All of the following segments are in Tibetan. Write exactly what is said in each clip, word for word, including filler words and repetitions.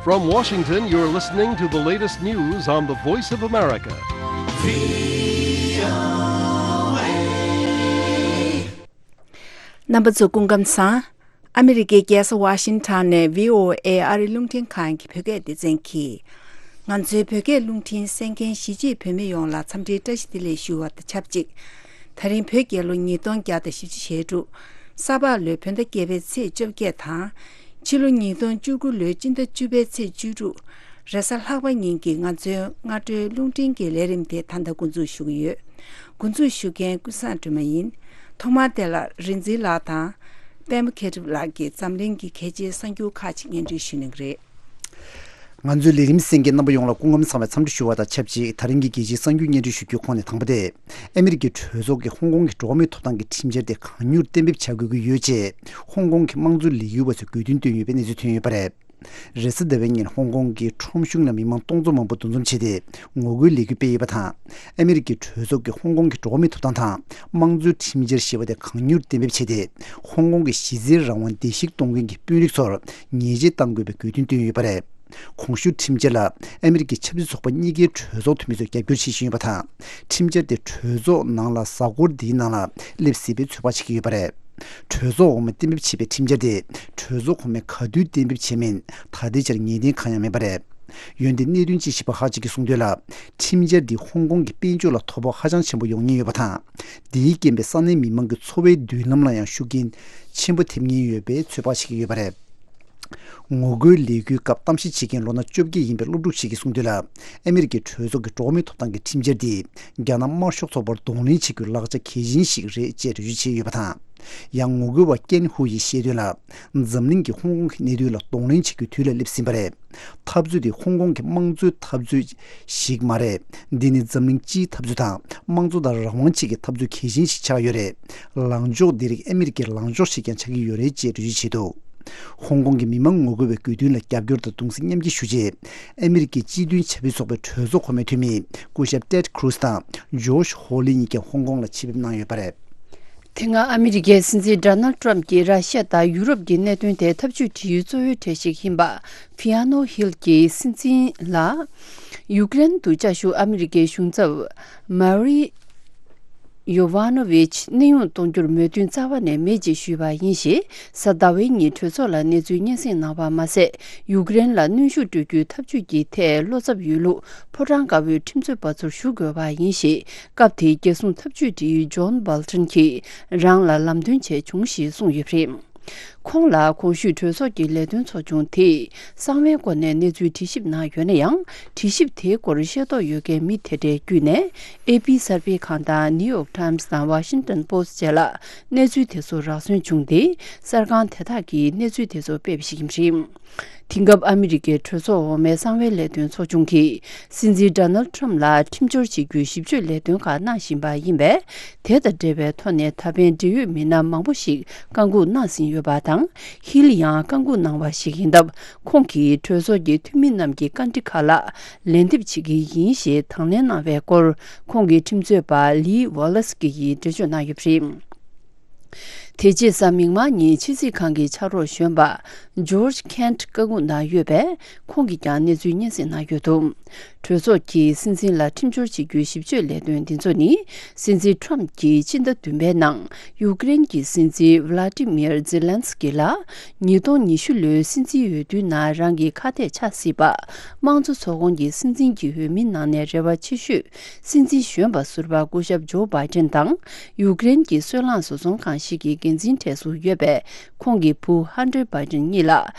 From Washington, you're listening to the latest news on the Voice of America. རྣམ་པ་ཚོ་སྐུ་ཁམས་བཟང་། ཨ་མི་རི་ཀའི་རྒྱལ་ས་ཝ་ཤིང་ཊོན་ནས་བྷི་ཨོ་ཨེ་ཨ་རི་རླུང་འཕྲིན་ཁང་གི་བོད་སྐད་སྡེ་ཚན་གྱིས། ང་ཚོའི་བོད་སྐད་རླུང་འཕྲིན་གསན་མཁན་གཞིས་བྱེས་བོད་མི་ཡོངས་ལ་འཚམས་འདྲིའི་བཀྲ་ཤིས་བདེ་ལེགས་ཞུ་བ་དང་ཆབས་ཅིག་ད་རིང་བོད་རྒྱལ་ལོ་ཉིས་སྟོང་བརྒྱ་དང་བཞི་བཅུ་ཞེ་དྲུག་ས་ཕག་ལོའི་བོད་ཟླ་བརྒྱད་པའི་ཚེས་བཅོ་བརྒྱད་དང་། ཕྱི་ལོ་ཉིས་སྟོང་བཅུ་དགུ་ལོའི་སྤྱི་ཟླ་བཅུ་པའི་ཚེས་བཅུ་དྲུག་རེས་གཟའ་ལྷག་པ་ཉིན་གྱི་ང་ཚོའི་སྔ་དྲོའི་རླུང་འཕྲིན་གྱི་ལས་རིམ་དེ་ད་ལྟ་འགོ་འཛུགས་ཞུ་གི་ཡོད། འགོ་འཛུགས་ཞུ་མཁན་ཀུན་བཟང་སྒྲོལ་མ་ཡིན། ཐོག་མར་དེ་ལ་རིག་འཛིན་ལགས་དང་། པད་མ་མཁས་གྲུབ་ལགས་ཀྱིས་འཛམ་གླིང་གི་གལ་ཆེའི་གསར་འགྱུར་ཁག་ཅིག་སྙན་སྒྲོན་ཞུ་གནང་གི་རེད། ང་ཚོའི་ལས་རིམ་གསན་མཁན་རྣམ་པ་ཡོངས་ལ་སྐུ་ཁམས་བཟང་བའི་འཚམས་འདྲི་ཞུ་བ་དང་ཆབས་ཅིག་ད་རིང་གི་རྒྱལ་སྤྱིའི་གསར་འགྱུར་སྙན་སྒྲོན་ཞུ་རྒྱུའི་ཁོངས་ནས་དང་པོ་དེ། ཨ་མི་རི་ཀའི་གྲོས་ཚོགས་ཀྱིས་ཧོང་ཀོང་གི་འགྲོ་བ་མིའི་ཐོབ་ཐང་གི་ཁྲིམས་འཆར་དེ་གང་མྱུར་གཏན་འབེབས་བྱ་དགོས་ཀྱི་ཡོད་ཅེས་ཧོང་ཀོང་གི་དམངས་གཙོ་ལས་འགུལ་བ་ཚོས་དགོས་འདུན་བཏོན་ཡོད་པའི་གནས་ཚུལ་ཐོན་ཡོད་པ་རེད། རེས་གཟའ་ཟླ་བའི་ཉིན་ཧོང་ཀོང་གི་ཁྲོམ་གཞུང་ལ་མི་མང་སྟོང་ཚོ་མང་པོ་འདུ་འཛོམས་བྱས་ཏེ་ངོ་རྒོལ་ལས་འགུལ་སྤེལ་ཡོད་པ་དང་། ཨ་མི་རི་ཀའི་གྲོས་ཚོགས་ཀྱིས་ཧོང་ཀོང་གི་འགྲོ་བ་མིའི་ཐོབ་ཐང་དང་དམངས་གཙོའི་ཁྲིམས་འཆར་ཞེས་པ་དེ་གང་མྱུར་གཏན་འབེབས་བྱས་ཏེ། ཧོང་ཀོང་གི་གཞི་རྩའི་རང་དབང་བརྡལ་བཤིག་གཏོང་མཁན་གྱི་དཔོན་རིགས་ཚོར་ཉེས་ཆད་གཏང་དགོས་པའི་དགོས་འདུན་བཏོན་ཡོད་པ་རེད། གོང་ཞུས་ཁྲིམས་འཆར་ལ་ཨ་མི་རི་ཀའི་ཆབ་སྲིད་ཚོགས་པ་གཉིས་ཀའི་གྲོས་ཚོགས་འཐུས་མི་ཚོས་རྒྱབ་སྐྱོར་བྱེད་བཞིན་ཡོད་པ་དང་། ཁྲིམས་འཆར་དེ་གྲོས་ཚོགས་ནང་ལ་གཟའ་འཁོར་འདིའི་ནང་ལ་སླེབས་སྲིད་པའི་ཚོད་དཔག་བྱེད་ཀྱི་ཡོད་པ་རེད། གྲོས་ཚོགས་འོག་མས་གཏན་འབེབས་བྱས་པའི་ཁྲིམས་འཆར་དེ་གྲོས་ཚོགས་གོང་མས་ག་དུས་གཏན་འབེབས་བྱས་མིན་ད་ལྟའི་ཆར་ངེས་གཏན་གང་ཡང་མེད་པ་རེད། འོན་ཏེ་གནད་དོན་དཔྱད་ཞིབ་པ་ཁག་ཅིག་གིས་གསུངས་དོན་ལ། ཁྲིམས་འཆར་འདིས་ཧོང་ཀོང་གི་དཔལ་འབྱོར་ལ་དོ་ཕོག་ཧ་ཅང་ཆེན་པོ་ཡོང་ཉེན་ཡོད་པ་དང་། འདིའི་རྐྱེན་པས་ས་གནས་མི་མང་གི་འཚོ་བའི་མདུན་ལམ་ལ་ཡང་ཤུགས་རྐྱེན་ཆེན་པོ་ཐེབས་ཉེན་ཡོད་པའི་ཚོད་དཔག་བྱེད་ཀྱི་ཡོད་པ་རེད། ངོ་རྒོལ་ལས་འགུལ་སྐབས་གཏམ་བཤད་བྱེད་མཁན་ལོ་ན་བཅོ་བརྒྱད་ཡིན་པའི་སློབ་ཕྲུག་ཞིག་གིས་གསུངས་དོན་ལ། ཨ་མི་རི་ཀའི་གྲོས་ཚོགས་ཀྱི་འགྲོ་བ་མིའི་ཐོབ་ཐང་གི་ཁྲིམས་འཆར་འདིས་རྒྱ་ནག་དམར་ཤོག་ཚོགས་པར་གདོང་ལེན་བྱེད་རྒྱུའི་ལག་ཆ་གལ་ཆེན་ཞིག་རེད་ཅེས་འགྲེལ་བརྗོད་བྱས་ཡོད་པ་དང་། ཡང་ངོ་རྒོལ་བ་ཀེན་ཧུ་ཡིས་བཤད་དོན་ལ། འཛམ་གླིང་གིས་ཧོང་ཀོང་གི་གནད་དོན་ལ་གདོང་ལེན་བྱེད་རྒྱུའི་དུས་ལ་སླེབས་ཟིན་པ་རེད། འཐབ་རྩོད་དེ་ཧོང་ཀོང་གི་དམངས་གཙོའི་འཐབ་རྩོད་ཞིག་མ་རེད། འདི་ནི་འཛམ་གླིང་སྤྱིའི་འཐབ་རྩོད་དང་དམངས་གཙོ་དང་རང་དབང་ཆེད་ཀྱི་འཐབ་རྩོད་གལ་ཆེན་ཞིག་ཆགས་ཡོད་རེད། ལངས་ཕྱོགས་འདི་རིགས་ཨ་མི་རི་ཀའི་ལངས་ཕྱོགས་ཤིག་ཀྱང་ཆགས་ཀྱི་ཡོད་རེད་ཅེས་འགྲེལ་བརྗོད་བྱས་འདུག་ཧོང་ཀོང་གི་མི་མང་ངོ་རྒོལ་བའི་དགོས་འདུན་ལ་རྒྱབ་སྐྱོར་དང་གདུང་སེམས་མཉམ་སྐྱེད་ཞུ་ཆེད། ཨ་མི་རི་ཀའི་སྤྱི་མཐུན་ཆབ་སྲིད་ཚོགས་པའི་གྲོས་ཚོགས་གོང་མའི་འཐུས་མི་སྐུ་ཞབས་ཏེད་ཁུ་རུ་སི་དང་ཇོརྗ་ཧོ་ལི་གཉིས་ཀྱང་ཧོང་ཀོང་ལ་ཆེད་ཕེབས་གནང་ཡོད་པ་རེད། དེ་སྔ་ཨ་མི་རི་ཀའི་སྲིད་འཛིན་ཌོ་ནལ་ཊམ་གྱིས་ར་ཤི་ཡ་དང་ཡུ་རོབ་ཀྱི་གནད་དོན་ཐད་ཐབས་ཇུས་སྒྲིག་ཡུལ་གཙོ་བོའི་གྲས་ཤིག་ཡིན་པ་ཕི་ཡ་ནོ་ཧིལ་གྱི་སྲིད་འཛིན་ལ་ཡུཀ་རེན་དུ་བཅའ་བཞུགས་ཨ་མི་རི་ཀའི་གཞུང་ཚབ་མ་རི་ཡོ་ཝ་ནོ་ཝིཆ་གནས་དབྱུང་གཏོང་རྒྱུར་མོས་མཐུན་རྩ་བ་ནས་མེད་ཅེས་ཞུས་པ་ཡིན་ཞེས། གཟའ་ཟླ་བའི་ཉིན་གྲོས་ཚོགས་ལ་གནས་ཚུལ་སྙན་སེང་གནང་བ་མ་ཟད། ཡུཀ་རེན་ལ་གནོན་ཤུགས་སྤྲོད་རྒྱུའི་ཐབས་ཇུས་ཀྱི་ཐད་བློ་འཚབ་ཡོད་ལུགས་ཕོ་བྲང་དཀར་པོའི་ཁྲིམས་རྩོད་པ་ཚོར་ཞུ་དགོས་པ་ཡིན་ཞེས། སྐབས་དེའི་རྒྱལ་སྲུང་ཐབས་ཇུས་སྒྲིག་ཡུལ་ཇོན་སྦལ་ཊོན་གྱིས་རང་ལ་ལམ་སྟོན་བྱས་བྱུང་ཞེས་གསུངས་ཡོད་པ་རེད། ཁོང་ལ་གོང་ཞུས་གྲོས་ཚོགས་ཀྱི་ལས་དོན་ཚོགས་ཆུང་དེས་གསང་བའི་སྐོར་ནས་གནས་ཚུལ་དྲི་ཞིབ་གནང་ཡོད་ན་ཡང་། དྲི་ཞིབ་དེའི་སྐོར་ཤེས་རྟོགས་ཡོད་མཁན་མི་དེ་འདྲའི་བརྒྱུད་ནས་ཨེ་པི་གསར་སྤེལ་ཁང་དང་ནིའུ་ཡོག་ཊའིམ་སི་དང་ཝ་ཤིང་ཊོན་པོ་སི་ཊི་བཅས་ལ་གནས་ཚུལ་དེ་ཚོ་རག་སོན་བྱུང་སྟེ། གསར་ཁང་དེ་དག་གིས་གནས་ཚུལ་དེ་ཚོ་སྤེལ་བ་ཞིག་ཡིན་པ་རེད། དེང་སྐབས་ཨ་མི་རི་ཀའི་གྲོས་ཚོགས་འོག་མའི་གསང་བའི་ལས་དོན་ཚོགས་ཆུང་གིས་སྲིད་འཛིན་ཌོ་ནལ་ཊམ་ལ་ཁྲིམས་སྦྱོར་བྱེད་རྒྱུའི་ཞིབ་དཔྱོད་ལས་དོན་ཁག་གནང་བཞིན་པ་ཡིན་པས། དེ་དང་འབྲེལ་བའི་ཐོག་ནས་ད་ཕན་འབྲེལ་ཡོད་མི་སྣ་མང་པོ་ཞིག་བཀའ་འགུག་གནང་ཟིན་ཡོད་པ་དང་། ཧིལ་ཡང་བཀའ་འགུག་གནང་བ་ཞིག་ཡིན་སྟབས། ཁོང་གིས་གྲོས་ཚོགས་ཀྱི་འཐུས་མི་རྣམས་ཀྱི་བཀའ་འདྲི་ཁག་ལ་ལན་འདེབས་བྱེད་ཀྱི་ཡིན་ཞེས་དང་ལེན་གནང་བའི་སྐོར། ཁོང་གི་ཁྲིམས་རྩོད་པ་ལི་ཝོ་ལེ་སི་ཀི་ཡིས་འགྲེལ་བརྗོད་གནང་ཡོད་པ་རེད། དེ་རྗེས་གཟའ་མིག་དམར་ཉིན་ཕྱི་སྲིད་ཁང་གི་ཕྱག་རོགས་གཞོན་པ་ཇོརྗ་ཁེན་ཊི་བཀའ་འགུག་གནང་ཡོད་པས། ཁོང་གིས་ཀྱང་གནས་ཚུལ་སྙན་སེང་གནང་ཡོད་འདུག་གྲོས་ཚོགས་ཀྱིས་སྲིད་འཛིན་ལ་ཁྲིམས་སྦྱོར་བྱེད་རྒྱུའི་ཞིབ་དཔྱོད་ལས་དོན་འདི་ཚོ་ནི། སྲིད་འཛིན་ཊམ་གྱིས་སྤྱི་ཟླ་བདུན་པའི་ནང་ཡུཀ་རེན་གྱི་སྲིད་འཛིན་ཝི་ལ་ཏི་མིར་ཛེ་ལན་སི་ཀི་ལ། ཉིས་སྟོང་ཉི་ཤུ་ལོའི་སྲིད་འཛིན་འོས་བསྡུའི་ནང་རང་གི་ཁ་གཏད་ཆགས་སྲིད་པ། དམངས་གཙོ་ཚོགས་ཁོངས་ཀྱི་སྲིད་འཛིན་གྱི་འོས་མིའི་ནང་ནས་རེ་བ་ཆེ་ཤོས། སྲིད་འཛིན་གཞོན་པ་ཟུར་པ་སྐུ་ཞབས་ཇོ་བྷའི་ཏིན་དང་། ཡུཀ་རེན་གྱི་སོལ་རླངས་བཟོ་ཚོང་ཁང་ཞིག་གི་འགན་འཛིན་གྲས་སུ་ཡོད་པའི་ཁོང་གི་བུ་ཧན་ཏྲེ་བྷའི་ཏིན་གཉིས་ལ་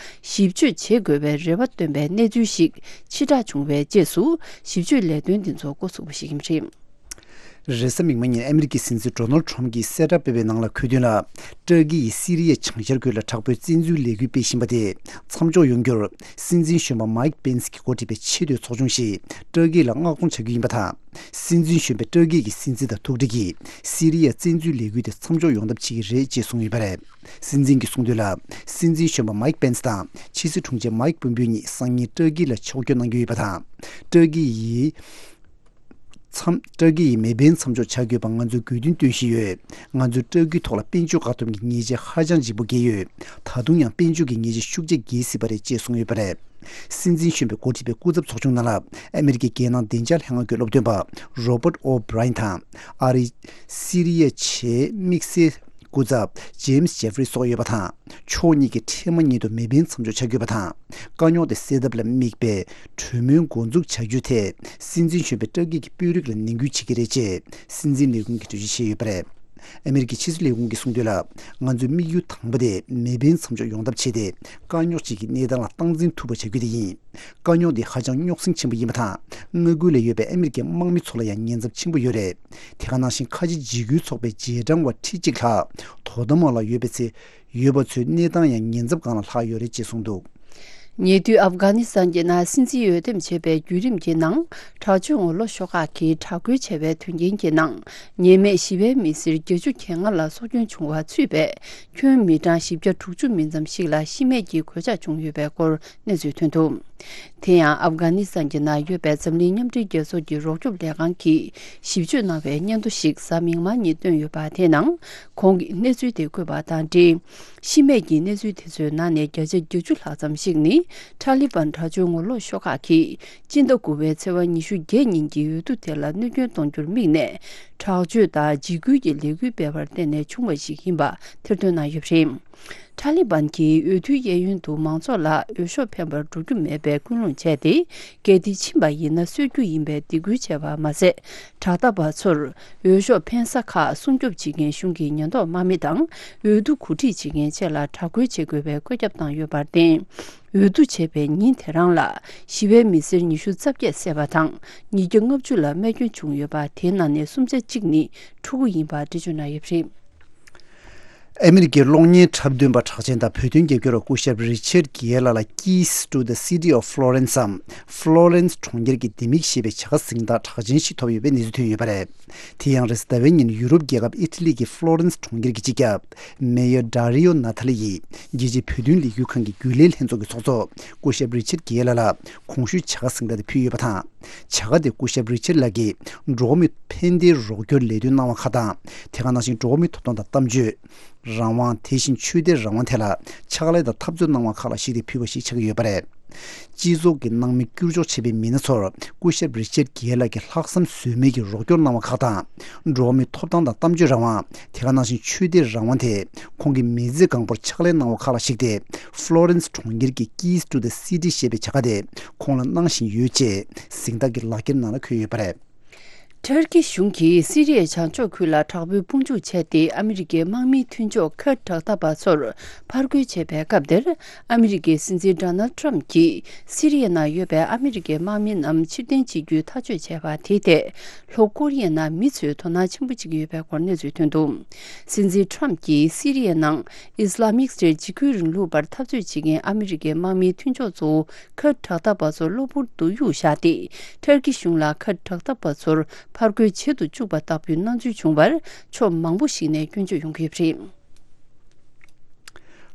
ཞིབ་དཔྱོད་བྱེད་དགོས་པའི་རེ་བ་བཏོན་པའི་གནས་ཚུལ་ཞིག་ཕྱིར་བསྒྲགས་བྱུང་བའི་རྗེས་སུ། ཞིབ་དཔྱོད་ལས་དོན་འདི་ཚོ་འགོ་ཚུགས་པ་ཞིག་ཡིན་པ་རེད། རེས་གཟའ་མིག་དམར་ཉིན་ཨ་མི་རི་ཀའི་སྲིད་འཛིན་ཌོ་ནལ་ཌི་ཊམ་གྱིས་གསལ་བསྒྲགས་སྤེལ་བའི་ནང་ལ་འཁོད་དོན་ལ། ཏུར་ཀི་ཡིས་སི་རི་ཡའི་བྱང་ཤར་ཁུལ་ལ་དྲག་པོའི་བཙན་འཛུལ་ལས་འགུལ་སྤེལ་བཞིན་པ་དེ་མཚམས་འཇོག་ཡོང་རྒྱུར། སྲིད་འཛིན་གཞོན་པ་མའིག་པེན་སི་གིས་འགོ་ཁྲིད་པའི་ཆེས་མཐོའི་ཚོགས་ཆུང་ཞིག་ཏུར་ཀི་ལ་མངགས་གཏོང་བྱ་རྒྱུ་ཡིན་པ་དང་། སྲིད་འཛིན་གཞོན་པས་ཏུར་ཀི་གི་སྲིད་འཛིན་དང་ཐུག་འཕྲད་ཀྱིས་སི་རི་ཡའི་བཙན་འཛུལ་ལས་འགུལ་དེ་མཚམས་འཇོག་ཡོང་ཐབས་བྱེད་ཀྱི་རེད་ཅེས་གསུངས་ཡོད་པ་རེད། སྲིད་འཛིན་གྱིས་གསུངས་དོན་ལ། སྲིད་འཛིན་གཞོན་པ་མའིག་པེན་སི་དང་ཕྱི་སྲིད་དྲུང་ཆེ་མའིག་པོམ་པིའོ་གཉིས་སང་ཉིན་ཏུར་ཀི་ལ་ཕྱོགས་བསྐྱོད་གནང་རྒྱུ་ཡོད་པ་དང་། ཏུར་ཀི་ཡིས། མཚམས་སྤྲ་གི་ཡི་མེ་འཕེན་མཚམས་འཇོག་བྱ་དགོས་པ་ང་ཚོས་དགོས་འདུན་བཏོན་བཞིན་ཡོད། ང་ཚོས་སྤྲ་གི་ཐོག་ལ་དཔལ་འབྱོར་བཀག་སྡོམ་གྱི་ཉེས་ཆད་ཧ་ཅང་ལྗིད་པོ་བཀལ་ཡོད། ད་དུང་ཡང་དཔལ་འབྱོར་གྱི་ཉེས་ཆད་ཤུགས་ཆེ་བཀལ་སྲིད་པ་རེད་ཅེས་གསུངས་ཡོད་པ་རེད། སྲིད་འཛིན་གཞོན་པས་འགོ་ཁྲིད་པའི་སྐུ་ཚབ་ཚོགས་ཆུང་ནང་ལ་ཨ་མེ་རི་ཀའི་རྒྱལ་ནང་བདེ་འཇགས་ལྷན་ཁང་གི་སློབ་སྟོན་པ་Robert O'Brien དང་ཨ་རིའི་སི་རི་ཡ་ཆེད་དམིགས་བསལ་སྐུ་ཚབ་James Jeffrey སོགས་ཡོད་པ་དང་། ཕྱོགས་གཉིས་ཀྱིས་འཕྲལ་མ་ཉིད་དུ་མེ་འཕེན་མཚམས་འཇོག་བྱ་དགོས་པ་དང་། དཀའ་རྙོག་དེ་སེལ་ཐབས་ལ་དམིགས་པའི་གྲོས་མོལ་འགོ་འཛུགས་བྱ་རྒྱུའི་ཐད། སྲིད་འཛིན་གཞོན་པས་སྤྲ་གི་གི་དཔོན་རིགས་ལ་ནན་སྐུལ་བྱེད་ཀྱི་རེད་ཅེས་སྲིད་འཛིན་ལས་ཁུངས་ཀྱིས་འགྲེལ་བརྗོད་བྱས་ཡོད་པ་རེད། ཨ་མེ་རི་ཀའི་ཕྱི་སྲིད་ལས་ཁུངས་ཀྱིས་གསུངས་དོན་ལ། ང་ཚོའི་དམིགས་ཡུལ་དང་པོ་དེ་མེ་འཕེན་མཚམས་འཇོག་ཡོང་ཐབས་བྱས་ཏེ། དཀའ་རྙོག་ཅིག་གི་གནས་སྟངས་ལ་སྟངས་འཛིན་ཐུབ་པ་བྱ་རྒྱུ་དེ་ཡིན། དཀའ་རྙོག་འདི་ཧ་ཅང་རྙོག་ཟིང་ཆེན་པོ་ཡིན་པ་དང་། མངའ་ཁུལ་ལ་ཡོད་པའི་ཨ་མེ་རི་ཀའི་དམག་མི་ཚོ་ལ་ཡང་ཉེན་ཚབས་ཆེན་པོ་ཡོད་རེད། དེ་ག་ནང་བཞིན་ཁ་ཆེ་འཇིགས་སྐུལ་ཚོགས་པའི་རྗེས་འབྲང་བ་ཁྲི་གཅིག་ལྷག་དོ་དམ་འོག་ལ་ཡོད་པའི་ཚེ། ཡོད་པ་ཚོའི་གནས་སྟངས་ཡང་ཉེན་ཚབས་སྒང་ལ་ལྷག་ཡོད་རེད་ཅེས་གསུངས་འདུག། ཉེ་དུས་ཨབ་གྷ་ནི་སི་ཐན་གྱི་ནང་སྲིད་འཛིན་འོས་འདེམས་བྱས་པའི་བརྒྱུད་རིམ་གྱི་ནང་། དྲག་སྤྱོད་ངོ་ལོག་ཤོག་ཁག་གིས་དྲག་རྒོལ་བྱས་པའི་དོན་རྐྱེན་གྱི་ནང་། ཉེས་མེད་ཞི་བའི་མི་སེར་བརྒྱད་ཅུ་གྱ་ལྔ་ལ་སྲོག་སྐྱོན་བྱུང་བ་ཚུད་པའི་ཁྱོན་མི་གྲངས་བཞི་བརྒྱ་དྲུག་ཅུ་མིན་ཙམ་ཞིག་ལ་ཤི་རྨས་ཀྱི་གོད་ཆག་བྱུང་ཡོད་པའི་སྐོར་གནས་ཚུལ་ཐོན་འདུག། དེ་ཡང་ཨབ་གྷ་ནི་སི་ཐན་གྱི་ནང་ཡོད་པའི་འཛམ་གླིང་མཉམ་འབྲེལ་རྒྱལ་ཚོགས་ཀྱི་རོགས་སྐྱོབ་ལས་ཁང་གིས་ཞིབ་དཔྱོད་གནང་བའི་སྙན་ཐོ་ཞིག་གཟའ་མིག་དམར་ཉིན་བཏོན་ཡོད་པ། དེའི་ནང་ཁོང་གིས་གནས་ཚུལ་དེ་བཀོད་པ་དང་འབྲེལ། ཤི་རྨས་ཀྱི་གནས་ཚུལ་དེ་ཚོའི་ནང་ནས་བརྒྱ་ཆ་བརྒྱད་ཅུ་ལྷག་ཙམ་ཞིག་ནི་ཐ་ལི་བན་དྲག་སྤྱོད་ངོ་ལོག་ཤོག་ཁག་གིས་སྤྱི་ཟླ་དགུ་པའི་ཚེས་པ་ཉི་ཤུ་བརྒྱད་ཉིན་གྱི་འོས་བསྡུ་དེ་ལ་གནོད་སྐྱོན་གཏོང་རྒྱུར་དམིགས་ནས་དྲག་སྤྱོད་དང་འཇིགས་སྐུལ་གྱི་ལས་འགུལ་སྤེལ་བར་བརྟེན་ནས་བྱུང་བ་ཞིག་ཡིན་པ་ཐེར་འདོན་གནང་ཡོད་པ་རེད། ཐ་ལི་བན་གྱིས་འོས་བསྡུའི་གཡས་གཡོན་དུ་མང་ཚོགས་ལ་འོས་ཤོག་འཕེན་པར་འགྲོ་རྒྱུ་མེད་པའི་ཀུན་སློང་བྱས་ཏེ། གལ་ཏེ་ཕྱིན་པ་ཡིན་ན་གསོད་རྒྱུ་ཡིན་པའི་སྡིགས་སྐུལ་བྱས་པ་མ་ཟད། དྲག་འཐབ་པ་ཚོར་འོས་ཤོག་འཕེན་ས་ཁག་སྲུང་སྐྱོབ་བྱེད་མཁན་གཞུང་གི་ཉེན་རྟོག་དམག་མི་དང་། འོས་བསྡུ་གོ་སྒྲིག་བྱེད་མཁན་བཅས་ལ་དྲག་རྒོལ་བྱེད་དགོས་པའི་བཀོད་ཁྱབ་བཏང་ཡོད་པར་བརྟེན། འོས་བསྡུ་བྱས་པའི་ཉིན་དེ་རང་ལ་ཞི་བའི་མི་སེར་ཉི་ཤུ་རྩ་བརྒྱད་བསད་པ་དང་། ཉིས་བརྒྱ་ལྔ་བཅུ་ལ་རྨས་སྐྱོན་བྱུང་ཡོད་པ། དེའི་ནང་ནས་སུམ་ཆ་གཅིག་ནི་ཕྲུ་གུ་ཡིན་པ་འགྲེལ་བརྗོད་གནང་ཡོད་པ་རེད། ཨ་མི་རི་ཀའི་གློག་བརྙན་འཁྲབ་སྟོན་པ་གྲགས་ཅན་དང་བོད་དོན་རྒྱབ་སྐྱོར་བ་སྐུ་ཞབས་རི་ཆར་གྱི་ལ་ལ། Keys to the City of Florence འམ། ཕློ་རན་སི་གྲོང་ཁྱེར་གྱི་ལྡེ་མིག་ཞེས་པའི་བྱ་དགའ་གཟེངས་རྟགས་གྲགས་ཅན་ཞིག་ཐོབ་ཡོད་པའི་གནས་ཚུལ་ཐོན་ཡོད་པ་རེད། དེ་ཡང་རེས་གཟའ་ཟླ་བའི་ཉིན་ཡུ་རོབ་རྒྱལ་ཁབ་ཨི་ཊ་ལི་གི་ཕློ་རན་སི་གྲོང་ཁྱེར་གྱི་སྤྱི་ཁྱབ་མེ་ཡོར་ཌ་རི་ཡོ་ན་ཐ་ལི་ཡིས་རྒྱལ་སྤྱིའི་བོད་དོན་ལས་འགུལ་ཁང་གི་རྒྱུན་ལས་ལྷན་ཚོགས་ཀྱི་ཚོགས་གཙོ་སྐུ་ཞབས་རི་ཆར་གྱི་ལ་ལ་གོང་ཞུས་བྱ་དགའ་གཟེངས་རྟགས་དེ་ཕུལ་ཡོད་པ་དང་། བྱ་དགའ་དེ་སྐུ་ཞབས་རི་ཆར་ལགས་ཀྱིས་འགྲོ་བ་མིའི་ཕན་བདེའི་རོགས་སྐྱོར་ལས་དོན་གནང་བ་ཁག་དང་། དེ་ག་ནང་བཞིན་འགྲོ་བ་མིའི་ཐོབ་ཐང་དང་གཏམ་བརྗོད་རང་དབང་། དེ་བཞིན་ཆོས་དད་རང་དབང་ཐད་ལ་ཕྱག་ལས་དང་འཐབ་རྩོད་གནང་བ་ཁག་ལ་གཞིགས་ཏེ་ཕུལ་བ་ཞིག་ཆགས་ཀྱི་ཡོད་པ་རེད། སྤྱི་ཚོགས་ཀྱི་ནང་མི་བསྐྱུར་འཇོག་བྱས་པའི་མི་སྣ་ཚོར་སྐུ་ཞབས་རི་ཆར་གྱི་ལགས་ཀྱིས་ལྷག་བསམ་ཟོལ་མེད་ཀྱིས་རོགས་སྐྱོར་གནང་བ་ཁག་དང་། འགྲོ་བ་མིའི་ཐོབ་ཐང་དང་གཏམ་བརྗོད་རང་དབང་། དེ་ག་ནང་བཞིན་ཆོས་དད་རང་དབང་ཐད་ཁོང་གིས་མི་ཚེ་གང་པོར་ཕྱག་ལས་གནང་བ་ཁག་ལ་གཞིགས་ཏེ། ཕློ་རན་སི་གྲོང་ཁྱེར་གྱི་Keys to the City ཞེས་པའི་བྱ་དགའ་དེ་ཁོང་ལ་གནང་བཞིན་ཡོད་ཅེས་གཟེངས་རྟགས་ཀྱི་ལག་འཁྱེར་ནང་ལ་འཁོད་ཡོད་པ་རེད། ཊར་ཀི་གཞུང་གིས་སི་རི་ཡའི་བྱང་ཕྱོགས་ཁུལ་ལ་དྲག་པོའི་དཔུང་འཇུག་བྱས་ཏེ། ཨ་མི་རི་ཀའི་དམག་མིའི་མཐུན་ཕྱོགས་ཁུར་ཌི་དྲག་འཐབ་པ་ཚོར་ཕར་རྒོལ་བྱས་པའི་སྐབས་དེར། ཨ་མི་རི་ཀའི་སྲིད་འཛིན་ཌོ་ནལ་ཊམ་གྱིས་སི་རི་ཡའི་ནང་ཡོད་པའི་ཨ་མི་རི་ཀའི་དམག་མི་རྣམས་ཕྱིར་འཐེན་བྱེད་རྒྱུའི་ཐག་གཅོད་བྱས་པ་དེའི་ཐད། ལྷོ་ཀོ་རི་ཡའི་ནང་མི་ཚོས་དོ་སྣང་ཆེན་པོ་བྱེད་ཀྱི་ཡོད་པའི་སྐོར་གནས་ཚུལ་ཐོན་འདུག། སྲིད་འཛིན་ཊམ་གྱིས་སི་རི་ཡའི་ནང་ཨིས་ལ་མིག་སི་ཊེཊ་འཇིགས་སྐུལ་རིང་ལུགས་པར་འཐབ་རྩོད་བྱེད་མཁན་ཨ་མི་རི་ཀའི་དམག་མིའི་མཐུན་ཕྱོགས་ཚོ། ཁུར་ཌི་དྲག་འཐབ་པ་ཚོ་གློ་བུར་དུ་གཡུག་བཞག་སྟེ། ཊར་ཀི་གཞུང་ལ་ཁུར་ཌི་དྲག་འཐབ་པ་ཚོར་ཕར་རྒོལ་བྱེད་དུ་བཅུག་པ་ལྟ་བུའི་སྣང་ཚུལ་བྱུང་བར། ཕྱོགས་མང་པོ་ཞིག་ནས་སྐྱོན་བརྗོད་ཡོང་གི་ཡོད་པ་རེད།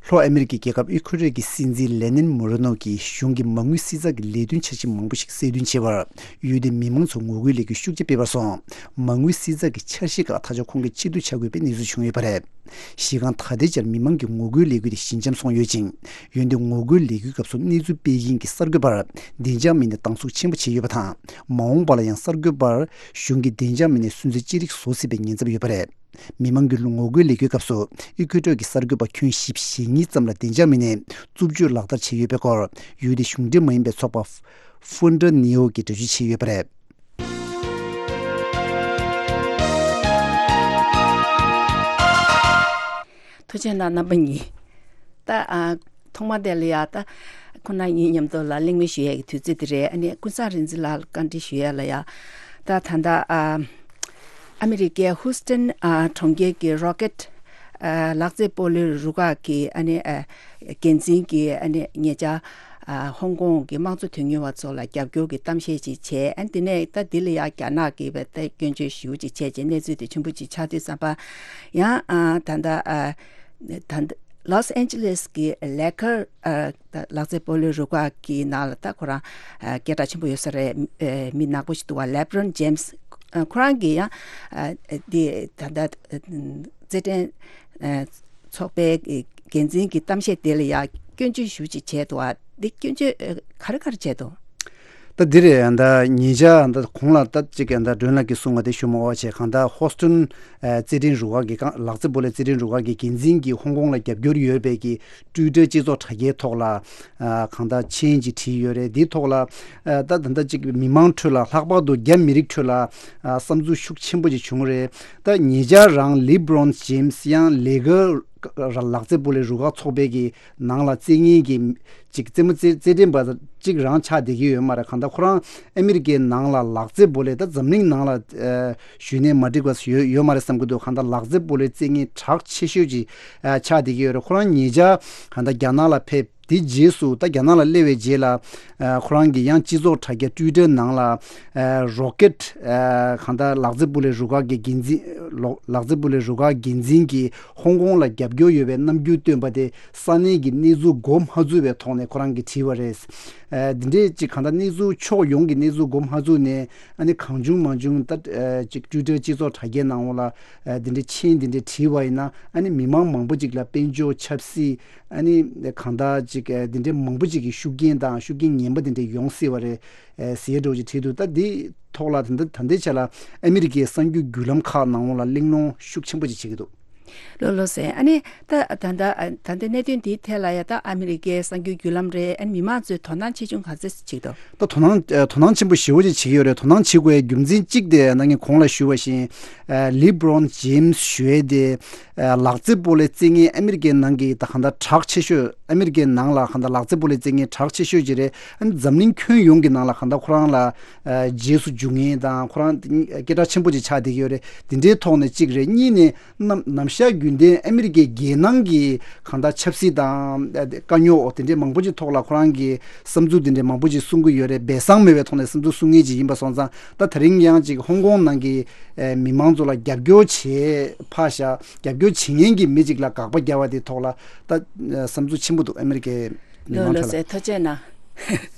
ལྷོ་ཨ་མི་རི་ཀའི་རྒྱལ་ཁབ་ཨི་ཁུ་ཊོར་གྱི་སྲིད་འཛིན་ལེ་ནིན་མོ་རེ་ནོ་གྱིས་གཞུང་གི་མ་དངུལ་བསྲི་ཚགས་ཀྱི་ལས་དོན་འཆར་གཞི་མང་པོ་ཞིག་གསལ་སྟོན་བྱས་པར། ཡུལ་དེའི་མི་མང་ཚོ་ངོ་རྒོལ་ལས་འགུལ་ཤུགས་ཆེ་སྤེལ་བར་སོང་། མ་དངུལ་བསྲི་ཚགས་ཀྱི་འཆར་གཞི་ཁག་ད་ཆ་ཁོང་གིས་ཕྱིར་བསྡུ་བྱ་དགོས་པའི་གནས་ཚུལ་བྱུང་ཡོད་པ་རེད། གཞི་རྐང་ད་ལྟའི་ཆར་མི་མང་གི་ངོ་རྒོལ་ལས་འགུལ་དེ་ཞི་འཇམ་སོང་ཡོད་ཅིང་། འོན་ཏེ་ངོ་རྒོལ་ལས་འགུལ་སྐབས་སུ་གནས་ཚུལ་སྤེལ་མཁན་གྱི་གསར་འགོད་པར་བདེ་འཇགས་མི་སྣས་སྡང་ཟུག་ཆེན་པོ་བྱས་ཡོད་པ་དང་། མ་འོངས་པ་ལ་ཡང་གསར་འགོད་པར་གཞུང་གི་བདེ་འཇགས་མི་སྣས་སུན་གཙེར་ཅི་རིགས་བཟོ་སྲིད་པའི་ཉེན་ཚབས་ཡོད་པ་རེད། མི་མང་གི་ངོ་རྒོལ་ལས་འགུལ་སྐབས་སུ་ཨི་ཁུ་ཊོར་གྱི་གསར་འགོད་པ་ཁྱོན་བཞི་བཅུ་ཞེ་གཉིས་ཙམ་ལ་བདེ་འཇགས་མི་སྣས་རྩུབ་སྤྱོད་ལག་བསྟར་བྱས་ཡོད་པའི་སྐོར་ཡུལ་དེའི་གཞུང་འབྲེལ་མ་ཡིན་པའི་ཚོགས་པ་ཧྥུན་ཏྲ་ནེའོ་གིས་འགྲེལ་བརྗོད་བྱས་ཡོད་པ་རེད། ཐུགས་རྗེ་གནང་རྣམ་པ་གཉིས། ད་ཨ་ཐོག་མ་དེ་ལ་ཡ་ད་ཁོ་ན་ཉིད་མཉམ་དུ་ལ་གླེང་མོལ་ཞུ་ཡས་ཀྱི་དུས་ཚོད་དེ་རེད། ཨ་ནི་ཀུན་བཟང་རིག་འཛིན་ལགས་ལ་བཀའ་འདྲི་ཞུ་ཡས་ལ་ཡ། ད་ད་ལྟ་ཨ་ཨ་མི་རི་ཀའི་ཧུ་སི་ཏན་ཨ་གྲོང་ཁྱེར་གྱི་རོ་ཀེད་ཨ་ལག་རྩེད་སྤོ་ལོའི་རུ་ཁག་གི་ཨ་ནི་ཨ་འགན་འཛིན་གྱི་ཨ་ནི་ཉེ་ཆར་ཨ་ཧོང་ཀོང་གི་དམངས་གཙོ་དོན་གཉེར་བ་ཚོ་ལ་རྒྱབ་སྐྱོར་གྱི་གཏམ་བཤད་ཅིག་བྱས། ཨ་དེ་ནས་ད་འདི་ལ་ཡང་རྒྱ་ནག་གིས་བས་ད་སྐྱོན་བརྗོད་ཞེ་པོ་ཅིག་བྱས་རྗེས་གནས་ཚུལ་དེ་ཆེན་པོ་ཅིག་ཆགས་དུས་ཙམ་པ། ཡང་ཨ་ད་ལྟ་ཨ་ད་ལྟ་ལོས་ཨན་ཇི་ལེས་ཀྱི་ལེ་ཁར་ཨ་ད་ལག་རྩེད་སྤོ་ལོའི་རུ་ཁག་གི་ནང་ལ་ད་ཁོ་རང་ཨ་སྐད་གྲགས་ཆེན་པོ་ཡོད་ས་རེད། ཨ་མི་ནག་པོ་ཞིག་འདུག་བ། ལེབ་རོན་ཇེམ་སི་ ཨ། ཁོ་རང་གིས་ཡང་ཨ་འདི་ད་ལྟ་རྩེད་འགྲན་ཨ་ཚོགས་པའི་འགན་འཛིན་གྱི་གཏམ་བཤད་དེ་ལ་ཡང་སྐྱོན་བརྗོད་ཞེ་པོ་ཅིག་བྱས་འདུག་ཨ། འདི་སྐྱོན་བརྗོད་ཨ་ག་རེ་ག་རེ་བྱས་འདུག་ད་འདི་རེད། ད་ཉེ་ཆར་ད་གོང་ལ་ད་ཅིག་ད་སྒྲོན་ལགས་ཀྱིས་གསུངས་པ་དེ་ཞུ་མ་དགོས་པ་བྱས། གང་ལྟར་ཧོ་སི་ཊོན་ཨ་རྩེད་འགྲན་རུ་ཁག་གི་ལག་རྩེད་སྤོ་ལོའི་རྩེད་འགྲན་རུ་ཁག་གི་འགན་འཛིན་གྱིས་ཧོང་ཀོང་ལ་རྒྱབ་སྐྱོར་ཡོད་པའི་གི་ཊུའི་ཊར་སྤྱི་ཚོགས་དྲ་རྒྱའི་ཐོག་ལ་ཨ་གང་ལྟར་མཆན་ཅིག་བྲིས་ཡོད་རེད། འདིའི་ཐོག་ལ་ཨ་ད་ད་ལྟ་ཅིག་མི་མང་ཁྲོད་ལ་ལྷག་པར་དུ་རྒྱ་མི་རིགས་ཁྲོད་ལ་ཨ་བསམ་ཚུལ་ཤུགས་ཆེན་པོ་ཅིག་བྱུང་རེད། ད་ཉེ་ཆར་རང་ལི་བྷི་རོན་ཇེམ་སི་ཡང་ལེ་ཀར་ལག་རྩེད་སྤོ་ལོའི་རུ་ཁག་ཚོགས་པའི་གི་ནང་ལ་རྩེད་མཁན་གྱི་ཅིག་རྩེད་མོ་རྩེ་རྩེད་འགྲན་པ་ཅིག་རང་ཆགས་བསྡད་ཀྱི་ཡོད་མ་རེད། གང་ལྟར་ཁོ་རང་ཨ་མི་རི་ཀའི་ནང་ལ་ལག་རྩེད་སྤོ་ལོའི་ད་འཛམ་གླིང་ནང་ལ་ཨ་ཞུས་ནས་མ་འགྲིག་པ་ཡོད་ཡོད་མ་རེད་བསམ་གྱི་འདུག་གང་ལྟར་ལག་རྩེད་སྤོ་ལོའི་རྩེད་མཁན་གྲགས་ཆེ་ཤོས་ཅིག་ཨ་ཆགས་བསྡད་ཀྱི་ཡོད་རེད། ཁོ་རང་ཉེ་ཆར་གང་ལྟར་རྒྱ་ནག་ལ་ཕེབས། དེ་རྗེས་སུ་ད་རྒྱ་ནག་ལ་སླེབས་པའི་རྗེས་ལ་ཨ་ཁོ་རང་གིས་ཡང་སྤྱི་ཚོགས་དྲ་རྒྱ་ཊུའི་ཊར་ནང་ལ་ཨ་རོ་ཀེཊ་ཨ་གང་ལྟར་ལག་རྩེད་སྤོ་ལོའི་རུ་ཁག་གི་འགན་འཛིན་ལོ་ལག་རྩེད་སྤོ་ལོའི་རུ་ཁག་འགན་འཛིན་གྱིས་ཧོང་ཀོང་ལ་རྒྱབ་སྐྱོར་ཡོད་པའི་རྣམ་འགྱུར་སྟོན་པ་དེ་ས་གནས་ཀྱི་གནས་ཚུལ་མགོ་མ་ཚོས་པའི་ཐོག་ནས་ཁོ་རང་གིས་བྲིས་པ་རེད། ཨ་འདི་འདྲའི་ཅིག་གང་ལྟར་གནས་ཚུལ་ཕྱོགས་ཡོངས་ཀྱི་གནས་ཚུལ་མགོ་མ་ཚོས་ནས་ཨ་ནི་གང་བྱུང་མང་བྱུང་ད་ཨ་ཅིག་ཊུའི་ཊར་སྤྱི་ཚོགས་དྲ་རྒྱའི་ནང་འོག་ལ་ཨ་འདི་འདྲའི་མཆན་འདི་འདྲའི་བྲིས་པ་ཡིན་ན་ཨ་ནི་མི་མང་མང་པོ་ཅིག་ལ་དཔལ་འབྱོར་ཆབ་སྲིད། ཨ་ནི་གང་ལྟར་ཅིག་ཨ་འདི་འདྲའི་མང་པོ་ཅིག་གི་ཤུགས་རྐྱེན་དང་ཤུགས་རྐྱེན་ངན་པ་འདི་འདྲ་ཡོང་སྲིད་པ་རེད་ཨ་ཟེར་འདྲ་བོ་ཅིག་བྲིས་འདུག་ད་འདི་ཐོག་ལ་ད་ལྟ་ད་ལྟའི་ཆ་ལ་ཨ་མི་རི་ཀའི་གསར་འགྱུར་བརྒྱུད་ལམ་ཁག་ནང་ལ་གླེང་སློང་ཤུགས་ཆེན་པོ་ཅིག་བྱེད་ཀྱི་འདུག་ལགས་ལགས་སོ། ཨ་ནི་ད་ད་ལྟ་ཨ་ད་ལྟའི་གནད་དོན་འདིའི་ཐད་ལ་ཡ་ད་ཨ་མི་རི་ཀའི་གསར་འགྱུར་བརྒྱུད་ལམ་རེད། ཨ་ནི་མི་མང་ཚོས་དོ་སྣང་ཆེ་ཆུང་ག་ཚོད་བྱེད་ཀྱི་འདུག་ད་དོ་སྣང་ཨ་དོ་སྣང་ཆེན་པོ་ཞེ་པོ་ཅིག་བྱེད་ཀྱི་ཡོད་རེད། དོ་སྣང་བྱེད་དགོས་པའི་རྒྱུ་མཚན་གཅིག་དེ་ད་ངས་གོང་ལ་ཞུས་པ་བཞིན་ཨ་ལི་བྷི་རོན་ཇེམ་སི་ཞུ་ཡས་དེ། ཨ་ལག་རྩེད་སྤོ་ལོའི་རྩེད་མཁན་ཨ་མི་རི་ཀའི་ནང་གི་ད་གང་ལྟར་གྲགས་ཆེ་ཤོས། ཨ་མི་རི་ཀའི་ནང་ལ་གང་ལྟར་ལག་རྩེད་སྤོ་ལོའི་རྩེད་མཁན་གྲགས་ཆེ་ཤོས་ཅིག་རེད། ཨ་ནི་འཛམ་གླིང་ཁྱོན་ཡོངས་ཀྱི་ནང་ལ་གང་ལྟར་ཁོ་རང་ལ་ཨ་རྗེས་སུ་འཇུག་མཁན་དང་ཁོ་རང་སྐད་གྲགས་ཆེན་པོ་ཅིག་ཆགས་བསྡད་ཀྱི་ཡོད་རེད། དེ་འདྲའི་ཐོག་ནས་གཅིག་རེད། གཉིས་ནས་ནམ་ནམ་ཞག་རྒྱུན་ལྡན་ཨ་མི་རི་ཀའི་རྒྱལ་ནང་གི་གང་ལྟར་ཆབ་སྲིད་དང་ཨ་དཀའ་རྙོག་དེ་འདྲའི་མང་པོ་ཅིག་ཐོག་ལ་ཁོ་རང་གི་བསམ་ཚུལ་དེ་འདྲའི་མང་པོ་ཅིག་གསུང་གི་ཡོད་རེད། སྦས་གསང་མེད་པའི་ཐོག་ནས་བསམ་ཚུལ་གསུང་མཁན་ཅིག་ཡིན་པ་སོང་ཙང་། ད་དེ་རིང་ཡང་ཅིག་ཧོང་ཀོང་ནང་གི་ཨེ་མི་མང་ཚོ་ལ་རྒྱབ་སྐྱོར་བྱེད་ཕར་བཞག་རྒྱབ་སྐྱོར་བྱེད་མཁན་གྱི་མི་ཅིག་ལ་དགག་པ་རྒྱག་པ་དེའི་ཐོག་ལ་ད་ཨེ་བསམ་ཚུལ་ཆེན་པོ་འདུག་ཨ་མི་རི་ཀའི་མི་ལགས་མང་ལགས་ཚོ་ལ། སེ་ཐུགས་རྗེ་གནང་།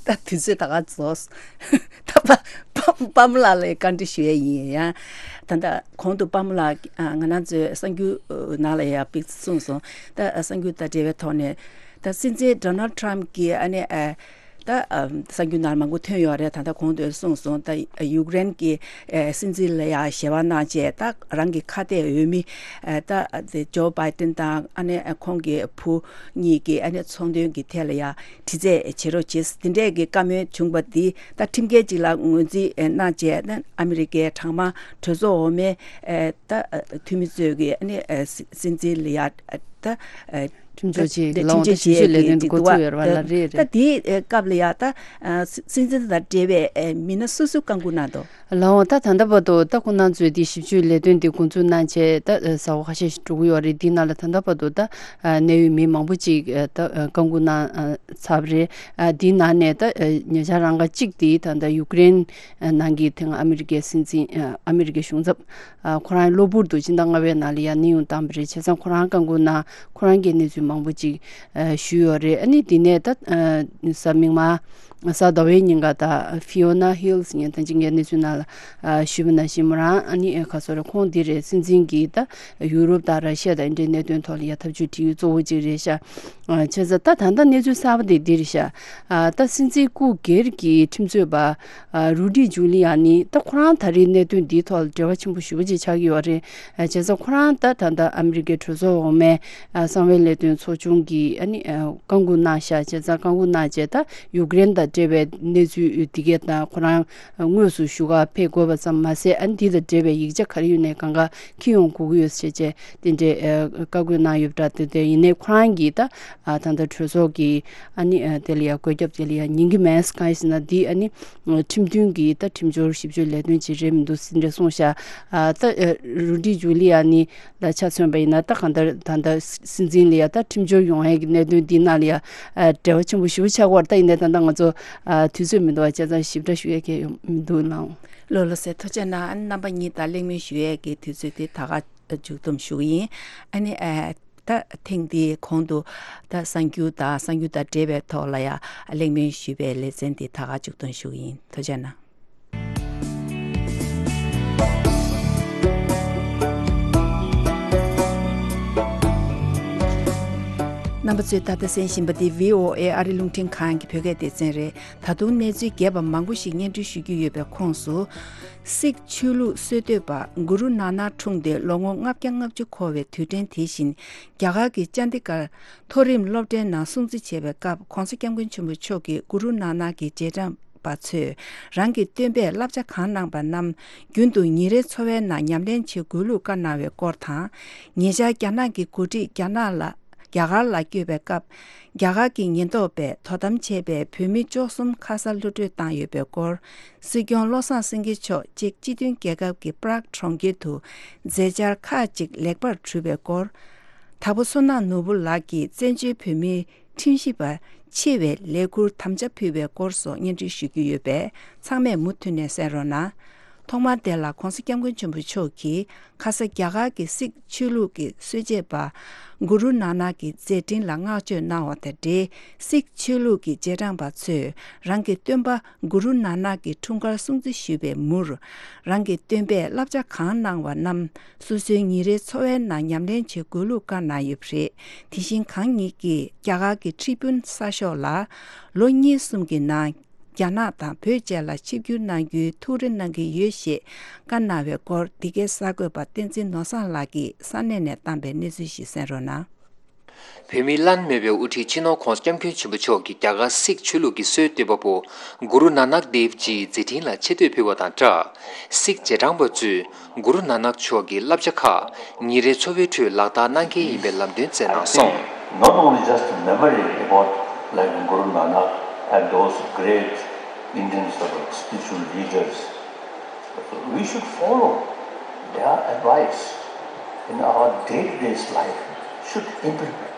ད་དུས་ཚོད་ད་ག་རྫོགས། ད་པ་པ་པ་མོ་ལགས་ལ་བཀའ་འདྲི་ཞུ་ཡས་ཡིན་ཡ། ད་ལྟ་གོང་དུ་པ་མོ་ལགས་ཨ་ང་རང་ཚོའི་གསར་འགྱུར་ནང་ལ་ཡ་དཔེ་གསུངས་སོང་། ད་གསར་འགྱུར་དང་འབྲེལ་བའི་ཐོག་ནས་ད་སྲིད་འཛིན་ཌོ་ནལ་ཊམ་གྱིས་ཨ་ནི་ཨ། ད་ཨ་གསར་འགྱུར་ནང་མང་པོ་ཐོན་ཡོད་རེད། ད་ལྟ་གོང་དུ་གསུངས་སོང་། ད་ཡུཀ་རེན་གྱི་ཨ་སྲིད་འཛིན་ལ་ཡང་ཞལ་པར་གནང་བྱས། ད་རང་གི་ཁ་གཏད་འོས་མི་ཨ་ད་ཨ་དེ་ཇོ་བྷའི་ཏིན་དང་ཨ་ནེ་ཨ་ཁོང་གི་བུ་གཉིས་ཀྱི་ཨ་ནེ་ཚོང་དོན་གྱི་ཐད་ལ་ཡང་དྲི་རྩད་བྱེད་རོགས་བྱེད། དེ་འདྲས་ཀྱི་བཀའ་མོལ་བྱུང་པ་འདི་ད་ཁྲིམས་འགལ་ཅིག་ལ་ངོས་འཛིན་ཨ་གནང་བྱས། ད་ཨ་མི་རི་ཀའི་གྲངས་མང་གྲོས་ཚོགས་འོག་མའི་ཨ་ད་ཨ་འཐུས་མི་ཚོས་ཀྱི་ཨ་ནེ་ཨ་སྲིད་འཛིན་ལ་ཡང་ཨ་ད་ཨ་ཁྲིམས་གཅོད་ཅིག་ལ་འོང་ད་ཞིབ་འཇུག་ལས་དོན་འགོ་བཙུགས་ཡོད་རེད་བ་ལ། རེད་རེད། ད་དེའི་སྐབས་ལ་ཡ་ད་སྲིད་འཛིན་དང་འབྲེལ་བའི་མི་སྣ་སུ་སུ་བཀའ་འགུག་གནང་འདུག་ལགས་འོང་། ད་ད་ལྟ་བར་དུ་ད་ཁོང་རྣམ་ཚོས་དེ་ཞིབ་འཇུག་ལས་དོན་དེ་འགོ་འཛུགས་གནང་བྱས་ད་ཟླ་བ་ཁ་ཤས་ཤིག་འགྲོ་གི་ཡོད་རེད། དེའི་ནང་ལ་ད་ལྟ་བར་དུ་ད་གནད་ཡོད་མི་མང་པོ་ཅིག་ད་བཀའ་འགུག་གནང་ཚར་བ་རེད། དེའི་ནང་ནས་ད་ཉེ་ཆར་རང་ཁ་གཅིག་དེ་ད་ད་ཡུཀ་རེན་ནང་གི་དེ་སྔ་ཨ་མི་རི་ཀའི་སྲིད་འཛིན་ཨ་མི་རི་ཀའི་གཞུང་ཚབ་ཨ་ཁོ་རང་གློ་བུར་དུ་ཕྱི་ཟླ་ལྔ་པའི་ནང་ལ་ཡར་གནས་དབྱུང་བཏང་བ་རེད། བྱས་ཙང་ཁོ་རང་བཀའ་འགུག་གནང་། ཁོ་རང་གིས་གནས་ཚུལ་མང་པོ་ཅིག་ཨ་ཞུས་ཡོད་རེད། ཨ་ནི་འདི་ནས་ད་ཨ་གཟའ་མིག་དམར་གཟའ་ཟླ་བའི་ཉིན་ཀ་ད་ཧྥི་ཡོ་ན་ཧིལ་ཟེར་མཁན་ད་ཅི་ངས་གནས་ཚུལ་ནང་ལ་ཨ་ཞུས་པ་ནང་བཞིན་མོ་རང་ཨ་ནི་ཨ་ག་སོ་རེད། ཁོང་འདི་རེད། སྲིད་འཛིན་གྱིས་ད་ཡུ་རོབ་དང་ར་ཤི་ཡ་དང་འདྲའི་གནད་དོན་ཐོག་ལ་ཡ་ཐབས་ཇུས་སྒྲིག་ཡུལ་གཙོ་བོ་ཅིག་རེད་ཤག་ཨ་བྱས་ཙང་ད་ད་ལྟ་གནས་ཚུལ་གསར་པ་དེ་འདི་རེད་ཤག་ཨ་ད་སྲིད་འཛིན་སྐུ་སྒེར་གྱི་ཁྲིམས་རྩོད་པ་ཨ་རུ་ཌི་ཇུ་ལི་ཡ་ནི་ད་ཁོ་རང་ད་རེས་གནད་དོན་འདིའི་ཐོག་ལ་འབྲེལ་བ་ཆེན་པོ་ཞེ་པོ་ཅིག་ཆགས་ཀྱི་ཡོད་རེད། ཨ་བྱས་ཙང་ཁོ་རང་ད་ད་ལྟ་ཨ་མི་རི་ཀའི་གྲོས་ཚོགས་འོག་མའི་ཨ་གསང་བའི་ལས་དོན་ཚོགས་ཆུང་གིས་ཨ་ནི་ཨ་བཀའ་འགུག་གནང་ཤག་བྱས་ཙང་བཀའ་འགུག་གནང་བྱས་ད་ཡུཀ་རེན་དང་འབྲེལ་བའི་གནས་ཚུལ་འདི་གས་དང་ཁོ་རང་དངོས་སུ་བཞུགས་སྒར་ཕེབས་དགོས་པ་ཙམ་མ་ཟད། ཨ་ནི་འདི་དང་འབྲེལ་བའི་ཡིག་ཆ་ག་རེ་ཡོད་ནའི་གང་ག་འཁྱེར་ཡོང་དགོས་ཀྱི་ཡོད་ཟེར་བྱས་དེ་འདྲའི་ཨ་བཀའ་བཀོད་གནང་ཡོད་པ་འདྲ། དེ་དེ་ཡིན་ནའི་ཁོ་རང་གིས་ད་ཨ་ད་ལྟ་གྲོས་ཚོགས་ཀྱི་ཨ་ནི་ཨ་དེ་ལ་ཡ་བཀོད་ཁྱབ་དེ་ལ་ཡ་ཉན་གྱི་མེད། གང་ཡིན་ཟེར་ན་འདི་ཨ་ནི་ཁྲིམས་མཐུན་གྱི་ད་ཁྲིམས་སྦྱོར་ཞིབ་དཔྱོད་ལས་དོན་ཅིག་རེད་མི་འདུག་ཟེར་འདྲ་གསུངས་ཤག་ཨ་ད་ཨ་རུ་ཌི་ཇུ་ལི་ཡ་ནི་ལ་ཆ་མཚོན་པ་ཡིན་ན་ད་གང་ལྟར་ད་ལྟ་སྲིད་འཛིན་ལ་ཡ་ད་ཁྲིམས་སྦྱོར་ཡོང་ཡས་ཀྱི་གནད་དོན་འདི་ནང་ལ་ཡ་ཨ་འབྲེལ་བ་ཆེན་པོ་ཞེ་པོ་ཆགས་ཀྱི་ཡོད་རེད། ད་ཡིན་ནའི་ད་ལྟ་ང་ཚོ་ཨ་དུས་ཚོད་མི་འདུག་པ་བྱས་ཙང་ཞིབ་ཕྲ་ཞུ་ཡས་ཀྱི་ཡོད་མི་འདུག་ལགས། ལགས་ལགས་སེ། ཐུགས་རྗེ་གནང་། ཨ་ནི་རྣམ་པ་གཉིས་དང་གླེང་མོལ་ཞུ་ཡས་ཀྱི་དུས་ཚོད་དེ་ད་ག་མཇུག་བསྡོམས་ཞུ་གི་ཡིན། ཨ་ནི་ཨ་ད་ཐེངས་འདིའི་གོང་དུ་ད་གསར་འགྱུར་དང་གསར་འགྱུར་དང་འབྲེལ་བའི་ཐོག་ལ་ཡ་གླེང་མོལ་ཞུས་པའི་ལེ་ཚན་འདི་ད་ག་མཇུག་བསྡོམས་ཞུ་གི་ཡིན། ཐུགས་རྗེ་གནང་། རྣམ་པ་ཚོས་ད་ལྟ་གསན་བཞིན་པ་འདི་བྷི་ཨོ་ཨེ་ཨ་རི་རླུང་འཕྲིན་ཁང་གི་བོད་སྐད་སྡེ་ཚན་རེད། ད་དུང་གནས་ཚུལ་རྒྱས་པ་མང་པོ་ཞིག་སྙན་སྒྲོན་ཞུ་རྒྱུ་ཡོད་པའི་ཁོངས་སུ། སིག་ཆོས་ལུགས་སྲོལ་གཏོད་པ་གུ་རུ་ནཱ་ནཱ་འཁྲུངས་ཏེ་ལོ་ངོ་ལྔ་བརྒྱ་ལྔ་བཅུ་འཁོར་བའི་དུས་དྲན་དེ་བཞིན། རྒྱ་གར་གྱི་ཅན་དི་གར་མཐོ་རིམ་སློབ་གྲྭའི་ནང་སྲུང་བརྩི་བྱས་པའི་སྐབས། ྋགོང་ས་ྋསྐྱབས་མགོན་ཆེན་པོ་མཆོག་གིས་གུ་རུ་ནཱ་ནཱ་གི་རྗེས་འབྲང་པ་ཚོས་རང་གི་སྟོན་པས་བསླབ་བྱ་གང་གནང་པ་རྣམས་རྒྱུན་དུ་ཉིན་རེའི་འཚོ་བའི་ནང་ཉམས་ལེན་བྱེད་དགོས་ལུགས་བཀའ་གནང་བའི་སྐོར་དང་། ཉེ་ཆར་རྒྱ་ནག་གི་འགོ་ཁྲིད་རྒྱ་ནག་ལ། རྒྱ་གར་ལ་བསྐྱོད་པའི་སྐབས། རྒྱ་གར་གྱི་ཉེན་རྟོག་པས་དོ་དམ་བྱས་པའི་བོད་མི་བཅུ་གསུམ་ཁ་ས་གློད་གྲོལ་བཏང་ཡོད་པའི་སྐོར། སྲིད་སྐྱོང་བློ་བཟང་སེང་གེ་མཆོག་ཅེཀ་སྤྱི་མཐུན་རྒྱལ་ཁབ་ཀྱི་པྲག་གྲོང་ཁྱེར་དུ་མཛད་འཆར་ཁག་ཅིག་ལེགས་པར་གྲུབ་པའི་སྐོར། དྭགས་པོ་བསོད་ནམས་ནོར་བུ་ལགས་ཀྱིས་བཙན་བྱོལ་བོད་མིའི་ཁྲིམས་ཞིབ་པ་ཆེ་བའི་ལས་ཁུར་དམ་བཅའ་ཕུལ་བའི་སྐོར་སོགས་སྙན་སྒྲོན་ཞུ་རྒྱུ་ཡོད་པས། ཚང་མས་མུ་མཐུད་ནས་གསན་རོགས་གནང་། ཐོག་མར་དེ་ལ་ྋགོང་ས་ྋསྐྱབས་མགོན་ཆེན་པོ་མཆོག་གིས། ཁ་ས་རྒྱ་གར་གྱི་སིག་ཆོས་ལུགས་ཀྱི་སྲོལ་འབྱེད་པ་གུ་རུ་ནཱ་ནཱ་གི་མཛད་འཕྲིན་ལ་བསྔགས་བརྗོད་གནང་བ་དང་འབྲེལ། སིག་ཆོས་ལུགས་ཀྱི་རྗེས་འབྲང་པ་ཚོས་རང་གི་སྟོན་པ་གུ་རུ་ནཱ་ནཱ་གི་འཁྲུངས་སྐར་སྲུང་བརྩི་ཞུས་པའི་མུར། རང་གི་སྟོན་པས་བསླབ་བྱ་གང་གནང་བ་རྣམས་སོ་སོའི་ཉིན་རེའི་འཚོ་བའི་ནང་ཉམས་ལེན་བྱེད་དགོས་ལུགས་བཀའ་གནང་ཡོད་པ་རེད། དེ་བཞིན་གང་ཉིད་ཀྱིས་རྒྱ་གར་གྱི་ཁྲི་དཔོན་གསར་ཤོག་ལ་ལོ་གཉིས་གསུམ་གྱི་ནང་། རྒྱ་ནག་དང་བོད་བཅས་ལ་ཆིབས་བསྒྱུར་གནང་རྒྱུའི་ཐུགས་རེ་གནང་གི་ཡོད་ཞེས་བཀའ་གནང་བའི་སྐོར། འདི་གའི་གསར་འགོད་པ་བསྟན་འཛིན་ནོར་བཟང་ལགས་ཀྱིས་ས་གནས་ནས་བཏང་པའི་གནས་ཚུལ་ཞིག་གསན་རོགས་གནང་། བོད་མིའི་བླ་ན་མེད་པའི་དབུ་ཁྲིད་སྤྱི་ནོར་ྋགོང་ས་ྋསྐྱབས་མགོན་ཆེན་པོ་མཆོག་གིས་རྒྱ་གར་སིག་ཆོས་ལུགས་ཀྱི་སྲོལ་གཏོད་པ་པོ་གུ་རུ་ནཱ་ནག་དེབ་ཇིའི་མཛད་འཕྲིན་ལ་ཆེ་བསྟོད་ཕུལ་བ་དང་སྦྲགས། སིག་རྗེས་འབྲང་པ་ཚོས་གུ་རུ་ནཱ་ནག་མཆོག་གི་བསླབ་བྱ་ཁག་ཉིན་རེའི་འཚོ་བའི་ཁྲོད་ལག་བསྟར་གནང་གལ་ཡིན་པའི་ལམ་སྟོན་བསྩལ་གནང་སོང་། Not only just a memory about, like, Guru Nanak and those great Indian sort of spiritual leaders, we should follow their advice in our day-to-day life, should implement.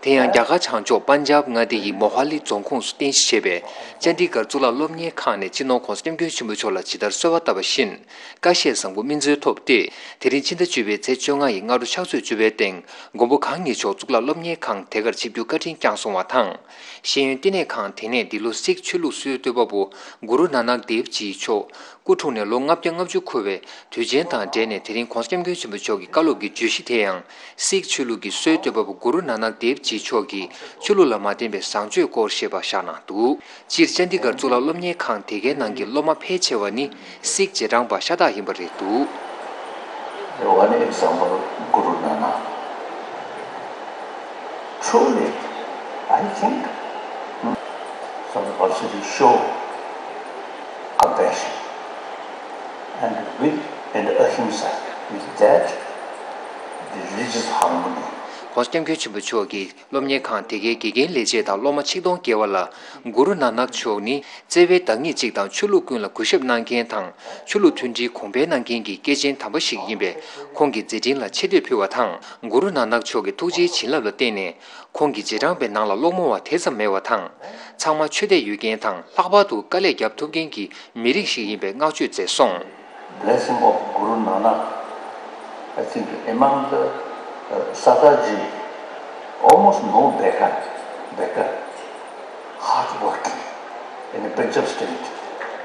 དེ་ཡང་རྒྱ་གར་བྱང་ཕྱོགས་པན་ཇབ་མངའ་སྡེ་ཡི་མོ་ཧ་ལི་རྫོང་ཁོངས་སུ་རྟེན་གཞི་བྱས་པའི་ཅན་དི་གར་གཙུག་ལག་སློབ་གཉེར་ཁང་ནས་སྤྱི་ནོར་ྋགོང་ས་ྋསྐྱབས་མགོན་ཆེན་པོ་མཆོག་ལ་ཇི་ལྟར་གསོལ་བ་བཏབ་པ་བཞིན། བཀའ་བཞེས་བཟང་པོ་སྨིན་སྩལ་ཐོབ་སྟེ། དེ་རིང་ཕྱི་ཟླ་བཅུ་པའི་ཚེས་བཅོ་ལྔ་ཡི་སྔ་དྲོ་ཕྱག་ཚོད་བཅུ་པའི་སྟེང་མགོན་པོ་གང་ཉིད་མཆོག་གཙུག་ལག་སློབ་གཉེར་ཁང་དེ་གར་ཆིབས་བསྒྱུར་བཀའ་དྲིན་བསྐྱངས་སོང་བ་དང་། ཤེས་ཡོན་བསྟི་གནས་ཁང་དེ་ནས་འདི་ལོ་སིག་ཆོས་ལུགས་སྲོལ་གཏོད་པ་པོ་གུ་རུ་ནཱ་ནག་དེབ་ཇི་མཆོག་སྐུ་འཁྲུངས་ནས་ལོ་ལྔ་བརྒྱ་ལྔ་བཅུ་འཁོར་བའི་དུས་ཆེན་དང་འབྲེལ་ནས། དེ་རིང་ྋགོང་ས་ྋསྐྱབས་མགོན་ཆེན་པོ་མཆོག་གི་བཀའ་སློབ་ཀྱི་བརྗོད་གཞི་དེ་ཡང་། སིག་ཆོས་ལུགས་ཀྱི་སྲོལ་གཏོད་པ་པོ་གུ་རུ་ནཱ་ནག་དེབ་ཇི་མཆོག་གིས་ཆོས་ལུགས་ལ་མ་བརྟེན་པའི་བཟང་སྤྱོད་སྐོར་ཞེས་པ་བཞག་གནང་འདུག་སྤྱིར་ཅན་དི་གར་གཙུག་ལག་སློབ་གཉེར་ཁང་དེ་གའི་ནང་གི་སློབ་མ་ཕལ་ཆེ་བ་ནི་སིག་རྗེས་འབྲང་པ་ཤ་སྟག་ཡིན་པ་རེད་འདུག One example, Guru Nanak. Truly, I think, hmm, some of us should show compassion and with and ahimsa, with that, the religious harmony. ྋགོང་ས་ྋསྐྱབས་མགོན་ཆེན་པོ་མཆོག་གིས་སློབ་གཉེར་ཁང་དེ་གའི་དགེ་རྒན་ལས་བྱེད་དང་སློབ་མ་ཆིག་སྟོང་བརྒལ་བ་ལ། གུ་རུ་ནཱ་ནག་མཆོག་ནི་བརྩེ་བའི་བདག་ཉིད་ཅིག་དང་། ཆོས་ལུགས་ཀུན་ལ་གུས་ཞབས་གནང་མཁན་དང་། ཆོས་ལུགས་མཐུན་སྒྲིལ་གོང་འཕེལ་གནང་མཁན་གྱི་སྐྱེས་ཆེན་དམ་པ་ཞིག་ཡིན་པས། ཁོང་གི་མཛད་འཕྲིན་ལ་ཆེ་བསྟོད་ཕུལ་བ་དང་། གུ་རུ་ནཱ་ནག་མཆོག་གི་ཐུགས་རྗེའི་བྱིན་རླབས་ལ་བརྟེན་ནས། ཁོང་གི་རྗེས་འབྲང་པའི་ནང་ལ་སློང་མོ་བ་དེ་ཙམ་མེད་པ་དང་། ཚང་མ་ཆོས་དད་ཡོད་མཁན་དང་། ལྷག་པར་དུ་དཀའ་ལས་རྒྱབ་ཐུབ་མཁན་གྱི་མི་རིགས་ཤིག་ཡིན་པའི་བསྔགས་བརྗོད་མཛད་སོང་། Blessing of Guru Nanak, I think among the, uh, Sataji, almost no beggar, beggar, hard working in a Punjab state.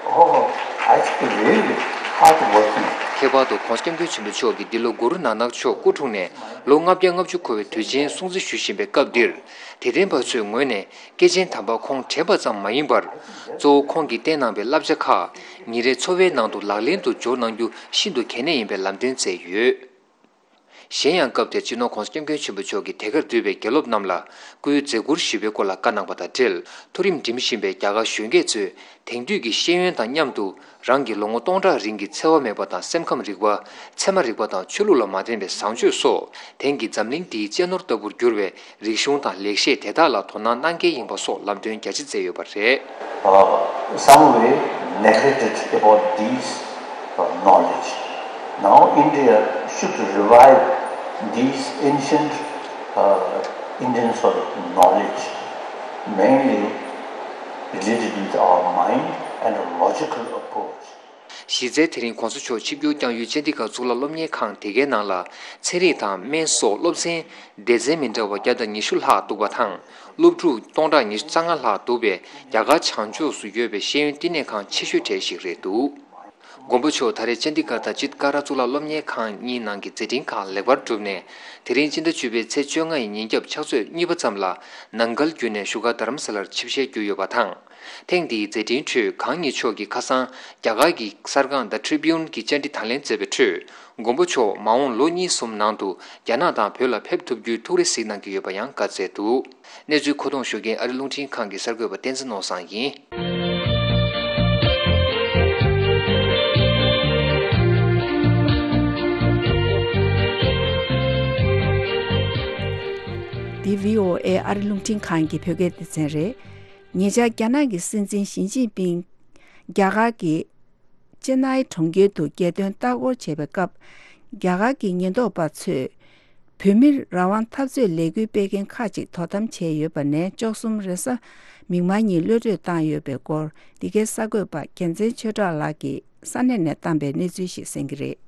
Oh, I think really hard working. ཁྱད་པར་དུ་ྋགོང་ས་ྋསྐྱབས་མགོན་ཆེན་པོ་མཆོག་གིས་འདི་ལོ་གུ་རུ་ནཱ་ནག་མཆོག་སྐུ་འཁྲུངས་ནས་ལོ་ལྔ་བརྒྱ་ལྔ་བཅུ་འཁོར་བའི་དུས་ཆེན་སྲུང་བརྩི་ཞུ་བཞིན་པའི་སྐབས་འདིར། དད་ལྡན་པ་ཚོའི་ངོས་ནས། སྐྱེས་ཆེན་དམ་པ་ཁོང་དྲན་པ་ཙམ་མ་ཡིན་པར། གཙོ་བོ་ཁོང་གིས་བསྟན་གནང་བའི་བསླབ་བྱ་ཁག་ཉིན་རེའི་འཚོ་བའི་ནང་དུ་ལག་ལེན་དུ་འབྱོར་གནང་རྒྱུ་ཤིན་ཏུ་གལ་གནད་ཡིན་པའི་ལམ་སྟོན་མཛད་ཡོད། གཞན་ཡང་སྐབས་དེར་སྤྱི་ནོར་ྋགོང་ས་ྋསྐྱབས་མགོན་ཆེན་པོ་མཆོག་གིས་དེ་གར་འདུས་པའི་དགེ་སློབ་རྣམས་ལ་སྐུའི་མཛད་ཁུར་ཞུས་པའི་སྐོར་ལ་བཀའ་གནང་བ་དང་འབྲེལ། མཐོ་རིམ་འགྲིམ་བཞིན་པའི་རྒྱ་གར་གཞོན་སྐྱེས་ཚོས་དེང་དུས་ཀྱི་ཤེས་ཡོན་དང་མཉམ་དུ། རང་གི་ལོ་ངོ་སྟོང་ཕྲག་རིང་གི་འཚེ་བ་མེད་པ་དང་སེམས་ཁམས་རིག་པ། ཚད་མ་རིག་པ་དང་ཆོས་ལུགས་ལ་མ་བརྟེན་པའི་བཟང་སྤྱོད་སོགས། དེང་གི་འཛམ་གླིང་འདིའི་གཅེས་ནོར་ལྟ་བུར་གྱུར་བའི་རིག་གཞུང་དང་ལེགས་བཤད་དེ་དག་ལ་དོ་སྣང་གནང་གལ་ཡིན་པ་སོགས་ལམ་སྟོན་རྒྱ་ཆེ་མཛད་ཡོད་པ་རེད། Uh, some way neglected about these, uh, knowledge. Now India should revive these ancient, uh, Indian sort of knowledge, mainly related with our mind and a logical approach. གཞི་རྩའི་དེ་རིང་ྋགོང་ས་མཆོག་ཆིབས་བསྒྱུར་བསྐྱངས་ཡུལ་ཅན་དི་ག་གཙུག་ལག་སློབ་གཉེར་ཁང་དེ་གའི་ནང་ལ་ཚན་རིག་དང་སྨན་སོགས་སློབ་ཚན་སྡེ་ཚན་མི་འདྲ་བ་བརྒྱ་དང་ཉི་ཤུ་ལྷག་འདུག་པ་དང་། སློབ་ཕྲུག་སྟོང་ཕྲག་ཉི་ཤུ་རྩ་ལྔ་ལྷག་འདུག་པས། རྒྱ་གར་བྱང་ཕྱོགས་སུ་ཡོད་པའི་ཤེས་ཡོན་བསྟི་གནས་ཁང་ཆེ་ཤོས་གྲས་ཤིག་རེད་འདུག་མགོན་པོ་མཆོག་ད་རེས་ཅན་ཌི་གྷར་དང་ཇིད་ཀ་ར་གཙུག་ལག་སློབ་གཉེར་ཁང་གཉིས་ནང་གི་མཛད་འཕྲིན་ཁག་ལེགས་པར་གྲུབ་ནས། དེ་རིང་ཕྱི་ཟླ་བཅུ་པའི་ཚེས་བཅོ་ལྔ་ཡི་ཉིན་རྒྱབ་ཕྱག་ཚོད་གཉིས་པ་ཙམ་ལ་ནང་འགལ་བརྒྱུད་ནས་བཞུགས་སྒར་རྡ་རམ་ས་ལར་ཆིབས་ཞལ་བསྒྱུར་ཡོད་པ་དང་། ཐེངས་འདིའི་མཛད་འཕྲིན་ཁྲོད་གང་ཉིད་མཆོག་གིས་ཁ་སང་རྒྱ་གར་གྱི་གསར་ཁང་The Tribune གྱི་བཅར་འདྲི་དང་ལེན་མཛད་པའི་ཁྲོད། མགོན་པོ་མཆོག་མ་འོངས་ལོ་གཉིས་གསུམ་ནང་དུ་རྒྱ་ནག་དང་བོད་ལ་ཕེབས་ཐུབ་རྒྱུའི་ཐུགས་རེ་གཟིགས་གནང་གི་ཡོད་པ་ཡང་བཀའ་སྩལ་འདུག་གནས་ཚུལ་མཁོ་གཏོང་ཞུ་མཁན་ཨ་རི་རླུང་འཕྲིན་ཁང་གི་གསར་འགོད་པ་བསྟན་འཛིན་ནོར་བཟང་ཡིན། འདི་བྷི་ཨོ་ཨེ་ཨ་རི་རླུང་འཕྲིན་ཁང་གི་བོད་སྐད་སྡེ་ཚན་རེད། ཉེ་ཆར་རྒྱ་ནག་གི་སྲིད་འཛིན་ཞི་ཅིན་ཕིང་རྒྱ་གར་གྱི་ཅེ་ནའི་གྲོང་ཁྱེར་དུ་རྒྱལ་དོན་ལྟ་སྐོར་བྱེད་པའི་སྐབས། རྒྱ་གར་གྱི་ཉེན་རྟོག་པ་ཚོས་བོད་མིར་རང་དབང་འཐབ་རྩོད་ལས་འགུལ་སྤེལ་མཁན་ཁག་ཅིག་དོ་དམ་བྱས་ཡོད་པ་ནས་བཅུ་གསུམ་རེས་གཟའ་མིག་དམར་ཉིན་གློད་གྲོལ་བཏང་ཡོད་པའི་སྐོར། འདི་གའི་གསར་འགོད་པ་རྒྱལ་མཚན་ཆོས་གྲགས་ལགས་ཀྱིས་ས་གནས་ནས་བཏང་པའི་གནས་ཚུལ་ཞིག་གསན་གྱི་རེད།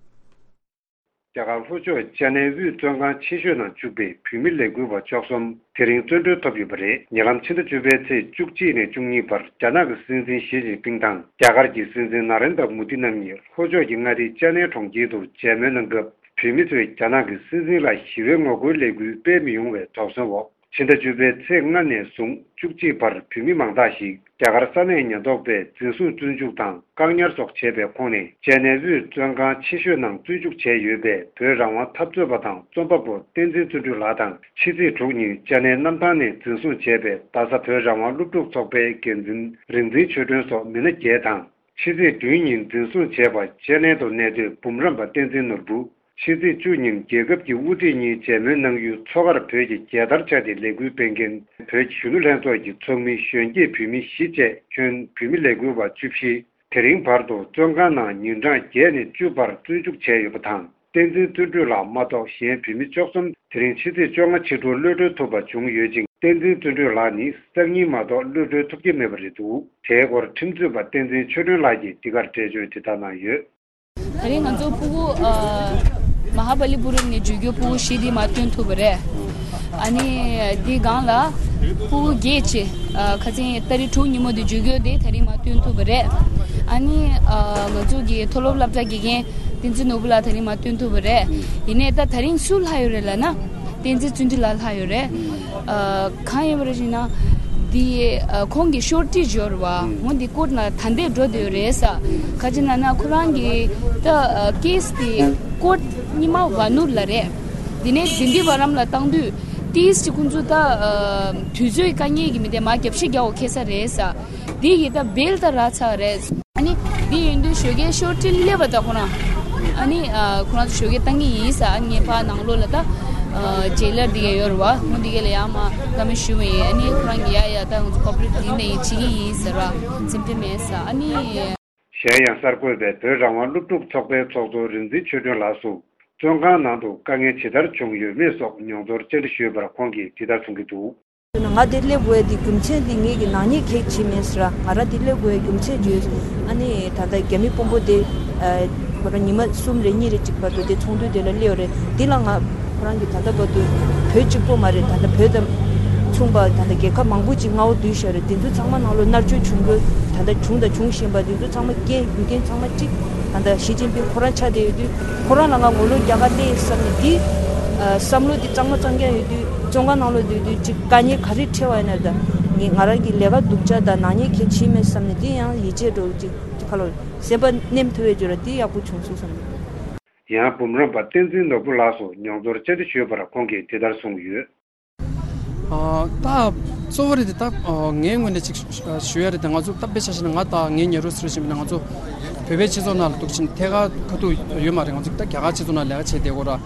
རྒྱ་གར་ལྷོ་ཕྱོགས་ཅེ་ནའི་དབུས་བཙོན་ཁང་ཆེ་ཤོས་ནང་བཅུག་པའི་བོད་མི་ལས་འགུལ་བ་བཅུ་གསུམ་དེ་རིང་བཙོན་གྲོལ་ཐོབ་ཡོད་པ་རེད། ཉེ་ལམ་ཕྱི་ཟླ་བཅུ་པའི་ཚེས་བཅུ་གཅིག་ནས་བཅུ་གཉིས་བར་རྒྱ་ནག་གི་སྲིད་འཛིན་ཞི་ཅིན་ཕིང་དང་རྒྱ་གར་གྱི་སྲིད་འཛིན་ན་རེན་དྲ་མོ་དི་རྣམ་གཉིས་ལྷོ་ཕྱོགས་ཀྱི་མངའ་སྡེ་ཅེ་ནའི་གྲོང་ཁྱེར་དུ་མཇལ་མོལ་གནང་སྐབས། བོད་མི་ཚོས་རྒྱ་ནག་གི་སྲིད་འཛིན་ལ་ཞི་བའི་ངོ་རྒོལ་ལས་འགུལ་སྤེལ་མི་ཡོང་བའི་དོགས་ཟོན་འོག་ཕྱི་ཟླ་བཅུ་པའི་ཚེས་ལྔ་ནས་བཟུང་བཅུ་གཅིག་བར་བོད་མི་མང་དག་ཞིག་རྒྱ་གར་ས་གནས་ཉེན་རྟོག་པས་འཛིན་བཟུང་བཙོན་འཇུག་དང་བཀག་ཉར་སོགས་བྱས་པའི་ཁོངས་ནས། ཅེ་ནའི་དབུས་བཙོན་ཁང་ཆེ་ཤོས་ནང་བཙོན་འཇུག་བྱས་ཡོད་པའི་བོད་རང་དབང་འཐབ་རྩོད་པ་དང་རྩོམ་པ་པོ་བསྟན་འཛིན་བརྩོན་འགྲུས་ལགས་དང་། ཕྱི་ཚེས་དྲུག་ཉིན་ཅེ་ནའི་གནམ་ཐང་ནས་འཛིན་བཟུང་བྱས་པའི་རྡ་ས་བོད་རང་དབང་སློབ་ཕྲུག་ཚོགས་པའི་འགན་འཛིན་རིག་འཛིན་ཆོས་སྒྲོན་སོགས་མི་སྣ་བརྒྱད་དང་། ཕྱི་ཚེས་བདུན་ཉིན་འཛིན་བཟུང་བྱས་པ་ཅེ་ནའི་དུ་གནས་སྡོད་འབུམ་རམས་པ་བསྟན་འཛིན་ནོར་བུ། ཕྱི་ཚེས་བཅུ་ཉིན་རྒྱལ་ཁབ་ཀྱི་དབུ་ཁྲིད་གཉིས་མཇལ་མོལ་གནང་ཡུལ་མཚོ་ཁར་བོད་ཀྱི་རྒྱལ་དར་འཕྱར་ཏེ་ལས་འགུལ་སྤེལ་མཁན་བོད་ཀྱི་གཞོན་ནུ་ལྷན་ཚོགས་ཀྱི་ཚོགས་མི་གཞོན་སྐྱེས་བོད་མི་བཞི་བཅས་ཁྱོན་བོད་མི་ལས་འགུལ་བ་བཅུ་བཞི། དེ་རིང་བར་དུ་བཙོན་ཁང་ནང་ཉིན་གྲངས་བརྒྱད་ནས་བཅུ་བར་བཙོན་འཇུག་བྱས་ཡོད་པ་དང་། བསྟན་འཛིན་བརྩོན་འགྲུས་ལགས་མ་གཏོགས་གཞན་བོད་མི་བཅུ་གསུམ་དེ་རིང་ཕྱི་ཚེས་བཅོ་ལྔ་ཕྱི་དྲོ་གློད་གྲོལ་ཐུབ་པ་བྱུང་ཡོད་ཅིང་། བསྟན་འཛིན་བརྩོན་འགྲུས་ལགས་ནི་སང་ཉིན་མ་གཏོགས་གློད་གྲོལ་ཐུབ་ཀྱི་མེད་པ་རེད་འདུག་དེའི་སྐོར་ཁྲིམས་རྩོད་པ་བསྟན་འཛིན་ཆོས་སྒྲོན་ལགས་ཀྱིས་འདི་གར་འགྲེལ་བརྗོད་དེ་ལྟར་གནང་ཡོད། ད་རིང་ང་ཚོ་ཕྲུ་གུ་ཨ་མ་ཧཱ་པ་ལི་པུ་རམ་ནས་བརྗོད་རྒྱུ་ཕྲུ་གུ་བཞི་དེ་མར་བཏོན་ཐུབ་པ་རེད། ཨ་ནི་དེའི་སྒང་ལ་ཕྲུ་གུ་བརྒྱད་ཅིག་ཨ་ཁ་སང་ཏ་རིག་དྲུག་ཉིན་མོ་དེ་བརྗོད་རྒྱུ་དེ་ད་རིང་མར་བཏོན་ཐུབ་པ་རེད། ཨ་ནི་ཨ་ང་ཚོ་གི་མཐོ་སློབ་སློབ་གྲྭ་དགེ་རྒན་བསྟན་འཛིན་ནོར་བུ་ལགས་ད་རིང་མར་བཏོན་ཐུབ་པ་རེད། ཡིན་ནའི་ད་ད་རིང་སུ་ལྷག་ཡོད་རེད་ལབ་ན། བསྟན་འཛིན་བརྩོན་འགྲུས་ལགས་ལྷག་ཡོད་རེད། ཨ་གང་ཡིན་པ་རེད་ཟེར་ན། འདི་ཨ་ཁོང་གི་ཤོར་ཊི་འབྱོར་བ་འོ་འདི་ཀོར་ཊི་ནང་ད་ལྟ་འགྲོ་བསྡད་ཡོད་རེད་ས། ག་ཅི་ན་ན་ཁོ་རང་གི་ད་ཨ་ཀེ་སི་དེ་ཀོར་ཊི་རྙིང་མ་བ་ནུར་ལ་རེད། འདི་ནས་དིན་དི་བ་རམ་ལ་བཏང་དུས་ཏིས་ཅི་ཁོང་ཚོ་ད་ཨ་དུས་ཚོད་དཀའ་ངལ་གྱི་མི་དེ་མ་རྒྱབ་ཤིག་རྒྱག་འོ་ཁེ་ས་རེད་ས། འདི་ཡི་ད་བེལ་ད་ར་ཚ་རེད། ཨ་ནི་འདི་ཡིན་དུས་ཞོགས་ཀའི་ཤོར་ཊི་སླེབས་པ་ད་ཁོ་རང་། ཨ་ནི་ཨ་ཁོ་རང་ཚོ་ཞོགས་ཀའི་བཏང་གི་ཡིན་ས། ཨ་ནི་ངས་ཕར་ནང་ལོགས་ལ་ད་ཨ་ཇེ་ལར་འདི་ག་ཡོད་རེད་བ། ཁོང་འདི་ག་ལ་ཡང་མ་བཀའ་མོལ་ཞུ་བ་ཡིན། ཨ་ནི་ཁོ་རང་གི་ཡ་ཡ་ད་ང་ཚོ་ཀོ་པ་རེཊ་འདི་ནས་ཡིན་བྱེད་ཀྱི་ཡིན་ཟེར་བ་སེམས་ཁྲལ་མེད་ས། ཨ་ནི། གཞན་ཡང་གསར་འགོད་པས་བོད་རང་དབང་སློབ་ཕྲུག་ཚོགས་པའི་ཚོགས་གཙོ་རིག་འཛིན་ཆོས་སྒྲོན་ལགས་སུ་བཙོན་ཁང་ནང་དུ་དཀའ་ངལ་ཇི་ལྟར་བྱུང་ཡོད་མེད་སོགས་མྱོང་ཚོར་བཅར་འདྲི་ཞུས་པར་ཁོང་གིས་འདི་ལྟར་གསུང་གི་འདུག་ང་འདིར་སླེབས་དགོས་ཡ་དེ་རྒྱུ་མཚན་དེ་ངེད་ཀྱི་ནག་ཉེས་གེགས་བྱས་མེད་ཟེར། ང་རང་འདིར་སླེབས་དགོས་ཡ་རྒྱུ་མཚན་བརྗོད། ཨ་ནི་ད་ལྟ་རྒྱ་མི་དཔོན་པོ་དེ་ཁོ་རང་ཉི་མ་གསུམ་རེ་གཉིས་རེ་གཅིག་བར་དུ་དེ་ཚོགས་འདུ་དེ་ལ་སླེབས་ཡོད་རེད། འདི་ལ་ང་ཁོ་རང་གིས་ད་ལྟ་བར་དུ་བོད་གཅིག་པོ་མ་རེད། ད་ལྟ་བོད་དང་མཚུངས་པ་ད་ལྟ་རྒྱལ་ཁབ་མང་པོ་ཅིག་མངའ་འོག་བསྡུས་བཞག་རེད། དེ་ཚོ་ཚང་མ་ནང་ལོགས་མནར་གཅོད་བྱུང་དགོས་ད་ལྟ་བྱུང་དང་འབྱུང་བཞིན་པ་དེ་ཚོ་ཚང་མ་རྐྱེན་རྒྱུ་རྐྱེན་ཚང་མ་གཅིག་ད་ལྟ་ཞི་ཅིན་ཕིང་ཁོ་རང་ཆགས་བསྡད་ཡོད་དུས་ཁོ་རང་ལ་ང་ངོ་ལོག་རྒྱག་ག་སླེབས་བསམ་ནས་འདི་བསམ་བློ་འདི་གཙང་མ་གཙང་རྐྱང་ཡོད་དུས་བཙོན་ཁང་ནང་ལོགས་སྡོད་དུས་ཅིག་དཀའ་ངལ་ག་རེ་འཕྲད་པ་ཡིན་ན་ད་ངས་ང་རང་གི་ལས་ཀ་སྡུག་ཅག་དང་ནག་ཉེས་གལ་ཆེ་མེད་བསམ་ནས་འདི་ཡང་ཡིད་ཆེས་འགྲོ་ཅིག་ཅིག་ཁ་ལོ་སེམས་པ་ནེམ་ཐུབ་པའི་འཇོར་འདི་ཡག་པོ་བྱུང་སོང་བསམ་ནས། ཡང་འབུམ་རམས་པ་བསྟན་འཛིན་ནོར་བུ་ལགས་སུ་མྱོང་ཚོར་བཅར་འདྲི་ཞུས་པར་ཁོང་གིས་འདི་ལྟར་གསུངས་ཡོད། ཨ་ད་གཙོ་བོ་རེད་དེ་ད་ཨ་ངའི་ངོས་ནས་ཅིག་ཞུ་ཡ་རེད་དེ་ང་ཚོ་ད་དཔེ་ཆ་བཞག་ན་ང་དང་ངའི་ཉེ་རོ་ཟེར་བཞིན་པ་ན་ང་ཚོ་བོད་པའི་སྤྱི་ཚོགས་ནང་ལ་འདུག་ཕྱིན་ཐད་ཀར་ཁ་ཐུག་ཡོད་མ་རེད། ང་ཚོ་ད་རྒྱ་གར་སྤྱི་ཚོགས་ནང་ལས་ཀ་བྱས་བསྡད་ཡོད་ར།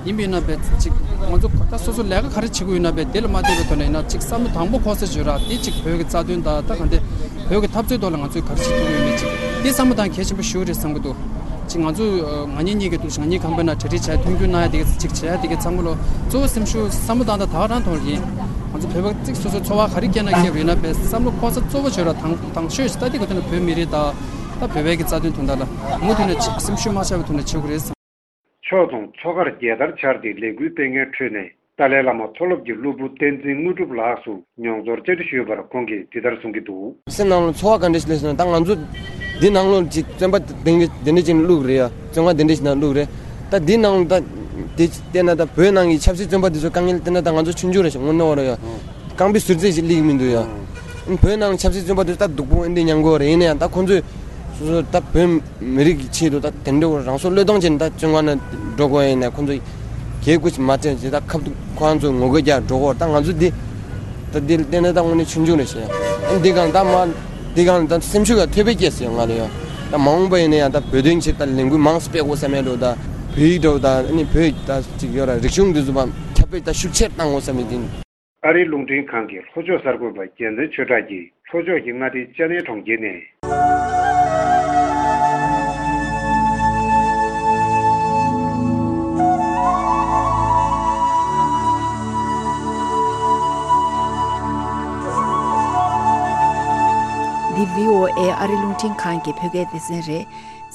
ཡིན་པས་ན་བས་ཅིག་ང་ཚོ་ད་སོ་སོ་ལས་ཀ་ག་རེ་བྱེད་ཀྱི་ཡོད་ན་བས་དེ་ལ་མ་བལྟས་པའི་ཐོག་ནས་ཡིན་ན་ཅིག་བསམ་བློ་དང་པོ་འཁོར་ས་བརྗོད་ར་དེ་ཅིག་བོད་ཀྱི་རྩ་དོན་དང་ད་ག་འདི་བོད་ཀྱི་འཐབ་རྩོད་ཐོག་ལ་ང་ཚོས་ག་རེ་བྱེད་ཐུབ་ཀྱི་ཡོད་མེད་ཅིག་དེ་བསམ་བློ་བཏང་གལ་ཆེན་པོ་ཞེ་པོ་རེད་བསམ་གྱི་འདུག་ཅིག་ང་ཚོ་ང་གཉིས་གཉིས་ཀྱི་འདུག་ང་གཉིས་ཁང་པའི་ནང་གྲ་སྒྲིག་བྱས་མཐུན་འགྱུར་གནང་ཡ་དེ་ག་ཅིག་བྱས་ཡ་དེ་ག་ཚང་མ་ལོ་གཙོ་བོ་སེམས་ཤུགས་བསམ་བློ་བཏང་ད་ད་ག་རང་ཐོག་ལ་ཡིན། ང་ཚོ་བོད་པ་ཅིག་སོ་སོའི་འཚོ་བ་ག་རེ་སྐྱེལ་ན་སྐྱེལ་བ་ཡིན་ན་བས་བསམ་བློ་འཁོར་ས་གཙོ་བོ་བྱོས་ར་དང་དང་ཤོས་ཤིག་ད་དེ་ག་དེ་ནས་བོད་མི་རིགས་དང་ད་བོད་པའི་གི་རྩ་དོན་དོན་དག་ལ་མུ་མཐུད་ནས་སེམས་ཤུགས་མ་ཆག་པའི་ཐོག་ནས་བྱེད་དགོས་རེད་བསམ། ཕྱོགས་མཚུངས་མཚོ་ཁར་རྒྱལ་དར་འཕྱར་ཏེ་ལས་འགུལ་སྤེལ་མཁན་ཁྲོད་ནས་ ཏཱ་ལའི་བླ་མ་མཐོ་སློབ་ཀྱི་སློབ་བུ་བསྟན་འཛིན་དངོས་གྲུབ་ལགས་སུ་མྱོང་ཚོར་བཅར་འདྲི་ཞུས་པར་ཁོང་གིས་འདི་ལྟར་གསུང་གི་འདུག། སེམས་ནང་ལ་ཚོར་བ་ག་འདྲ་ཞིག་སླེབས་སོང་ན། ད་ང་ཚོ་འདི་ནང་ལོགས་ཅིག་བཙོན་པ་དེ་འདྲ་དེ་འདྲ་ཅིག་བླུགས་རེད་ཡ། བཙོན་ཁང་དེ་འདྲ་ཞིག་ནང་བླུགས་རེད། ད་འདི་ནང་ལ་ད་དེ་བལྟས་ན་ད་བོད་ནང་གི་ཆབ་སྲིད་བཙོན་པ་དེ་ཚོ་དཀའ་ངལ་བལྟས་ན་ད་ང་ཚོ་ཆུང་ཆུང་རེད་ཤག། དངོས་གནས་བ་རེད་ཡ། རྐང་པའི་ཟུར་ཚད་ཞིག་སླེབས་ཀྱི་མི་འདུག་ཡ། བོད་ནང་ཆབ་སྲིད་བཙོན་པ་དེ་ད་སྡུག་པོ་འདི་མྱང་གི་ཡོད་རེད། ཡིན་ན་ཡང་ད་ཁོང་ཚོས་སོ་སོ་ད་བོད་མི་རིགས་ཀྱི་ཆེད་དུ་ད་དེ་འདྲ་རང་སྲོག་བློས་གཏོང་བྱས་ནས་ད་བཙོན་ཁང་ནང་འགྲོ་དགོས་ཡིན་ན། ཁོང་ཚོས་གལ་ཁུ་ཅིག་མ་སྤྲད་ཅིག་ད་ཁ་ཐུག་ཁོ་རང་ཚོ་ངོ་རྒོལ་རྒྱག་འགྲོ་དགོས། ད་ང་ཚོ་འདི་ད་འདི་བལྟས་ན་ད་དངོས་གནས་ཆུང་ཆུང་རེད་ཤག། ཨ་འདི་གང་ད་མ་འདི་གང་ད་སེམས་ཤུགས་ཡང་ཐོལ་པ་སྐྱེས་སོང་ང་ལ་ཡ། ད་མ་འོངས་པ་ཡིན་ན་ཡང་ད་བོད་དོན་ཆེད་ད་ལས་འགུལ་མང་ཙམ་སྤེལ་དགོས་བསམ་ཡ་འགྲོ། ད་བོད་ཡིག་འགྲོ། ད་ཨ་ནི་བོད་ཡིག་ད་ཅིག་ཡོད་ར། རིག་གཞུང་འདི་ཚོ་བ་ཁྱབ་སྤེལ་ད་ཤུགས་ཆེར་བཏང་དགོས་བསམ་ཡ་འདི། ཨ་རིའི་རླུང་འཕྲིན་ཁང་གི་ལྷོ་ཕྱོགས་གསར་འགོད་པ་རྒྱལ་མཚན་ཆོས་གྲགས་ཀྱིས་ལྷོ་ཕྱོགས་ཀྱི་མངའ་སྡེ་ཅ་ནའི་གྲོང་ཁྱེར་ནས། འདི་བྷི་ཨོ་ཨེ་ཨ་རི་རླུང་འཕྲིན་ཁང་གི་བོད་སྐད་སྡེ་ཚན་རེད།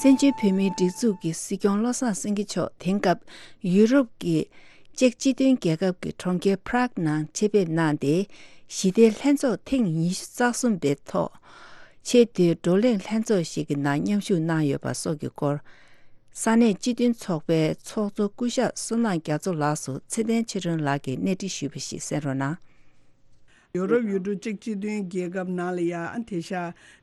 བཙན་བྱོལ་བོད་མིའི་སྒྲིག་འཛུགས་ཀྱི་སྲིད་སྐྱོང་བློ་བཟང་སེང་གེ་མཆོག་དེང་སྐབས་ཡུ་རོབ་ཀྱི་ཅེཀ་སྤྱི་མཐུན་རྒྱལ་ཁབ་ཀྱི་གྲོང་ཁྱེར་Prague ནང་ཆེད་ཕེབས་གནང་སྟེ། ཞི་བདེའི་ལྷན་ཚོགས་ཐེངས་ཉི་ཤུ་རྩ་གསུམ་པའི་ཐོག་ཆེས་མཐོའི་བགྲོ་གླེང་ལྷན་ཚོགས་ཤིག་གི་ནང་མཉམ་ཞུགས་གནང་ཡོད་པ་སོགས་ཀྱི་སྐོར། ས་གནས་སྤྱི་མཐུན་ཚོགས་པའི་ཚོགས་གཙོ་སྐུ་ཞབས་བསོད་ནམས་རྒྱ་མཚོ་ལགས་སུ་ཚེ་བརྟན་ཆོས་སྒྲོན་ལགས་ཀྱིས་གནས་འདྲི་ཞུས་པ་ཞིག་གསན་རོགས་གནང་། ཡོ་རོབ་ཡུལ་གྲུ་ཅེཀ་སྤྱི་མཐུན་རྒྱལ་ཁབ་ནང་ལ་ཡ་ཨ་དེ་ཤ་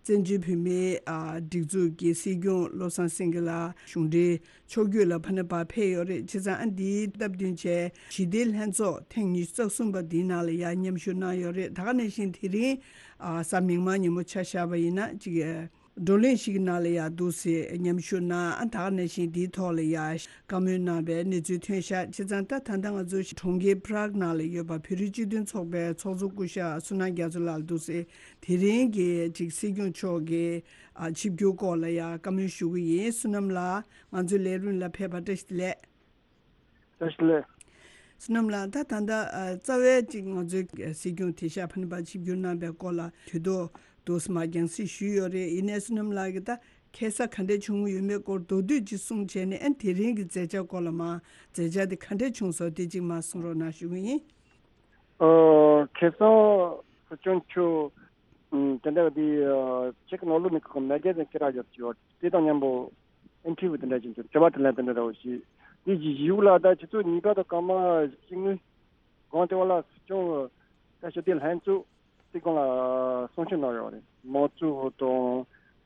བཙན་བྱོལ་བོད་མིའི་ཨ་སྒྲིག་འཛུགས་ཀྱི་སྲིད་སྐྱོང་བློ་བཟང་སེང་གེ་ལགས་གཞུང་འབྲེལ་ཕྱོགས་བསྐྱོད་ལ་ཕ་ནས་ཕར་ཕེབས་ཡོད་རེད། བྱས་ཙང་ཨ་འདིའི་སྟབས་བསྟུན་བྱས་ཞི་བདེའི་ལྷན་ཚོགས་ཐེངས་ཉི་ཤུ་རྩ་གསུམ་པ་འདིའི་ནང་ལ་ཡ་མཉམ་ཞུགས་གནང་ཡོད་རེད། ད་ག་ནང་བཞིན་དེ་རིང་ཨ་གཟའ་མིག་དམར་ཉིན་མོ་ཆ་བཞག་པ་ཡིན་ན་ཅིག་བགྲོ་གླེང་ཞིག་གི་ནང་ལ་ཡ་འདུག་སེ་མཉམ་ཞུགས་གནང་། ཨ་ད་ག་ནང་བཞིན་འདིའི་ཐོག་ལ་ཡ་བཀའ་མོལ་གནང་བའི་གནས་ཚུལ་ཐོན་ཤག། བྱས་ཙང་ད་ད་ལྟ་ང་ཚོ་གྲོང་ཁྱེར་Prague ནང་ལ་ཡོད་པ་བོད་རིགས་སྤྱི་མཐུན་ཚོགས་པའི་ཚོགས་གཙོ་སྐུ་ཞབས་བསོད་ནམས་རྒྱ་མཚོ་ལགས་ལ་འདུག་སེ་དེ་རིང་གི་ཅིག་སྲིད་སྐྱོང་མཆོག་གི་ཨ་ཆིབས་བསྒྱུར་སྐོར་ལ་ཡ་བཀའ་མོལ་ཞུ་གི་ཡིན། བསོད་ནམས་ལགས་ང་ཚོའི་ལས་རིམ་ལ་ཕེབས་པར་བཀྲ་ཤིས་བདེ་ལེགས། བཀྲ་ཤིས་བདེ་ལེགས། བསོད་ནམས་ལགས་ད་ད་ལྟ་ཨ་རྩ་བའི་ཅིག་ང་ཚོའི་སྲིད་སྐྱོང་དེ་ཤ་ཕ་ནི་པ་ཆིབས་བསྒྱུར་གནང་པའི་སྐོར་ལ་དུས་ཐོག་ཏུ་མ་རྒྱང་སྲིང་ཞུས་ཡོད་རེད། ཡིན་ནའི་བསོད་ནམས་ལགས་ཀྱིས་ད་ཁ་སང་ག་འདྲ་བྱུང་ཡོད་མེད་སྐོར་མདོར་བསྡུས་ཅིག་གསུངས་བྱས་ནས་ཨ་དེ་རིང་གི་མཛད་འཆར་སྐོར་ལ་མ་མཛད་འཆར་དེ་ག་འདྲ་བྱུང་སོང་དེ་ཅིག་མ་གསུང་རོགས་གནང་ཞུ་གི་ཡིན། ཨོ། ཁ་སང་སྲིད་སྐྱོང་མཆོག་ཨམ་དེ་འདྲ་འདི་ཨ་ཅེཀ་ནང་ལོགས་ནས་ཁོ་མེ་ག་ཟིན་ཀི་ར་ཡོད་ཀྱི་ཡོད། དེ་དང་མཉམ་པོ་ཨིན་ཊར་བིའུ་དེ་འདྲ་ཅིག་བྱུང་། དྲི་བ་དྲིས་ལན་དེ་འདྲ་འདྲ་བོ་ཞིག། དེ་བཞི་བཞི་ལ་ད་ཆུ་ཚོད་ཉིས་པ་དང་སྐར་མ་བཞི་ལྔའི་གོང་དེ་བ་ལ་སྲིད་སྐྱོང་ད་ཞི་བདེ་ལྷན་ཚོགས་དེ་སྒང་ལ་གསུང་བཤད་གནང་ཡོད་རེད། མའོ་ཙེ་ཏུང་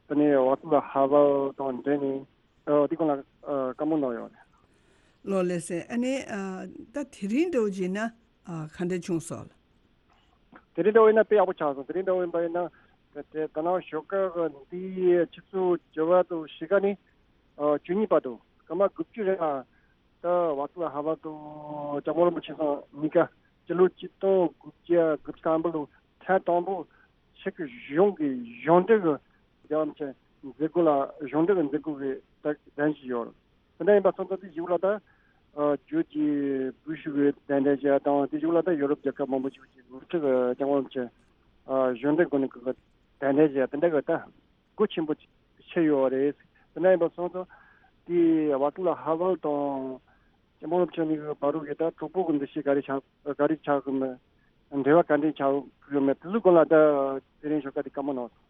དང་དེ་ནས་ཝ་ཏི་ལ་ཧ་ཝལ་དང་འབྲེལ་ནས་ཨ་དེ་སྒང་ལ་ཨ་བཀའ་མོལ་གནང་ཡོད་རེད། ལགས་ལགས་སེ། ཨ་ནི་ཨ་ད་དེ་རིང་འདྲ་བོ་བྱས་ན་ཨ་ག་འདྲ་བྱུང་སོང་། དེ་རིང་འདྲ་བོ་ཡིན་ན་དཔེ་ཡག་པོ་ཆགས་སོང་། དེ་རིང་འདྲ་བོ་ཡིན་པ་ཡིན་ན་དེ་དེ་ད་ནང་ཞོགས་ཀ་གི་འདི་ཆུ་ཚོད་བཅུ་པ་དང་ཕྱེད་ཀ་ནས་ཨ་བཅུ་གཉིས་བར་དུ་སྐར་མ་དགུ་བཅུ་རིང་ལ་ད་ཝ་ཏི་ལ་ཧ་ཝལ་དང་ལྕམ་མོ་རིན་པོ་ཆེ་ཚང་གཉིས་ཀ་སྤྱི་ལོ་ཆིག་སྟོང་དགུ་བརྒྱ་དགུ་བཅུ་ཐམ་པ་ལོ་ཐེངས་དང་པོ་ཕྱི་གི་གཞུང་གི་གཞུང་འབྲེལ་གྱི་རྒྱལ་བ་རིན་པོ་ཆེ་མཛད་སྒོ་ལ་གཞུང་འབྲེལ་གྱི་མཛད་སྒོ་གི་ད་གདན་ཞུས་ཡོད། དེ་འདྲ་ཡིན་པ་སོང་ཙང་དེ་ཞིག་ལ་ད་ཨ་བརྒྱུད་ཀྱི་བུ་ཤུ་གི་གདན་འདྲེན་བྱས་དང་དེ་ཞིག་ལ་ད་ཡོ་རོབ་རྒྱལ་ཁབ་མང་པོ་ཞིག་གི་འགོ་ཁྲིད་ཀྱི་རྒྱལ་བ་རིན་པོ་ཆེ་ཨ་གཞུང་འབྲེལ་སྒོ་ནས་གི་གདན་འདྲེན་བྱས་དེ་འདྲ་གི་ད་སྒོ་ཆེན་པོ་ཕྱེ་ཡོད་རེད། དེ་འདྲ་ཡིན་པ་སོང་ཙང་དེ་ཝ་ཏི་ལ་ཧ་ཝལ་དང་ལྕམ་མོ་རིན་པོ་ཆེ་གཉིས་ཀྱི་བར་དུ་གི་ད་གྲོགས་པོ་གི་འདུ་ཤེས་ག་རེ་ཆགས་ག་རེ་ཆགས་གི་མེད། འབྲེལ་བ་ག་འདྲས་ཆགས་ཡོད་མེད་དེ་ཚོའི་སྐོར་ལ་ད་དེ་རིང་ཞོགས་ཀ་དེ་བཀའ་མོལ་གནང་སོང་།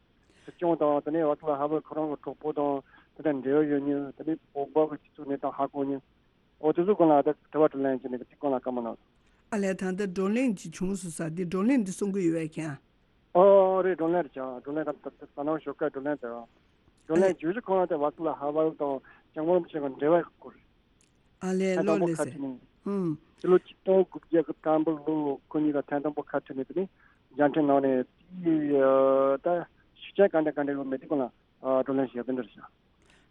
སྲིད་སྐྱོང་དང་དེ་ནས་ཝ་ཏི་ལ་ཧ་ཝལ་ཁོ་རང་གི་གྲོགས་པོ་དང་དེ་འདྲ་འབྲེལ་བ་ཡོད་མྱོང་། དེ་ནས་བོད་པ་གི་སྤྱི་ཚོགས་གནས་སྟངས་ཧ་གོ་མྱོང་། འོ་དེ་ཚོའི་སྐོར་ལ་ད་དྲི་བ་དྲིས་ལན་བྱས་ནས་དེ་སྐོར་ལ་བཀའ་མོལ་གནང་སོང་། ཨ་ལས་ད་ལྟ་བགྲོ་གླེང་ཅིག་བྱུང་སོང་ས་འདི་བགྲོ་གླེང་འདི་གསུང་གི་ཡོད་པས་ཀྱང་། ཨོ་རེད། བགྲོ་གླེང་རེད་ཀྱང་། བགྲོ་གླེང་ད་ད་ད་ནང་ཞོགས་ཀ་བགྲོ་གླེང་དེ་རང་། བགྲོ་ཨ་ལས། གླེང་བྱེད་ཀྱི་ཁོ་རང་དེ་ཝ་ཏི་ལ་ཧ་ཝལ་དང་ལྕམ་མོ་རིན་པོ་ཆེ་གི་འབྲེལ་བའི་སྐོར། ཨ་ལས། ཐེངས་ལོ་དང་པོ་ལས་ཁ་ཟེར། བྲལ་ནས། ཧུམ། ཕྱི་ལོ་ཆིག་སྟོང་དགུ་བརྒྱ་དགུ་བཅུ་ཐམ་པ་ལོ་ཁོ་གཉིས་ཀ་ཐེངས་དང་པོ་ཁ་བྲལ་ནས་དེ་ནས་མཇལ་འཕྲད་གནང་ནས་དེ་ད་ཤུགས་རྐྱེན་ག་འདྲ་ག་འདྲ་ཡོད་མེད་དེ་སྐོར་ལ་བགྲོ་གླེང་ཞིག་ཡག་པོ་འདྲ་ཞིག།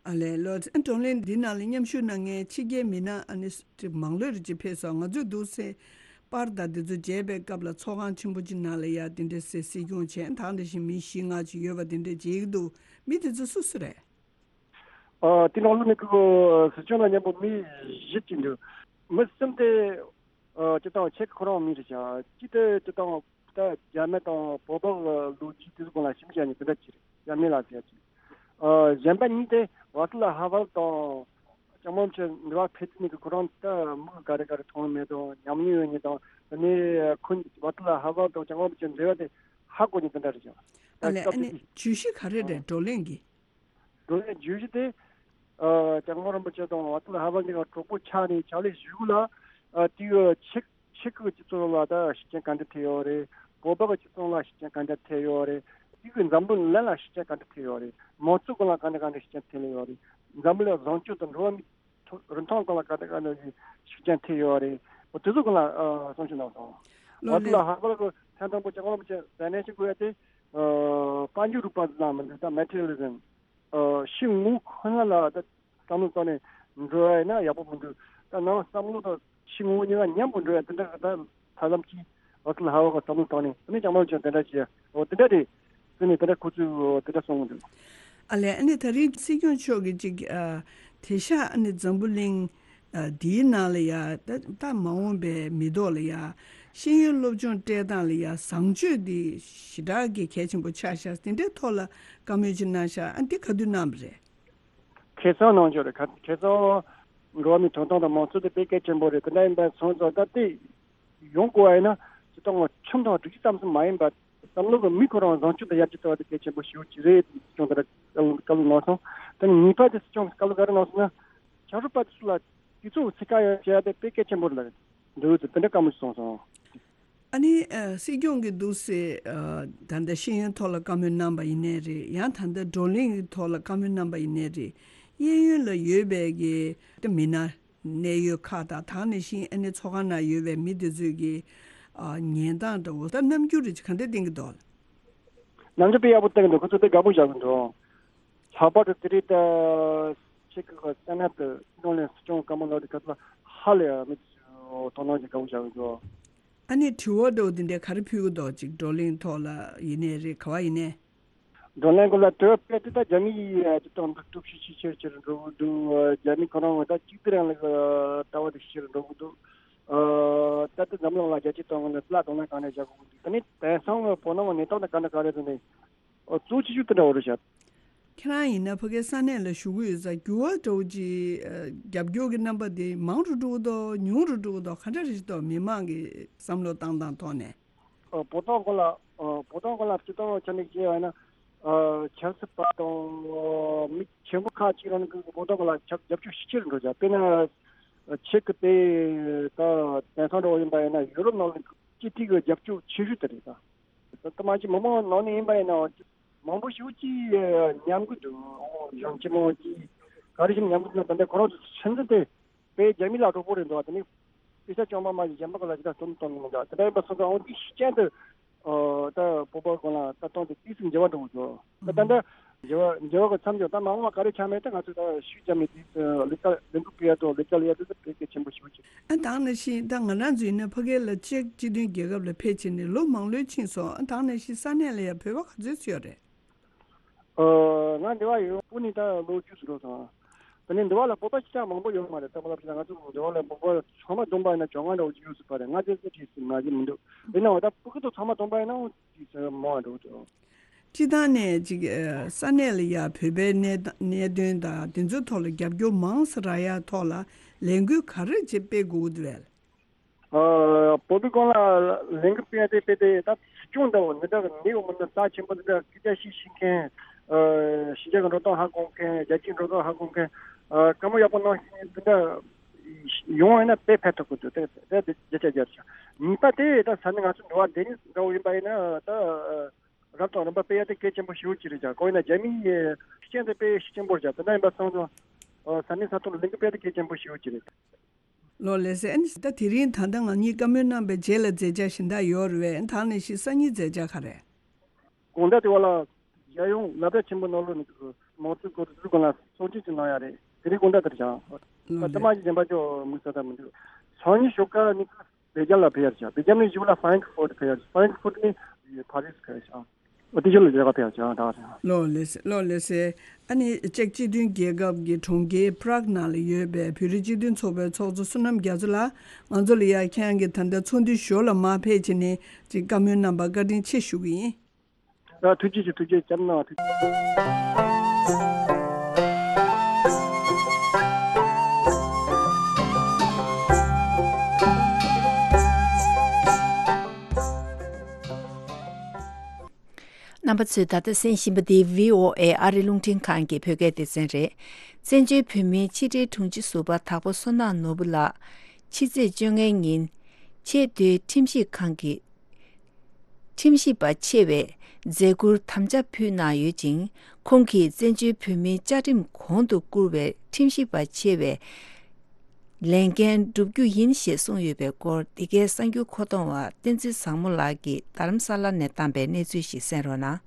ཨ་ལས། ལོ་ཚད་བགྲོ་གླེང་འདི་ནང་ལ་མཉམ་ཞུགས་གནང་མཁན་ཕྱི་རྒྱལ་མི་སྣ་ཨ་ནི་ཅིག་མང་ལོས་རེ་ཅིག་ཕེབས་སོང་། ང་ཚོས་འདུག་སེ་པར་དང་འདི་ཚོ་མཇལ་བའི་སྐབས་ལ་ཚོགས་ཁང་ཆེན་པོ་ཅིག་ནང་ལ་ཡ་དེ་འདྲ་སེ་སྲིད་སྐྱོང་བྱས་ད་འདྲ་ཞིག་མི་བཞི་ལྔ་ཅིག་ཡོད་པ་དེ་འདྲ་མཇལ་གྱི་འདུག། མི་དེ་ཚོ་སུ་སུ་རེད། ཨ་དེ་ནང་ལོ་ནས་ཁོ་སྲིད་སྐྱོང་དང་མཉམ་པོ་མི་བཞི་ཅིག་འདུག། མི་གསུམ་དེ་ཨ་སྤྱིར་བཏང་ཆེ་ཁོ་རང་མི་རེད་ཀྱང་གཅིག་དེ་སྤྱིར་བཏང་ད་རྒྱ་མི་དང་བོད་པ་གི་ལོ་རྒྱུས་དེ་ཚོ་སྒང་ལ་ཞིབ་འཇུག་ནི་དེ་འདྲ་ཅིག་རེད། རྒྱ་མི་ལ་ཟེར་ཅིག། ཨ་གཞན་པ་གཉིས་དེ་ཝ་ཏི་ལ་ཧ་ཝལ་དང་ ལྕམ་མོ་ཆེ་འདི་བ་ཕེབས་ནས་ཀྱི་ཁོ་རང་ད་མི་ག་རེ་ག་རེ་མཐོང་མེད་དང་ཉམས་མྱོང་ཡོད་ནི་དང་། དེ་ནས་ཁོ་ཝ་ཏི་ལ་ཧ་བ་དང་ལྕམ་མོ་ཆེ་འབྲེལ་བ་དེ་ཧ་གོ་ནི་དེ་འདྲ་རེད་ཀྱང་། ཨ་ལས་ཨ་ནི་བརྗོད་གཞི་ག་རེ་རེད་བགྲོ་གླེང་གི། བགྲོ་གླེང་བརྗོད་གཞི་དེ། ཨ་ལྕམ་མོ་རིན་པོ་ཆེ་དང་ཝ་ཏི་ལ་ཧ་བ་གཉིས་ཀ་གྲོགས་པོ་ཆགས་ནས་ཕྱག་ལས་ཞུ་ལ། ཨ་དེའི་ཆེད་ཆེད་ཁུལ་སྤྱི་ཚོགས་ལ་ད་ཤུགས་རྐྱེན་ག་འདྲ་ཐེབས་ཡོད་རེད། བོད་པ་གི་སྤྱི་ཚོགས་ལ་ཤུགས་རྐྱེན་ག་འདྲ་ཐེབས་ཡོད་རེད། དེ་གི་འཛམ་བུ་གླིང་ལ་ཤུགས་རྐྱེན་ག་འདྲ་ཐེབས་ཡོད་རེད། མང་གཙོ་སྒང་ལ་ག་འདྲ་ག་འདྲ་ཤུགས་རྐྱེན་ཐེབས་ཡོད་རེད། འཛམ་བུ་གླིང་བཟང་སྤྱོད་དང་འགྲོ་བ་མིའི་ཐོ་རིན་ཐང་སྒང་ལ་ག་འདྲ་ག་འདྲ་ཤུགས་རྐྱེན་ཐེབས་ཡོད་རེད། འོ་དེ་ཚོ་སྒང་ལ་ཨ་གསུང་བཤད་གནང་སོང་། ལོ་ཝ་ཏི་ལ་ལེགས། ཧ་བ་གི་ཐེངས་དང་པོ་ལྕམ་མོ་རིན་པོ་ཆེ་མཛད་ནས་ཤིག་དགོས་ཡ་དེ། ཨ་དཔལ་འབྱོར་རིག་པ་ཟེར་ན་མི་འདུག་ད་མེ་ཊི་རི་ཡལ་ལི་ཛམ། ཨ་ཕྱི་དངོས་ཁོ་ན་ལ་ད་བསམ་བློ་བཏང་ནས་འགྲོ་ཡ་ཡིན་ན་ཡག་པོ་མི་འདུག་ད་ནང་བསམ་བློ་དང་ཕྱི་དངོས་གཉིས་ཀ་མཉམ་པོ་འགྲོ་ཡ་དེ་འདྲ་ད་ཧ་ལམ་གྱིས་ཝ་ཏི་ལ་ཧ་བ་གི་བསམ་བློ་བཏང་ནས་དེ་ནས་ལྕམ་མོ་ཆེ་དེ་འདྲ་བྱས། འོ་དེ་འདྲ་རེད། དེ་ནས་དེ་འདྲ་ཁོ་ཚོས་དེ་འདྲ་གསུངས་འདུག་ཨ་ལས་ཨ་ནི་ད་རིང་སྲིད་སྐྱོང་མཆོག་གིས་ཅིག་ཨ་དེང་སང་ཨ་ནི་འཛམ་བུ་གླིང་ཨ་འདིའི་ནང་ལ་ཡ་ད་ད་མ་འོངས་པའི་མི་ཐོག་ལ་ཡ་ཤེས་ཡོན་སློབ་སྦྱོང་སྤྲད་སྟངས་ལ་ཡ་བཟང་སྤྱོད་འདི་ཞེ་དྲག་གི་གལ་ཆེན་པོ་ཆགས་ཤག་དེ་འདྲའི་ཐོག་ལ་བཀའ་མོལ་ཅིག་གནང་ཤག་ཨ་འདི་ག་དུས་གནང་བ་རེད། ཁེ་བཟང་གནང་ཆོག་རེད། ཁ་ཁེ་བཟང་འགྲོ་བ་མིའི་ཐོབ་ཐང་དང་མང་གཙོ་དེ་དཔེ་གལ་ཆེན་པོ་རེད། དེ་འདྲ་ཡིན་པ་སོང་ཙང་ད་ལྟའི་ཡོང་དགོས་པ་ཡིན་ན་སྤྱི་ཚོགས་ངོ་ཁྲིམས་དང་སྒྲིག་གཞི་ཙམ་ཟིན་མ་ཡིན་པ་བསམ་བློ་གི་མི་ཁོ་རང་བཟང་སྤྱོད་དང་ཡར་རྒྱས་གཏོང་བ་དེ་གལ་ཆེན་པོ་ཞེ་པོ་ཅིག་རེད། སྲིད་སྐྱོང་དེ་འདྲ་བཀའ་སློབ་བཀའ་སློབ་གནང་སོང་། དེ་ནས་གཉིས་པ་དེ་སྲིད་སྐྱོང་གི་བཀའ་སློབ་ག་རེ་གནང་སོང་ན། ཆབ་སྲིད་པ་དེ་ཚོ་ལ་དུས་ཚོད་ཚིག་ཁ་ཡང་བྱས་ཏེ་དཔེ་གལ་ཆེན་པོ་རེད་ལ་འདུག་དེ་འདྲ་བཀའ་མོལ་སོང་སོང་། ཨ་ནི་ཨ་སྲིད་སྐྱོང་གིས་འདུག་སེ་ཨ་ད་ལྟ་ཤེས་ཡོན་ཐོག་ལ་བཀའ་མོལ་གནང་པ་ཡིན་ནའི་རེད། ཡང་ད་ལྟ་བགྲོ་གླེང་གི་ཐོག་ལ་བཀའ་མོལ་གནང་པ་ཡིན་ནའི་རེད། གཡས་གཡོན་ལ་ཡོད་པའི་གི་ད་མི་སྣ་གནད་ཡོད་ཁག་དང་དེ་ནང་བཞིན་ཨ་ནི་ཚོགས་ཁང་ནང་ཡོད་པའི་མི་དེ་ཚོས་གི་ཨ་ཉན་སྟངས་འདྲ་བོ་ད་རྣམ་འགྱུར་རེ་ཅིག་ག་འདྲ་བསྟན་གི་འདུག་རྣམ་འགྱུར་དཔེ་ཡག་པོ་བསྟན་གི་འདུག་ཁོ་ཚོ་དཔེ་དགའ་པོ་བཞག་གི་འདུག་ལྷག་པར་དུ་དེ་རིང་ད་ཆེད་ཁུལ་གི་ས་གནས་དུ་གཞུང་ལས་སྲིད་སྐྱོང་བཀའ་མོལ་གནང་དུས་སྐབས་ལ་ཧ་ལས་ཡ་མི་དོ་སྣང་ཅིག་དགའ་པོ་བཞག་གི་འདུག་ཨ་ནི་དྲི་བ་འདྲ་བོ་འདི་འདྲའི་ག་རེ་ཕུལ་གི་འདུག་ཅིག་བགྲོ་གླེང་ཐོག་ལ་ཡིན་ནའི་རེད། ག་བ་ཡིན་ནའི། བགྲོ་གླེང་སྐོར་ལ་དྲི་བ་དཔེ་དེ་ད་རྒྱ་མི་ཡིས་ཅིག་གཏོང་འདུག་སྟོབས་ཤུགས་ཆེ་ཆེར་ཆེར་འགྲོ་གི་འདུག་རྒྱ་མི་ཁོ་རང་ད་གཅིག་སྒྲིལ་རིང་ལུགས་ལྟ་བ་དེ་ཆེར་འགྲོ་གི་འདུག་ད་ལྟ་འཛམ་གླིང་ལ་རྒྱ་སྐྱེད་གཏོང་གི་འདུག་བླ་དོ་སྣང་གང་ནས་བྱ་དགོས་ཀྱི་འདུག་དེ་ནི་དེང་སང་གི་བོད་ནང་གི་གནས་སྟངས་དང་ག་འདྲ་ག་རེ་རེད་ནས། ཨོ་གཙོ་ཆེ་ཤོས་དེ་འདྲ་བོ་རེད་ཤག་ཁྱེད་རང་ཡིན་ན་ཕ་གིའི་ས་གནས་ལ་བཞུགས་ཀྱི་ཡོད་ཙང་འགྱུར་བ་འདྲ་བོ་ཅིག་རྒྱབ་སྐྱོར་གྱི་རྣམ་པ་དེ་མང་རུ་འགྲོ་གི་འདུག་ཉུང་རུ་འགྲོ་གི་འདུག་ག་འདྲ་རེད་ཤག་འདུག་མི་མང་གི་བསམ་བློ་བཏང་སྟངས་ཐོག་ནས། ཨོ་བོད་དོན་སྐོར་ལ་ཨོ་བོད་དོན་སྐོར་ལ་སྤྱི་དོན་ཆ་ནས་བཤད་ཡོད་ན། ཨོ་ཆབ་སྲིད་པ་དང་མི་ཆེན་པོ་ཁག་ཅིག་རང་གི་བོད་དོན་སྐོར་ལ་ཆབ་རྒྱབ་སྐྱོར་ཤུགས་ཆེ་རུ་འགྲོ་ཤག་དཔེར་ན་ཆེད་ཀྱི་དེ་ད་དེང་སང་འདྲ་བོ་ཡིན་པ་ཡིན་ན་ཡུ་རོབ་ནང་ལ་སྤྱི་འཐུས་ཀྱི་རྒྱབ་སྐྱོར་ཆེ་ཤོས་དེ་རེད་ད། ད་ལྟ་མ་གཞི་མི་མང་ནང་ནས་ཡིན་པ་ཡིན་ན་མང་པོ་ཞིག་ཅིག་ཉམས་ཀྱི་འདུག་གཞོན་སྐྱེས་མང་ཅིག་ག་རེ་བྱས་ནས་ཉམས་ཀྱི་འདུག་ད་ལྟ་ཁོ་རང་ཚོ་ཚོད་འཛིན་དེ་དཔེ་རྒྱ་མི་ལ་གྲོགས་པོ་རེད་འདུག་དེ་ནས་དཔེ་ཆ་སྐྱོན་པ་མ་གཞི་གཞན་པ་ག་ལ་ཅི་ད་སྟོན་གཏོང་གི་མི་འདུག་དེ་འདྲ་ཡིན་པ་སོང་ཙང་འོ་འདི་ཤུགས་རྐྱེན་དུ་ད་བོད་པ་གང་ལ་ད་གཏོང་དེ་ཏིས་སུ་འགྱུར་བ་འགྲོ་གི་འདུག་ད་ད་ལྟ་འགྱུར་བ་འགྱུར་བ་གི་མཚམས་འཇོག་ད་མ་འོངས་པ་ག་རེ་ཆགས་མེད་ད་ང་ཚོས་ད་ཤུགས་རྒྱབ་ནས་དེ་ལས་ཀ་ལས་འགུལ་སྤེལ་ཡ་དང་ལས་ཀ་ལས་ཡ་དེ་ད་དཔེ་གལ་ཆེན་པོ་ཞིག་ཡོད་ཀྱི། ཨ་ད་ནང་བཞིན་ད་ང་རང་ཚོ་ཡིན་ན་ཕ་གི་ལ་ཅེཀ་སྤྱི་མཐུན་རྒྱལ་ཁབ་ལ་ཕེབས་བྱས་ནས་ལོ་མང་ལོས་ཕྱིན་སོང་། ཨ་ད་ནང་བཞིན་ས་གནས་ལ་ཡང་བོད་པ་ག་ཚོད་ཚོད་ཡོད་རེད། ཨ་ང་འདི་བ་ཡོང་སྤུ་ནས་ད་ལོ་བཅུ་ཙམ་འགྲོ་སོང་། དེ་ནས་འདི་བ་ལ་བོད་པ་ཞིག་ཀྱང་མང་པོ་ཡོད་མ་རེད། ད་བོད་པ་ཞིག་ང་ཚོ་འདི་བ་ལ་བོད་པ་ཚང་མ་བསྡོམས་པ་ཡིན་ན་བཅོ་ལྔ་འདྲ་བོ་ཅིག་ཡོད་སྲིད་པ་རེད། ང་ཚོའི་ཚེ་ཁྲིད་སྲིད་མ་གཞི་མི་འདུག་དེ་ན་འོ་ད་ཕྲུ་གུ་ཚོ་ཚང་མ་བསྡོམས་པ་ཡིན་ན་འོ་ཅིག་ཚེ་མང་བ་འགྲོ་འདུག་སྤྱི་བཏང་ནས་ཅིག་ཨ་ས་གནས་ལ་ཡ་བོད་པའི་གནད་གནད་དོན་དང་དེ་ཚོའི་ཐོག་ལ་རྒྱབ་སྐྱོར་མང་ཙམ་རག་ཡ་ཐོག་ལ་ལས་འགུལ་ག་རེ་ཅིག་སྤེལ་དགོས་ཀྱི་འདུག་བས། ཨ་བོད་པའི་སྒང་ལ་ལས་འགུལ་སྤེལ་ཏེ་སྤེལ་ཏེ་ད་སྲིད་སྐྱོང་འདྲ་བོ་འདི་འདྲ་གི་ནི་འོ་མི་འདི་རྩ་ཆེན་པོ་འདི་འདྲ་སྐད་ཆ་བཤད་ཤེས་མཁན། ཨ་ཕྱི་རྒྱལ་གི་འགྲོ་སྟངས་ཧ་གོ་མཁན། རྒྱལ་སྤྱིའི་འགྲོ་སྟངས་ཧ་གོ་མཁན། ཨ་བཀའ་མོལ་ཡག་པོ་གནང་ཤེས་མཁན་འདི་འདྲ་ཡོང་བ་ཡིན་ན་དཔེ་ཕན་ཐོགས་ཀྱི་འདུག་དེ་དེ་བརྒྱ་ཆ་བརྒྱ་རེད་ཤག་གཉིས་པ་དེ་ད་ས་གནས་ང་ཚོ་འགྲོ་བ་འདི་ནི་འདྲ་བོ་ཡིན་པ་ཡིན་ན་ད། རབ་དང་རིམ་པ་སྤེལ་ཡ་དེ་གལ་ཆེན་པོ་ཞེ་པོ་ཅིག་རེད་ཀྱང་། གང་ཡིན་ན་རྒྱ་མིའི་ཤུགས་རྐྱེན་དེ་དཔེ་ཤུགས་ཆེན་པོ་རེད་ཀྱང་། དེ་འདྲ་ཡིན་པ་སོང་ཙང་ས་གནས་ས་ཐོག་ལ་ལས་འགུལ་སྤེལ་ཡ་དེ་གལ་ཆེན་པོ་ཞེ་པོ་ཅིག་རེད། ལོ་ལགས་སེ། ཨ་ནི་ད་དེ་རིང་ད་ལྟ་ང་གཉིས་བཀའ་མོལ་གནང་བའི་རྗེས་ལ་མཛད་འཆར་གཞན་དག་ཡོད་རེད་པས། ཨ་ནི་ད་ནས་ཤིག་སང་ཉིན་མཛད་འཆར་ག་རེ། དགོང་དག་དེ་བ་ལ་རྒྱལ་ཡོངས་སློབ་གྲྭ་ཆེན་པོ་ནང་ལོགས་ནས་མང་གཙོའི་སྐོར་དེ་ཚོའི་སྒང་ལ་གསུང་ཆོས་ཅིག་གནང་ཡ་རེད། དེ་རིང་དགོང་དག་དེར་བྱ། ལོ་ད་ལྟ་མ་ལགས། གཞི་གཞན་པ་ཅོ་མི་ས་ད་མི་འདུག་སང་ཉིན་ཞོགས་ཀ་ནི། སྦེལ་ཇམ་ལ་ཕེབས་ཡ་བྱ། སྦེལ་ཇམ་ནས་གཞུག་ལ་ཧྥ་རན་ཁི་ཧྥུར་ཕེབས་ཡ་བྱ། ཧྥ་རན་ཁི་ཧྥུར་ནས་ཕ་རི་སི་ཕེབས་ཡ་བྱ། འོ་དེ་ཕྱོགས་ལ་རྒྱལ་ཁ་ཕེབས་ཡ་བྱ་ད་རེད། ལོ་ལགས་སེ། ལོ་ལགས་སེ། ཨ་ནི་ཅེཀ་སྤྱི་མཐུན་རྒྱལ་ཁབ་ཀྱི་གྲོང་ཁྱེར་པ་རག་ནང་ལ་ཡོད་པའི་བོད་རིགས་སྤྱི་མཐུན་ཚོགས་པའི་ཚོགས་གཙོ་བསོད་ནམས་རྒྱ་མཚོ་ལགས། ང་ཚོ་ལ་ཡ་ཁྱེད་རང་གིས་ད་ལྟ་ཚོགས་འདུའི་ཞོར་ལ་མར་ཕེབས་བྱས་ནས་ཅིག་བཀའ་མོལ་གནང་བར་བཀའ་དྲིན་ཆེ་ཞུ་གི་ཡིན། ཨ་ཐུགས་རྗེ་ཆེ། ཐུགས་རྗེ་ཆེ། བཀའ་མོལ་གནང་བ་ཐུགས་རྗེ་ཆེ། རྣམ་པ་ཚོས་ད་ལྟ་གསན་བཞིན་པ་འདི་བྷི་ཨོ་ཨེ་ཨ་རི་རླུང་འཕྲིན་ཁང་གི་བོད་སྐད་སྡེ་ཚན་རེད། བཙན་བྱོལ་བོད་མིའི་ཕྱི་དྲིལ་དྲུང་ཆེ་ཟུར་པ་དྭགས་པོ་བསོད་ནམས་ནོར་བུ་ལགས་ཕྱི་ཚེས་བཅོ་ལྔའི་ཉིན་ཆེས་མཐོའི་ཁྲིམས་ཞིབ་ཁང་གི་ཁྲིམས་ཞིབ་པ་ཆེ་བའི་མཛད་ཁུར་དམ་བཅའ་ཕུལ་གནང་ཡོད་ཅིང་། ཁོང་གིས་བཙན་བྱོལ་བོད་མིའི་བཅའ་ཁྲིམས་གོང་དུ་བཀུར་བའི་ཁྲིམས་ཞིབ་པ་ཆེ་བའི་ལས་འགན་བསྒྲུབ་རྒྱུ་ཡིན་ཞེས་གསུངས་ཡོད་པའི་སྐོར། འདི་གའི་གསར་འགྱུར་མཁོ་གཏོང་བ་བསྟན་འཛིན་བཟང་མོ་ལགས་ཀྱིས་རྡ་རམ་ས་ལ་ནས་བཏང་པའི་གནས་ཚུལ་ཞིག་གསན་རོགས་གནང་།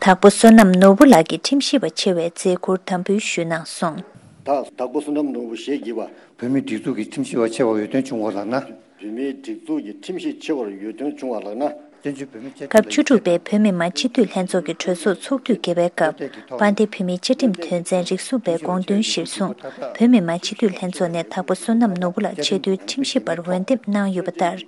དྭགས་པོ་བསོད་ནམས་ནོར་བུ་ལགས་ཀྱིས་ཁྲིམས་ཞིབ་པ་ཆེ་བའི་མཛད་ཁུར་དམ་འབུལ་ཞུས་གནང་སོང་། ད་དྭགས་པོ་བསོད་ནམས་ནོར་བུ་ཞེས་བགྱི་བ། བོད་མིའི་སྒྲིག་འཛུགས་ཀྱི་ཁྲིམས་ཞིབ་པ་ཆེ་བར་འོས་ཐོན་བྱུང་བ་ལགས་ན། བོད་མིའི་སྒྲིག་འཛུགས་ཀྱི་ཁྲིམས་ཞིབ་ཆེ་བར་འོས་ཐོན་བྱུང་བ་ལགས་ན། བཙན་བྱོལ་བོད་མིའི་བཅའ་སྐབས་ཁྲིམས་ལ་བཅུ་དྲུག་པའི་བོད་མི་མང་སྤྱི་འཐུས་ལྷན་ཚོགས་ཀྱི་གྲོས་ཚོགས་ཚོགས་དུས་བརྒྱད་པའི་སྐབས། དཔལ་ལྡན་བོད་མིའི་བཅའ་ཁྲིམས་དོན་ཚན་རིགས་གསུམ་པའི་དགོངས་དོན་གཞིར་བཟུང་། བོད་མི་མང་སྤྱི་འཐུས་ལྷན་ཚོགས་ནས་དྭགས་པོ་བསོད་ནམས་ནོར་བུ་ལགས་ཆེས་མཐོའི་ཁྲིམས་ཞིབ་པར་འོས་འདེམས་གནང་ཡོད་པ་ལྟར།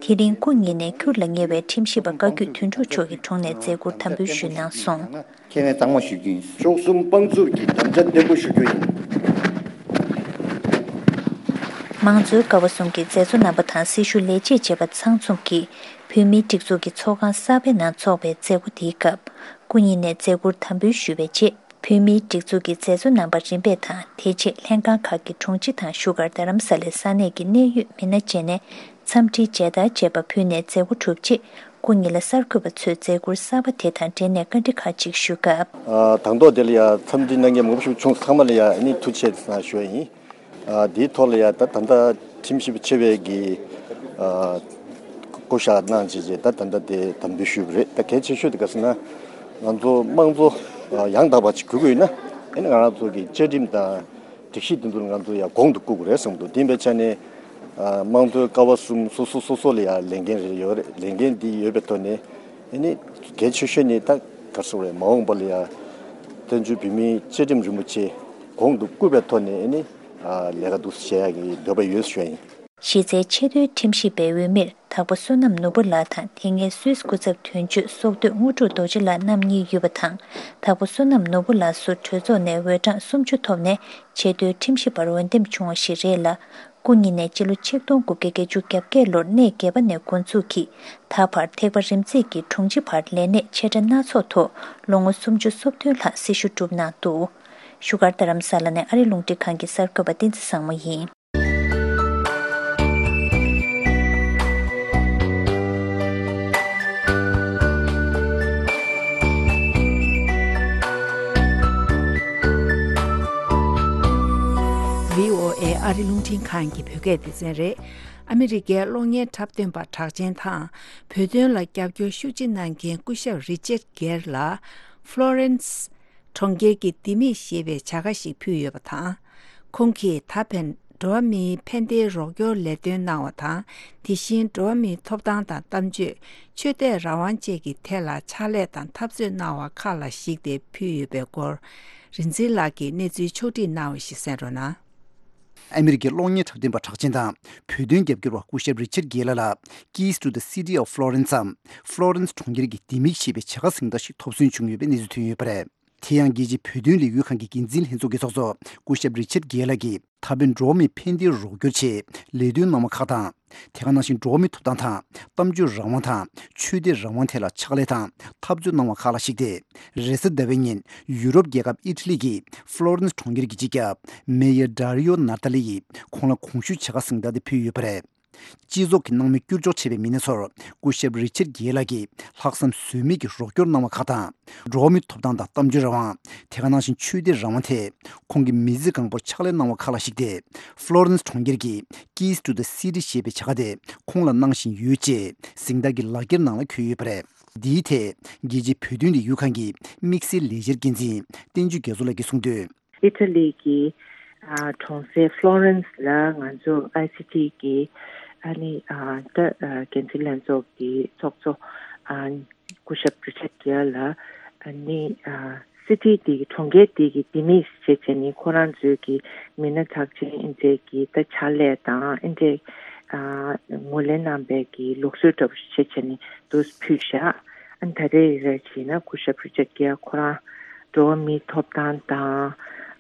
དེ་རིང་སྐུ་ཉིད་ནས་ཁུར་ལ་ཉེ་བའི་ཁྲིམས་ཞིབ་པ་བཀའ་བརྒྱུད་དོན་གྲུབ་མཆོག་གི་དྲུང་ནས་མཛད་ཁུར་དམ་འབུལ་ཞུས་གནང་སོང་། ཁས་ལེན་གཙང་མ་ཞུ་རྒྱུ་ཡིན། བཅུ་གསུམ་དཔང་བཙུགས་ཀྱི་དམ་བཅའ་བརྟན་པོ་ཞུ་རྒྱུ་ཡིན། དམངས་གཙོའི་ཀ་བ་གསུམ་གྱི་མཛད་གཙོ་རྣམ་པ་དང་སྲི་ཞུ་ལས་བྱེད་བཅས་པ་ཚང་འཛོམས་ཀྱིས་བོད་མིའི་སྒྲིག་འཛུགས་ཀྱི་ཚོགས་ཁང་གསར་པའི་ནང་འཚོགས་པའི་མཛད་སྒོ་དེའི་སྐབས། སྐུ་ཉིད་ནས་མཛད་ཁུར་དམ་འབུལ་ཞུས་པའི་རྗེས། བོད་མིའི་སྒྲིག་འཛུགས་ཀྱི་མཛད་གཙོ་རྣམ་པ་རིམ་པས་དང་དེ་རྗེས་ལྷན་ཁང་ཁག་གི་དྲུང་ཆེ་དང་བཞུགས་སྒར་རྡ་རམ་ས་ལའི་ས་གནས་ཀྱི་གནད་ཡོད་མི་སྣ་བཅས་ནས་འཚམས་འདྲིའི་མཇལ་དར་བཅས་པ་ཕུལ་ནས་མཛད་སྒོ་གྲུབ་རྗེས། སྐུ་ཉིད་ལ་གསར་འགོད་པ་ཚོས་མཛད་ཁུར་གསར་པ་དེ་དང་འབྲེལ་ནས་བཀའ་འདྲི་ཁག་ཅིག་ཞུ་སྐབས། ཨ། དང་ཐོག་དེ་ལ་ཡང་འཚམས་འདྲི་གནང་མཁན་མང་པོ་ཞིག་བྱུང་སོང་། ཚང་མ་ལ་ཡང་ཨ་ནི་ཐུགས་རྗེ་ཆེ་ཞུ་ཡ་ཡིན། ཨ། དེའི་ཐོག་ལ་ཡང་ད་ད་ལྟ་ཁྲིམས་ཞིབ་པ་ཆེ་བའི་གི། ཨ། བསྐོ་བཞག་གནང་བྱས་རྗེས་ད་ད་ལྟ་དེ་དམ་འབུལ་ཞུས་པ་རེད། ད་གལ་ཆེ་ཤོས་དེ་ག་ཟེར་ན། ང་ཚོ་དམངས་གཙོ་ཡང་དག་པ་ཅིག་དགོས་ཀྱི་ཡོད་ན། ཨ་ནི་ང་རང་ཚོ་གི་བཅའ་ཁྲིམས་དང་། སྒྲིག་གཞི་འདི་ཚོ་ང་ཚོ་ཡང་གོང་དུ་བཀུར་དགོས་རེད་བསམ་འདུག་དེ་ཡིན་པའི་ཆ་ནས། ཨ། དམངས་གཙོའི་ཀ་བ་གསུམ་སོ་སོ་སོ་སོ་ལ་ཡང་ལས་འགན་རེ་ཡོད་རེད། ལས་འགན་འདི་ཡོད་པའི་ཐོག་ནས། ཨ་ནི་གལ་ཆེ་ཤོས་ནི་ད་ག་རེ་ཟེར་དགོས་རེད། མ་འོངས་པ་ལ་ཡང་བཙན་བྱོལ་བོད་མིའི་བཅའ་ཁྲིམས་རིན་པོ་ཆེ་གོང་དུ་བཀུར་བའི་ཐོག་ནས། ཨ་ནི་ལས་ཀ་འདུག་སེ་བྱེད་ཡག་གི་འདོད་པ་ཡོད་ཞུ་ཡ་ཡིན། གཞི་རྩའི་ཆེས་མཐོའི་ཁྲིམས་ཞིབ་པའི་འོས་མིར་དྭགས་པོ་བསོད་ནམས་ནོར་བུ་ལགས་དང་དེ་སྔའི་སུད་སི་སྐུ་ཚབ་དོན་གཅོད་སོག་སྡོད་དངོས་གྲུབ་རྡོ་རྗེ་ལགས་རྣམ་གཉིས་ཡོད་པ་དང་། དྭགས་པོ་བསོད་ནམས་ནོར་བུ་ལགས་སུ་གྲོས་ཚོགས་ནས་འོས་གྲངས་སུམ་ཅུ་ཐོབ་ནས་ཆེས་མཐོའི་ཁྲིམས་ཞིབ་པར་འོས་འདེམས་བྱུང་བ་ཞིག་རེད་ལ། སྐུ་ཉིད་ནས་སྤྱི་ལོ་ཆིག་སྟོང་དགུ་བརྒྱ་བརྒྱད་ཅུ་གྱ་བརྒྱད་ལོར་གནས་བརྒྱད་པ་ནས་འགོ་འཛུགས་ཀྱིས་ད་བར་ཐེག་པ་རིམ་འཛེགས་ཀྱི་དྲུང་ཆེ་བར་ལས་གནས་ཆེ་ཕྲ་སྣ་ཚོགས་ཐོག་ལོ་ངོ་སུམ་ཅུ་སོ་བདུན་ལྷག་སྲི་ཞུ་བསྒྲུབས་གནང་འདུག་བཞུགས་སྒར་རྡ་རམ་ས་ལ་ནས་ཨ་རི་རླུང་འཕྲིན་ཁང་གི་གསར་འགོད་པ་བསྟན་འཛིན་བཟང་མོ་ཡིན། བྷི་ཨོ་ཨེ་ཨ་རི་རླུང་འཕྲིན་ཁང་གི་བོད་སྐད་སྡེ་ཚན་རེད། ཨ་མི་རི་ཀའི་གློག་བརྙན་འཁྲབ་སྟོན་པ་གྲགས་ཅན་དང་། བོད་དོན་ལ་རྒྱབ་སྐྱོར་ཤུགས་ཆེ་གནང་མཁན་སྐུ་ཞབས་རི་ཅར་གེར་ལ། ཧྥ་ལོ་རེན་སི་གྲོང་ཁྱེར་གྱི་ལྡེ་མིག་ཞེས་པའི་བྱ་དགའ་ཞིག་ཕུལ་ཡོད་པ་དང་། ཁོང་གིས་ད་ཕན་འགྲོ་བ་མིའི་ཕན་བདེའི་རོགས་སྐྱོར་ལས་དོན་གནང་བ་དང་། དེ་བཞིན་འགྲོ་བ་མིའི་ཐོབ་ཐང་དང་གཏམ་བརྗོད། ཆོས་དད་རང་དབང་བཅས་ཀྱི་ཐད་ལ་ཕྱག་ལས་དང་འཐབ་རྩོད་གནང་བ་ཁག་ལ་གཞིགས་ཏེ་ཕུལ་ཡོད་པའི་སྐོར། རིག་འཛིན་ལགས་ཀྱིས་གནས་ཚུལ་ཕྱོགས་སྒྲིག་གནང་བ་ཞིག་གསན་རོགས་གནང་། ཨ་མི་རི་ཀའི་གློག་བརྙན་འཁྲབ་སྟོན་པ་གྲགས་ཅན་དང་བོད་དོན་རྒྱབ་སྐྱོར་བ་སྐུ་ཞབས་རི་ཆར་གེ་ལ་ལ། Keys to the City of Florence འམ། ཧྥ་ལོ་རེན་སི་གྲོང་ཁྱེར་གྱི་ལྡེ་མིག་ཞེས་པའི་བྱ་དགའ་གཟེངས་རྟགས་ཤིག་ཐོབ་སོན་བྱུང་ཡོད་པའི་གནས་ཚུལ་ཐོན་ཡོད་པ་རེད། དེ་ཡང་རྒྱལ་སྤྱིའི་བོད་དོན་ལས་འགུལ་ཁང་གི་འགན་འཛིན་ལྷན་ཚོགས་ཀྱི་ཚོགས་གཙོ་སྐུ་ཞབས་རི་ཆར་གེ་ལ་གིས་ད་ཕན་འགྲོ་བ་མིའི་ཕན་བདེའི་རོགས་སྐྱོར་ཆེད་ལས་དོན་གནང་བ་ཁག་དང་། དེ་ག་ནང་བཞིན་འགྲོ་བ་མིའི་ཐོབ་ཐང་དང་གཏམ་བརྗོད་རང་དབང་དང་ཆོས་དད་རང་དབང་ཐད་ལ་ཕྱག་ལས་དང་འཐབ་རྩོད་གནང་བ་ཁག་ལ་གཞིགས་ཏེ། རེས་གཟའ་ཟླ་བའི་ཉིན་ཡུ་རོབ་རྒྱལ་ཁབ་ཨི་ཊ་ལི་གི་ཧྥ་ལོ་རེན་སི་གྲོང་ཁྱེར་གྱི་སྤྱི་ཁྱབ་མེ་ཡར་ཌ་རི་ཡོ་ནཱ་ཏཱ་ལི་ཡིས་ཁོང་ལ་གོང་ཞུས་བྱ་དགའ་གཟེངས་རྟགས་དེ་ཕུལ་ཡོད་པ་རེད། སྤྱི་ཚོགས་ཀྱི་སྣང་མེད་བསྐྱུར་འཇོག་བྱས་པའི་མི་སྣ་ཚོར་སྐུ་ཞབས་རི་ཆར་གེ་ལ་གིས་ལྷག་བསམ་ཟོལ་མེད་ཀྱི་རོགས་སྐྱོར་གནང་བ་ཁག་དང་། འགྲོ་བ་མིའི་ཐོབ་ཐང་དང་གཏམ་བརྗོད་རང་དབང་། དེ་ག་ནང་བཞིན་ཆོས་དད་རང་དབང་ཐད་ཁོང་གིས་མི་ཚེ་གང་པོར་ཕྱག་ལས་གནང་བ་ཁག་ལ་གཞིགས་ཏེ། ཧྥ་ལོ་རེན་སི་གྲོང་ཁྱེར་གྱི་Keys to the City ཞེས་པའི་བྱ་དགའ་དེ་ཁོང་ལ་གནང་བཞིན་ཡོད་ཅེས་གཟེངས་རྟགས་ཀྱི་ལག་འཁྱེར་ནང་ལ་འཁོད་ཡོད་པ་རེད། འདིའི་ཐད་རྒྱལ་སྤྱིའི་བོད་དོན་ལས་འགུལ་ཁང་གི་དམིགས་བསལ་ལས་འཆར་འགན་འཛིན་བསྟན་ཆོས་རྒྱ་མཚོ་ལགས་ཀྱིས་གསུངས་དོན། ཨི་ཊ་ལི་གི་ཨ་གྲོང་གསེབ་ཧྥ་ལོ་རེན་སི་ལ་ང་ཚོ་ཨའི་སི་ཊི་གི་ཨ་ནི་ཨ་ད་ཨ་འགན་འཛིན་ལྷན་ཚོགས་ཀྱི་ཚོགས་གཙོ་ཨ་སྐུ་ཞབས་རི་ཆར་གེར་ལ་ཨ་ནི་ཨ་སི་ཊི་དེ་གི་གྲོང་ཁྱེར་དེ་གི་ལྡེ་མིག་བྱས་བྱས་ནི་ཁོ་རང་ཚོའི་གི་མི་སྣ་གྲགས་ཅན་ཨིན་ཇེ་གི་ད་ཕྱག་ལས་དང་ཨིན་ཇེ་ཨ་ངོས་ལེན་གནང་པའི་གི་ལུགས་སྲོལ་འདྲ་པོ་ཞིག་བྱས་བྱས་ནི་དུ་ཕུལ་བཞག་ཨ་ནི་ད་རེས་རེ་བྱས་ན་སྐུ་ཞབས་རི་ཆར་གེར་ཁོ་རང་འགྲོ་བ་མིའི་ཐོབ་ཐང་དང་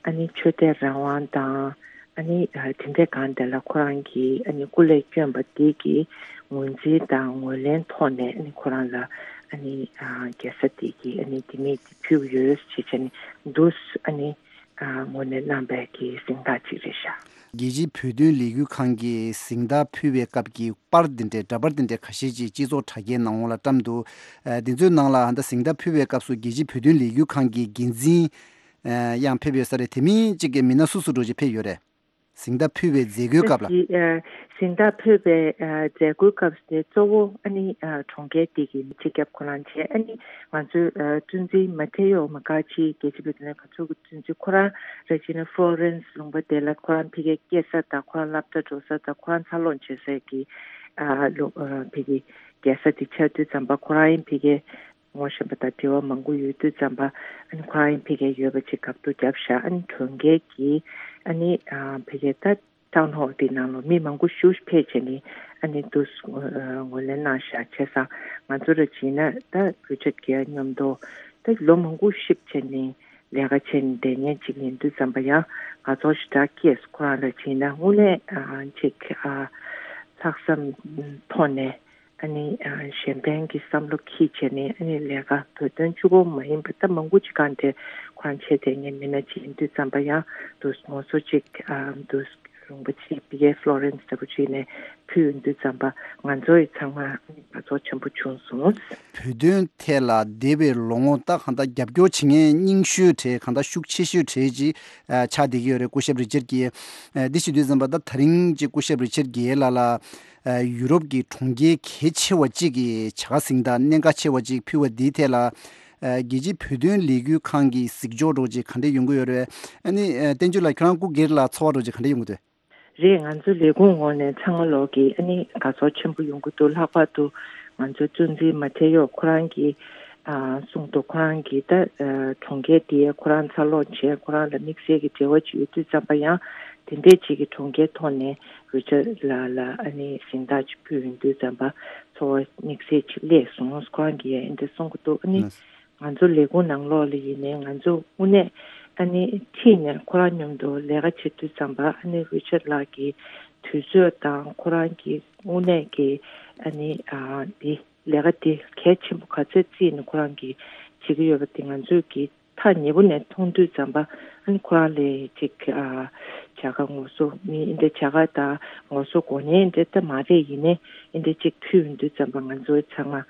ཨ་ནི་ཆོས་དད་རང་དབང་དང་ཨ་ནི་དེ་འདྲའི་སྒང་དེ་ལ་ཁོ་རང་གིས་ཨ་ནི་སྐུ་ལས་བསྐྱོན་པ་དེ་གི་ངོས་འཛིན་དང་ངོས་ལེན་ཐོག་ནས་ཨ་ནི་ཁོ་རང་ལ་ ཨ་ནི་ཨ་རྒྱལ་ས་དེ་གི་ཨ་ནི་དེ་མིན་དེ་ཕུལ་ཡོད་ཅེས་བྱས་ནས་འདུག་ཨ་ནི་ཨ་ངོས་ལེན་གནང་པའི་གི་གཟེངས་རྟགས་ཅིག་རེད་ཤག་རྒྱལ་སྤྱིའི་བོད་དོན་ལས་འགུལ་ཁང་གིས་གཟེངས་རྟགས་ཕུལ་བའི་སྐབས་ཀྱི་པར་འདི་འདྲའི་འདྲ་པར་འདི་འདྲའི་ཁ་ཤས་ཅིག་སྤྱི་ཚོགས་དྲ་རྒྱའི་ནང་ལོགས་ལ་བཀྲམ་འདུག་ཨ་འདི་ཚོའི་ནང་ལ་ད་གཟེངས་རྟགས་ཕུལ་བའི་སྐབས་སུ་རྒྱལ་སྤྱིའི་བོད་དོན་ལས་འགུལ་ཁང་གི་འགན་འཛིན་ཨ་ཡང་ཕེབས་ཡོད་ས་རེད། དེ་མིན་གཅིག་གི་མི་སྣ་སུ་སུ་འདྲ་ཅིག་ཕེབས་ཡོད་རེད། གཟེངས་རྟགས་ཕུལ་བའི་མཛད་སྒོའི་སྐབས་ལ། ཨ་གཟེངས་རྟགས་ཕུལ་བའི་ཨ་མཛད་སྒོའི་སྐབས་དེ་གཙོ་བོ་ཨ་ནི་ཨ་གྲོང་ཁྱེར་དེ་གི་སྤྱི་ཁྱབ་ཁོ་རང་བྱས། ཨ་ནི་ང་ཚོའི་ཨ་གཙོ་འཛིན་མ་ཐེ་ཡོ་མ་ཀ་ཆི་རྒྱལ་སྤྱི་བོད་དོན་ལས་ཁང་ཚོགས་ཀྱི་གཙོ་འཛིན་ཁོ་རང་རེད་བྱས་ན་ཧྥ་ལོ་རེན་སི་ལུང་པ་དེ་ལ་ཁོ་རང་ཕ་གིར་སྐྱེས་ས་དང་ཁོ་རང་སློབ་གྲྭ་འགྲོ་ས་དང་ཁོ་རང་འཚར་ལོངས་བྱེད་སའི་གི་ཨ་ལུ་ཨ་ཕ་གི་རྒྱལ་ས་དེ་ཆགས་དུས་ཙམ་པ་ཁོ་རང་ཡིན་ཕ་གིར་ངོ་ཤེས་པ་དང་འབྲེལ་བ་མང་པོ་ཡོད་དུས་ཙམ་པ་ཨ་ནི་ཁོ་རང་ཡིན་ཕ་གིར་ཡོད་པ་ཅིག་དགའ་སྤྲོ་བརྒྱབ་ཤག་ཨ་ནི་གྲོང་ཁྱེར་གྱི་ཨ་ནི་ཨ་ཕ་གིར་ད་ཊའུན་ཧོལ་དེ་ནང་ལ་མི་མང་པོ་ཞིག་ཕེབས་བྱས་ནས་ཨ་ནི་འདུག་ངོས་ལེན་གནང་ཤག་བྱས་ཙང་ང་ཚོ་ར་བྱས་ན་ད་རི་ཅར་གྱི་མཉམ་དུ་ད་ལོ་མང་པོ་གཤིབ་བྱས་ནས་ལས་ཀ་བྱས་ནས་བསྡད་མཁན་ཅིག་ཡིན་དུས་ཙམ་པ་ཡང་དགའ་ཚོར་ཞེ་དྲག་སྐྱེས། ཁོ་རང་ར་བྱས་ན་དངོས་གནས་ཨ་ཅིག་ཨ་ལྷག་བསམ་ཐོག་ནས། ཨ་ནི་ཨ་གཞན་ཕན་གྱི་བསམ་བློ་འཁྱེར་བྱས་ནས་ཨ་ནི་ལས་ཀ་བོད་དོན་གཅིག་པོ་མ་ཡིན་པ་ད་མང་པོ་ཅིག་གང་དེ་ཁོ་རང་བྱས་བསྡད་མཁན་མི་སྣ་ཅིག་ཡིན་དུས་ཙམ་པ་ཡང་དུ་ངོ་སོ་ཅིག་ཨ་དུ་ལུང་པ་ཅིག་ཕ་གིའི་ཧྥ་ལོ་རེན་སི་ལྟ་བུ་ཅིག་ནས་ཕུལ་ཡོང་དུས་ཙམ་པ་ང་ཚོ་ཡི་ཚང་མ་ཨ་ནི་དགའ་ཚོར་ཆེན་པོ་བྱུང་སོང་། བོད་དོན་ཐད་ལ་འདས་པའི་ལོ་ངོ་ད་གང་ལྟར་རྒྱབ་སྐྱོར་བྱེད་མཁན་རྙིང་ཤོས་གྲས་གང་ལྟར་ཤུགས་ཆེ་ཤོས་གྲས་ཅིག་ཨ་ཆགས་བསྡད་ཀྱི་ཡོད་རེད། སྐུ་ཞབས་རི་ཅར་གྱིས་ཨ་འདི་བྱེད་དུས་ཙམ་པ་ད་ད་རིང་ཅིག་སྐུ་ཞབས་རི་ཅར་གྱིས་ལ་ལ། ཨ་ཡུ་རོབ་ཀྱི་གྲོང་ཁྱེར་གལ་ཆེ་བ་གཅིག་གི་བྱ་དགའ་གཟེངས་རྟགས་གནད་འགག་ཆེ་བ་གཅིག་ཕུལ་བ་འདིའི་ཐད་ལ། ཨ་རྒྱལ་སྤྱིའི་བོད་དོན་ལས་འགུལ་ཁང་གི་གཟིགས་ཕྱོགས་འདྲ་བོ་ཅིག་ག་འདྲ་ཡོང་གི་ཡོད་རེད། ཨ་ནི་ཨ་བསྟན་ཆོས་ལགས་ཁྱོད་རང་སྐུ་སྒེར་ལ་ཚོར་བ་འདྲ་བོ་ཅིག་ག་འདྲ་ཡོང་གི་འདུག་རེད། ང་ཚོ་ལས་ཁུངས་ངོས་ནས་ཚང་མ་ལོག་གིས་ཨ་ནི་དགའ་ཚོར་ཆེན་པོ་ཡོང་གི་འདུག་ལྷག་པར་དུ་ང་ཚོའི་གཙོ་འཛིན་མ་ཐེ་ཡོ་ཁོ་རང་གིས་ཨ་གསུངས་འདུག་ཁོ་རང་གིས་ད་ཨ་གྲོང་ཁྱེར་དེ་ཁོ་རང་འཚར་ལོངས་བྱས་ཁོ་རང་ལ་དམིགས་བསལ་གྱི་འབྲེལ་བ་ཅིག་ཡོད་དུས་ཙམ་པ་ཡང་དེ་འདྲས་ཅིག་གི་གྲོང་ཁྱེར་ཐོག་ནས་རི་ཅར་ལགས་ལ་ཨ་ནི་གཟེངས་རྟགས་ཅིག་ཕུལ་ཡོང་དུས་ཙམ་པ་ཚོར་བ་དམིགས་བསལ་ཅིག་སླེབས་སོང་། ཁོ་རང་གིས་ཡང་འདི་འདྲ་གསུང་གི་འདུག་ཨ་ནི་ང་ཚོ་ལས་ཁུངས་ནང་ལོགས་ལ་ཡིན་ནའི་ང་ཚོ་དངོས་གནས་ཨ་ནི་ཁྲིད་ནས་ཁོ་རང་མཉམ་དུ་ལས་ཀ་བྱེད་དུས་ཙམ་པ་ཨ་ནི་རི་ཅར་ལགས་ཀྱི་དུས་ཚོད་དང་ཁོ་རང་གི་དངོས་གནས་ཀྱི་ཨ་ནི་ཨ་འདི་ལས་ཀ་འདི་གལ་ཆེན་པོ་ག་ཚད་བརྩིས་ནས་ཁོ་རང་གིས་བྱེད་ཀྱི་ཡོད་པ་དེ་ང་ཚོས་ཀྱི་ཐག་ཉེ་པོ་ནས་མཐོང་དུས་ཙམ་པ་ཨ་ནི་ཁོ་རང་ལས་ཅིག་ཨ་བྱ་དགའ་ངོ་སོ་མི་འདི་བྱ་དགའ་དང་ངོ་སོ་གོ་ནས་འདི་ལྟ་མ་རེད། ཡིན་ནའི་འདི་ཅིག་ཕུལ་ཡོང་དུས་ཙམ་པ་ང་ཚོ་ཚང་མ་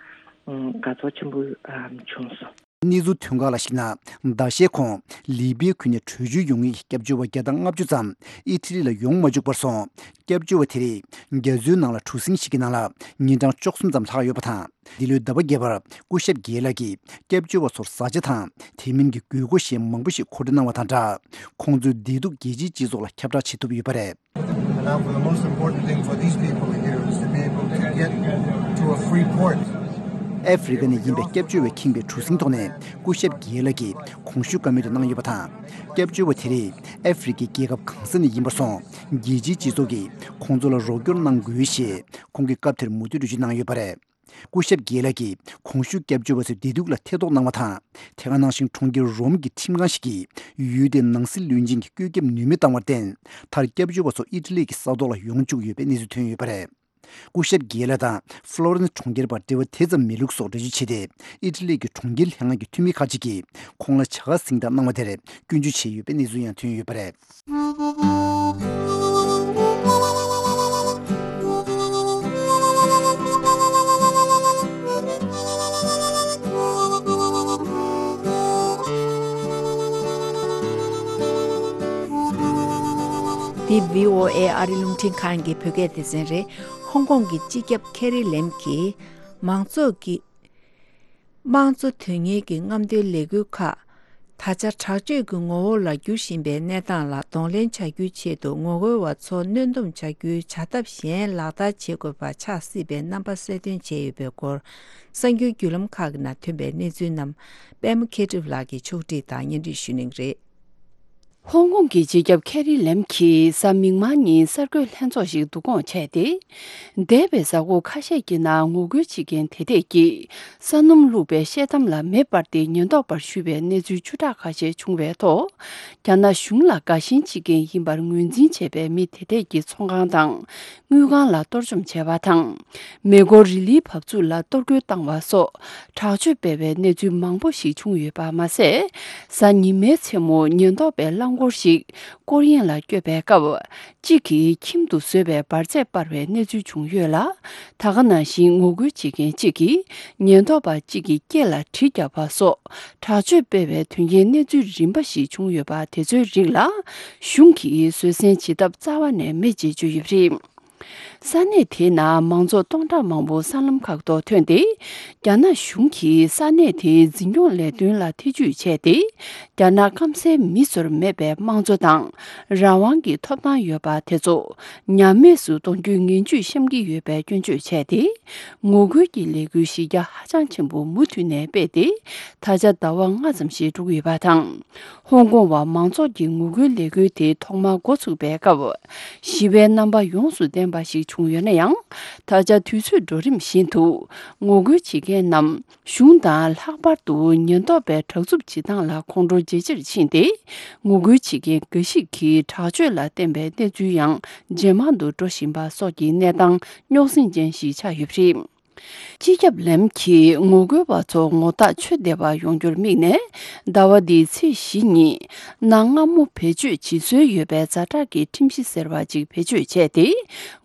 དགའ་ཚོར་ཆེན་པོ་བྱུང་སོང་། གནས་ཚུལ་ཐོན་ཁག་ལ་གཞིགས་ན། ཟླ་ཤས་གོང་ལི་པིའི་ཁུལ་ནས་བྲོས་བྱོལ་ཡོང་མཁན་གྱི་སྐྱབས་བཅོལ་བ་བརྒྱ་དང་ལྔ་བཅུ་ཙམ་ཨི་ཊ་ལི་ལ་ཡོང་མ་བཅུག་པར་སོང་། སྐྱབས་བཅོལ་བ་དེ་རིགས་རྒྱ་མཚོའི་ནང་ལ་གྲུ་གཟིངས་ཤིག་གི་ནང་ལ་ཉིན་གྲངས་བཅུ་གསུམ་ཙམ་ལྷག་ཡོད་པ་དང་། འདི་ལོའི་ཟླ་བ་བརྒྱད་པར་སྐུ་ཞབས་རྒྱལ་ལགས་ཀྱིས་སྐྱབས་བཅོལ་བ་ཚོར་བཟའ་བཅའ་དང་དེ་མིན་གྱི་དགོས་མཁོ་གཞན་མང་པོ་ཞིག་མཁོ་སྤྲོད་གནང་བ་དང་སྦྲགས། ཁོང་ཚོའི་བདེ་སྡུག་རྒྱལ་སྤྱིའི་སྤྱི་ཚོགས་ལ་ཁྱབ་བསྒྲགས་བྱེད་ཐུབ་ཡོད་པ་རེད། And now for the most important thing for these people here is to be able to get to a free port. ཨ་ཧྥེ་རི་ཀ་ནས་ཡིན་པའི་སྐྱབས་བཅོལ་བས་ཁེངས་པའི་གྲུ་གཟིངས་ཐོག་ནས་སྐུ་ཞབས་རྒྱལ་ལགས་ཀྱིས་གོང་ཞུས་བཀའ་མོལ་དུ་གནང་ཡོད་པ་དང་། སྐྱབས་བཅོལ་བ་དེ་རིགས་ཨ་ཧྥེ་རི་ཀའི་རྒྱལ་ཁབ་གང་ས་ནས་ཡིན་པར་སོང་། རྒྱལ་སྤྱིའི་སྤྱི་ཚོགས་ཀྱིས་ཁོང་ཚོ་ལ་རོགས་སྐྱོར་གནང་དགོས་ཞེས་ཁོང་གིས་སྐབས་དེར་མུ་མཐུད་འགྲེལ་བརྗོད་གནང་ཡོད་པ་རེད། སྐུ་ཞབས་རྒྱལ་ལགས་ཀྱིས་གོང་ཞུས་སྐྱབས་བཅོལ་བ་ཚོའི་བདེ་སྡུག་ལ་ཐེ་གཏོགས་གནང་བ་དང་། དེ་ག་ནང་བཞིན་གྲོང་ཁྱེར་རོམ་གྱི་ཁྲིམས་ཁང་ཞིག་གིས་ཡུལ་དེའི་ནང་སྲིད་བློན་ཆེན་གྱི་བཀོད་ཁྱབ་ནུས་མེད་བཏང་བར་བརྟེན། མཐར་སྐྱབས་བཅོལ་བ་ཚོ་ཨི་ཊ་ལི་གི་ས་ཐོག་ལ་ཡོང་བཅུག་ཡོད་པའི་གནས་ཚུལ་ཐོན་ཡོད་པ་རེད། སྐུ་ཞབས་རྒྱལ་ལགས་དང་ཧྥ་ལོ་རེན་སི་གྲོང་ཁྱེར་བར་འབྲེལ་བ་དེ་ཙམ་མེད་ལུགས་སོགས་འགྲེལ་བརྗོད་བྱས་ཏེ། ཨི་ཊ་ལི་གི་གྲོང་ཁྱེར་ལྷན་ཁང་གི་འཐུས་མི་ཁག་ཅིག་གིས་ཁོང་ལ་བྱ་དགའ་གཟེངས་རྟགས་གནང་བ་དེར་སྐྱོན་བརྗོད་བྱས་ཡོད་པའི་གནས་ཚུལ་ཡང་ཐོན་ཡོད་པ་རེད། འདི་བྷི་ཨོ་ཨེ་ཨ་རི་རླུང་འཕྲིན་ཁང་གི་བོད་སྐད་སྡེ་ཚན་རེད། ཧོང་ཀོང་གི་སྤྱི་ཁྱབ་ཁེ་རི་ལེམ་གྱིས་མང་ཚོགས་ཀྱི་དམངས་གཙོ་དོན་གཉེར་གྱི་རྔམ་སྟོན་ལས་འགུལ་ཁག་ད་ཆ་དྲག་སྤྱོད་ཀྱི་ངོ་བོ་ལ་འགྱུར་བཞིན་པའི་གནས་སྟངས་ལ་གདོང་ལེན་བྱ་རྒྱུའི་ཆེད་དུ་ངོ་རྒོལ་བ་ཚོ་གནོན་སྡོམ་བྱ་རྒྱུའི་བྱ་ཐབས་གཞན་ལག་བསྟར་བྱེད་དགོས་པ་ཆགས་སྲིད་པའི་རྣམ་པ་གསལ་སྟོན་བྱས་ཡོད་པའི་སྐོར། གསར་འགྱུར་བརྒྱུད་ལམ་ཁག་གི་ནང་ཐོན་པའི་གནས་ཚུལ་རྣམས་པད་མ་མཁས་གྲུབ་ལགས་ཀྱིས་ཕྱོགས་སྒྲིག་དང་སྙན་སྒྲོན་ཞུ་གནང་གི་རེད། ཧོང་ཀོང་གི་སྤྱི་ཁྱབ་ཁེ་རི་ལེམ་གྱིས་གཟའ་མིག་དམར་ཉིན་གསར་འགོད་ལྷན་ཚོགས་ཤིག་བསྡུ་སྐོང་བྱས་ཏེ། འདས་པའི་གཟའ་འཁོར་ཁ་ཤས་ཀྱི་ནང་ངོ་རྒོལ་བྱེད་མཁན་དེ་དག་གིས་ས་སྣུམ་བླུགས་པའི་ཤེལ་དམ་ལ་མེ་སྤར་ཏེ་ཉེན་རྟོག་པར་གཞུས་པའི་གནས་ཚུལ་བཅུ་ཕྲག་ཁ་ཤས་བྱུང་བའི་ཐོག་རྒྱ་ནག་གཞུང་ལ་དགའ་ཞེན་བྱེད་མཁན་ཡིན་པར་ངོས་འཛིན་བྱས་པའི་མི་དེ་དག་གི་ཚོང་ཁང་དང་དངུལ་ཁང་ལ་གཏོར་བཅོམ་བྱས་པ་དང་། མེ་འཁོར་རི་ལིའི་བབས་ཚུགས་ལ་གཏོར་རྒོལ་བཏང་བ་སོགས་དྲག་སྤྱོད་སྤེལ་བའི་གནས་ཚུལ་མང་པོ་ཞིག་བྱུང་ཡོད་པ་མ་ཟད། གཟའ་ཉི་མའི་མཚན་མོ་ཉེན་རྟོག་པའི་རླངས་འཁོར་ཞིག་སྐོར་གཡེང་ལ་བསྐྱོད་པའི་སྐབས། གཅིག་གིས་ཁྱིམ་དུ་བཟོས་པའི་འབར་རྫས་སྤར་བའི་གནས་ཚུལ་བྱུང་ཡོད་ལ། ད་ག་ནང་བཞིན་ངོ་རྒོལ་བྱེད་མཁན་གཅིག་གིས་ཉེན་རྟོག་པ་གཅིག་གི་སྐེ་ལ་གྲི་བརྒྱབ་པ་སོགས་དྲག་སྤྱོད་སྤེལ་བའི་དོན་རྐྱེན་གནས་ཚུལ་རིམ་པ་ཞིག་བྱུང་ཡོད་པ་དེ་ཚོའི་རིགས་ལ་གཞུང་གིས་བཟོད་བསྲན་བྱེད་ཐབས་རྩ་བ་ནས་མེད་ཅེས་བརྗོད་ཡོད་པ་རེད། ས་གནས་དེའི་ནང་མང་ཚོགས་སྟོང་ཕྲག་མང་པོ་སྲང་ལམ་ཁག་ཏུ་ཐོན་ཏེ། རྒྱ་ནག་གཞུང་གིས་ས་གནས་དེའི་འཛིན་སྐྱོང་ལས་དོན་ལ་ཐེ་ཇུས་བྱས་ཏེ། རྒྱ་ནག་སྐམ་སའི་མི་ཚོར་མེད་པའི་དམངས་གཙོ་དང་རང་དབང་གི་ཐོབ་ཐང་ཡོད་པ་དེ་ཚོ་ཉམས་དམས་སུ་གཏོང་རྒྱུའི་ངན་ཇུས་བཤམས་ཀྱི་ཡོད་པའི་སྐྱོན་བརྗོད་བྱས་ཏེ། ངོ་རྒོལ་གྱི་ལས་འགུལ་གཞི་རྒྱ་ཧ་ཅང་ཆེན་པོ་མུ་མཐུད་ནས་སྤེལ་ཏེ། ད་ཆ་ཟླ་བ་ལྔ་ཙམ་ཞིག་འགྲོ་གི་ཡོད་པ་དང་། ཧོང་ཀོང་བ་མང་ཚོགས་ཀྱི་ངོ་རྒོལ་ལས་འགུལ་དེ་ཐོག་མར་འགོ་ཚུགས་པའི་སྐབས། ཞི་བའི་རྣམ་པ་ཡོངས་སུ་ལྡན་པ་ཞིག་བྱུང་ཡོད་ན་ཡང་། ད་ཆ་དུས་ཚོད་འགྲོ་རིམ་བཞིན་དུ་ངོ་རྒོལ་བྱེད་མཁན་རྣམས་གཞུང་དང་ལྷག་པར་དུ་ཉེན་རྟོག་པའི་དྲག་རྩུབ་བྱེད་སྟངས་ལ་ཁོང་ཁྲོ་ཇེ་ཆེར་ཕྱིན་ཏེ། ངོ་རྒོལ་བྱེད་མཁན་འགའ་ཞིག་གིས་དྲག་སྤྱོད་ལ་བརྟེན་པའི་གནས་ཚུལ་ཡང་ཇེ་མང་དུ་འགྲོ་བཞིན་པ་སོགས་ཀྱི་གནས་སྟངས་རྙོག་ཟིང་ཅན་ཞིག་ཆགས་ཡོད་པ་རེད། སྤྱི་ཁྱབ་ལེམ་གྱིས་ངོ་རྒོལ་བ་ཚོ་ངོ་རྟགས་ཆོས་སྡེ་བར་ཡོང་རྒྱུར་དམིགས་ནས། ཟླ་བ་འདིའི་ཚེས་བཞི་ཉིན། གནའ་སྔ་མོ་བེད་སྤྱོད་བྱེད་སྲོལ་ཡོད་པའི་ཛ་དྲག་གི་ཁྲིམས་གཞི་ཟེར་བ་ཅིག་བེད་སྤྱོད་བྱས་ཏེ།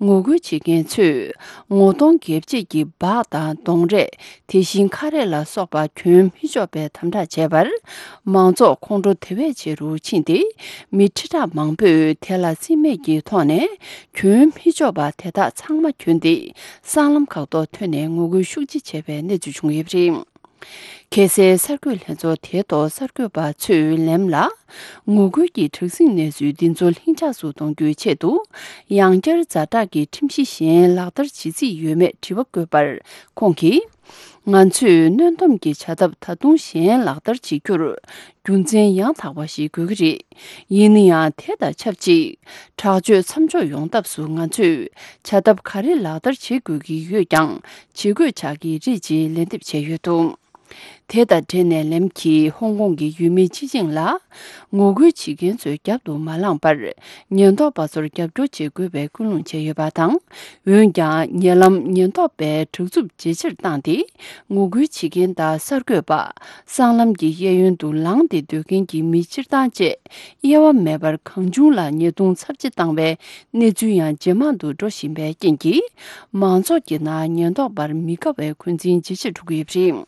ངོ་རྒོལ་བྱེད་མཁན་ཚོས་ངོ་གདོང་སྒེར་བཅད་ཀྱི་འབག་དང་གདོང་རས། དེ་བཞིན་ཁ་རས་ལ་སོགས་པ་གྱོན་མི་ཆོག་པའི་དམ་དྲག་བྱས་པར། མང་ཚོགས་ཁོང་ཁྲོ་དེ་བས་ཆེ་རུ་ཕྱིན་ཏེ། མི་ཁྲི་ཕྲག་མང་པོས་དེ་ལ་རྩིས་མེད་ཀྱི་ཐོག་ནས། གྱོན་མི་ཆོག་པ་དེ་དག་ཚང་མ་གྱོན་ཏེ། སྲང་ལམ་ཁག་ཏུ་ཐོན་ནས་ངོ་རྒོལ་ཤུགས་ཆེ་བྱས་པའི་གནས་ཚུལ་བྱུང་ཡོད་པ་རེད། གལ་སྲིད་གསར་འགོད་ལྷན་ཚོགས་དེའི་ཐོག་གསར་འགོད་པ་ཚོས་ལེམ་ལ། ངོ་རྒོལ་གྱི་དྲག་ཟིང་གནས་ཚུལ་འདི་ཚོ་ལྷིང་འཇགས་སུ་གཏོང་རྒྱུའི་ཆེད་དུ། ཡང་བསྐྱར་ཛ་དྲག་གི་ཁྲིམས་གཞི་གཞན་ལག་བསྟར་བྱེད་རྩིས་ཡོད་མེད་དྲི་བ་བཀོད་པར། ཁོང་གིས། ང་ཚོས་གནོན་སྡོམ་གྱི་བྱ་ཐབས་ད་དུང་གཞན་ལག་བསྟར་བྱེད་རྒྱུར། རྒྱུ་མཚན་ཡང་དག་པ་ཞིག་དགོས་ཀྱི་རེད། ཡིན་ན་ཡང་དེ་དང་ཆབས་ཅིག་དྲག་སྤྱོད་མཚམས་འཇོག་ཡོང་ཐབས་སུ་ང་ཚོས་བྱ་ཐབས་ག་རེ་ལག་བསྟར་བྱེད་དགོས་ཀྱི་ཡོད་ཀྱང་བྱེད་དགོས་ཆགས་ཀྱི་རེད་ཅེས་ལན་འདེབས་བྱས་ཡོད་འདུག་དེ་དང་འབྲེལ་ནས་ལེམ་གྱིས་ཧོང་ཀོང་གི་ཡུལ་མི་སྤྱི་བྱིངས་ལ། ངོ་རྒོལ་བྱེད་མཁན་ཚོའི་རྒྱབ་ཏུ་མ་ལངས་པར། ཉེན་རྟོག་པ་ཚོར་རྒྱབ་སྐྱོར་བྱེད་དགོས་པའི་སྐུལ་སློང་བྱས་ཡོད་པ་དང་། འོན་ཀྱང་། ཉེ་ལམ་ཉེན་རྟོག་པས་དྲག་རྩུབ་ཇེ་ཆེར་བཏང་སྟེ། ངོ་རྒོལ་བྱེད་མཁན་དང་གསར་འགོད་པ། སྲང་ལམ་གྱི་གཡས་གཡོན་དུ་ལངས་ཏེ་སྡོད་མཁན་གྱི་མི་སྤྱིར་བཏང་བཅས། དབྱེ་བ་མེད་པར་གང་བྱུང་ལ་ཉེས་རྡུང་ཚབས་ཆེ་བཏང་བའི་གནས་ཚུལ་ཡང་ཇེ་མང་དུ་འགྲོ་བཞིན་པའི་རྐྱེན་གྱིས། མང་ཚོགས་ཀྱི་ནང་ཉེན་རྟོག་པར་མི་དགའ་བའི་འཁོན་འཛིན་ཇེ་ཆེར་འགྲོ་གི་ཡོད་པ་རེད།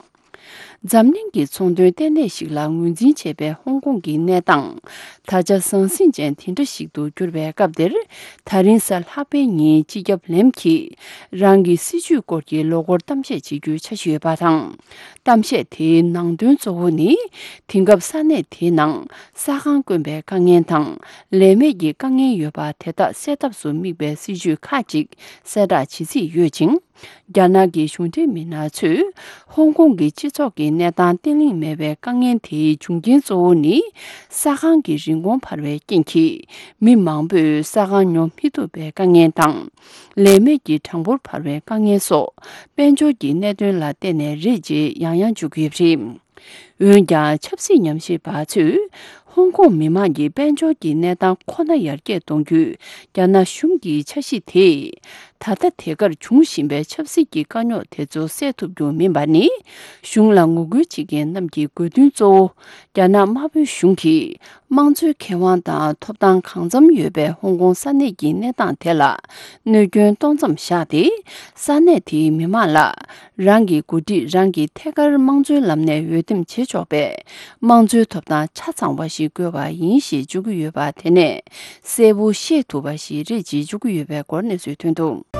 འཛམ་གླིང་གི་ཚོང་དོན་ལྟེ་གནས་ཤིག་ལ་ངོས་འཛིན་བྱེད་པའི་ཧོང་ཀོང་གི་གནས་སྟངས། ད་ཆ་ཟང་ཟིང་ཅན་དེ་འདྲ་ཞིག་ཏུ་གྱུར་བའི་སྐབས་འདིར། ད་རིང་གཟའ་ལྷག་པའི་ཉིན་སྤྱི་ཁྱབ་ལེམ་གྱིས། རང་གི་སྲིད་བྱུས་སྐོར་གྱི་ལོ་འཁོར་གཏམ་བཤད་བྱེད་རྒྱུའི་འཆར་གཞི་ཡོད་པ་དང་། གཏམ་བཤད་དེའི་ནང་དོན་གཙོ་བོ་ནི། དེང་སྐབས་ས་གནས་དེའི་ནང་ས་ཁང་དཀོན་པའི་དཀའ་ངལ་དང་། ལས་མེད་ཀྱི་དཀའ་ངལ་ཡོད་པ་དེ་དག་སེལ་ཐབས་སུ་དམིགས་པའི་སྲིད་བྱུས་ཁག་ཅིག་གསལ་བསྒྲགས་བྱེད་རྩིས་ཡོད་ཅིང་། རྒྱ་ནག་གི་གཞུང་འབྲེལ་མི་སྣ་ཚོས་ཧོང་ཀོང་གི་སྤྱི་ཚོགས་ཀྱི་གནས་སྟངས་བརྟན་ལྷིང་མེད་པའི་དཀའ་ངལ་དེའི་འབྱུང་རྐྱེན་གཙོ་བོ་ནི། ས་ཁང་གི་རིན་གོང་འཕར་བའི་རྐྱེན་གྱིས། མི་མང་པོས་ས་ཁང་ཉོ་མི་ཐུབ་པའི་དཀའ་ངལ་དང་། ལས་མེད་ཀྱི་གྲངས་འབོར་འཕར་བའི་དཀའ་ངལ་སོགས། དཔལ་འབྱོར་གྱི་གནད་དོན་ལ་བརྟེན་ནས་རེད་ཅེས་ཡང་ཡང་བརྗོད་ཀྱི་ཡོད་པ་རེད། འོན་ཀྱང་། ཆབ་སྲིད་ཉམས་ཞིབ་པ་ཚོས། ཧོང་ཀོང་མི་མང་གི་དཔལ་འབྱོར་གྱི་གནས་སྟངས་ཁོ་ན་ཡར་རྒྱས་གཏོང་རྒྱུའི་རྒྱ་ནག་གཞུང་གི་འཆར་གཞི་དེས། ད་ལྟ་དེ་གར་འབྱུང་བཞིན་པའི་ཆབ་སྲིད་ཀྱི་དཀའ་རྙོག་དེ་ཚོ་སེལ་ཐུབ་རྒྱུ་མིན་པ་ནི། གཞུང་ལ་ངོ་རྒོལ་བྱེད་མཁན་རྣམས་ཀྱི་དགོས་འདུན་གཙོ་བོ། རྒྱ་ནག་དམར་པོའི་གཞུང་གིས། དམངས་གཙོའི་ཁེ་དབང་དང་ཐོབ་ཐང་གང་འཚམ་ཡོད་པའི་ཧོང་ཀོང་ས་གནས་ཀྱི་གནས་སྟངས་དེ་ལ། གནོད་སྐྱོན་གཏོང་མཚམས་བཞག་སྟེ། ས་གནས་དེའི་མི་མང་ལ། རང་གི་འགོ་ཁྲིད་རང་གིས་ཐད་ཀར་དམངས་གཙོའི་ལམ་ནས་འོས་འདེམས་བྱེད་ཆོག་པའི། དམངས་གཙོའི་ཐོབ་ཐང་ཆ་ཚང་བ་ཞིག་དགོས་པ་ཡིན་ཞེས་བརྗོད་ཀྱི་ཡོད་པ་དེ་ནས། གསལ་པོ་ཤེས་ཐུབ་པ་ཞིག་རེད་ཅེས་བརྗོད་ཀྱི་ཡོད་པའི་སྐོར་གནས་ཚུལ་ཐོན་འདུག་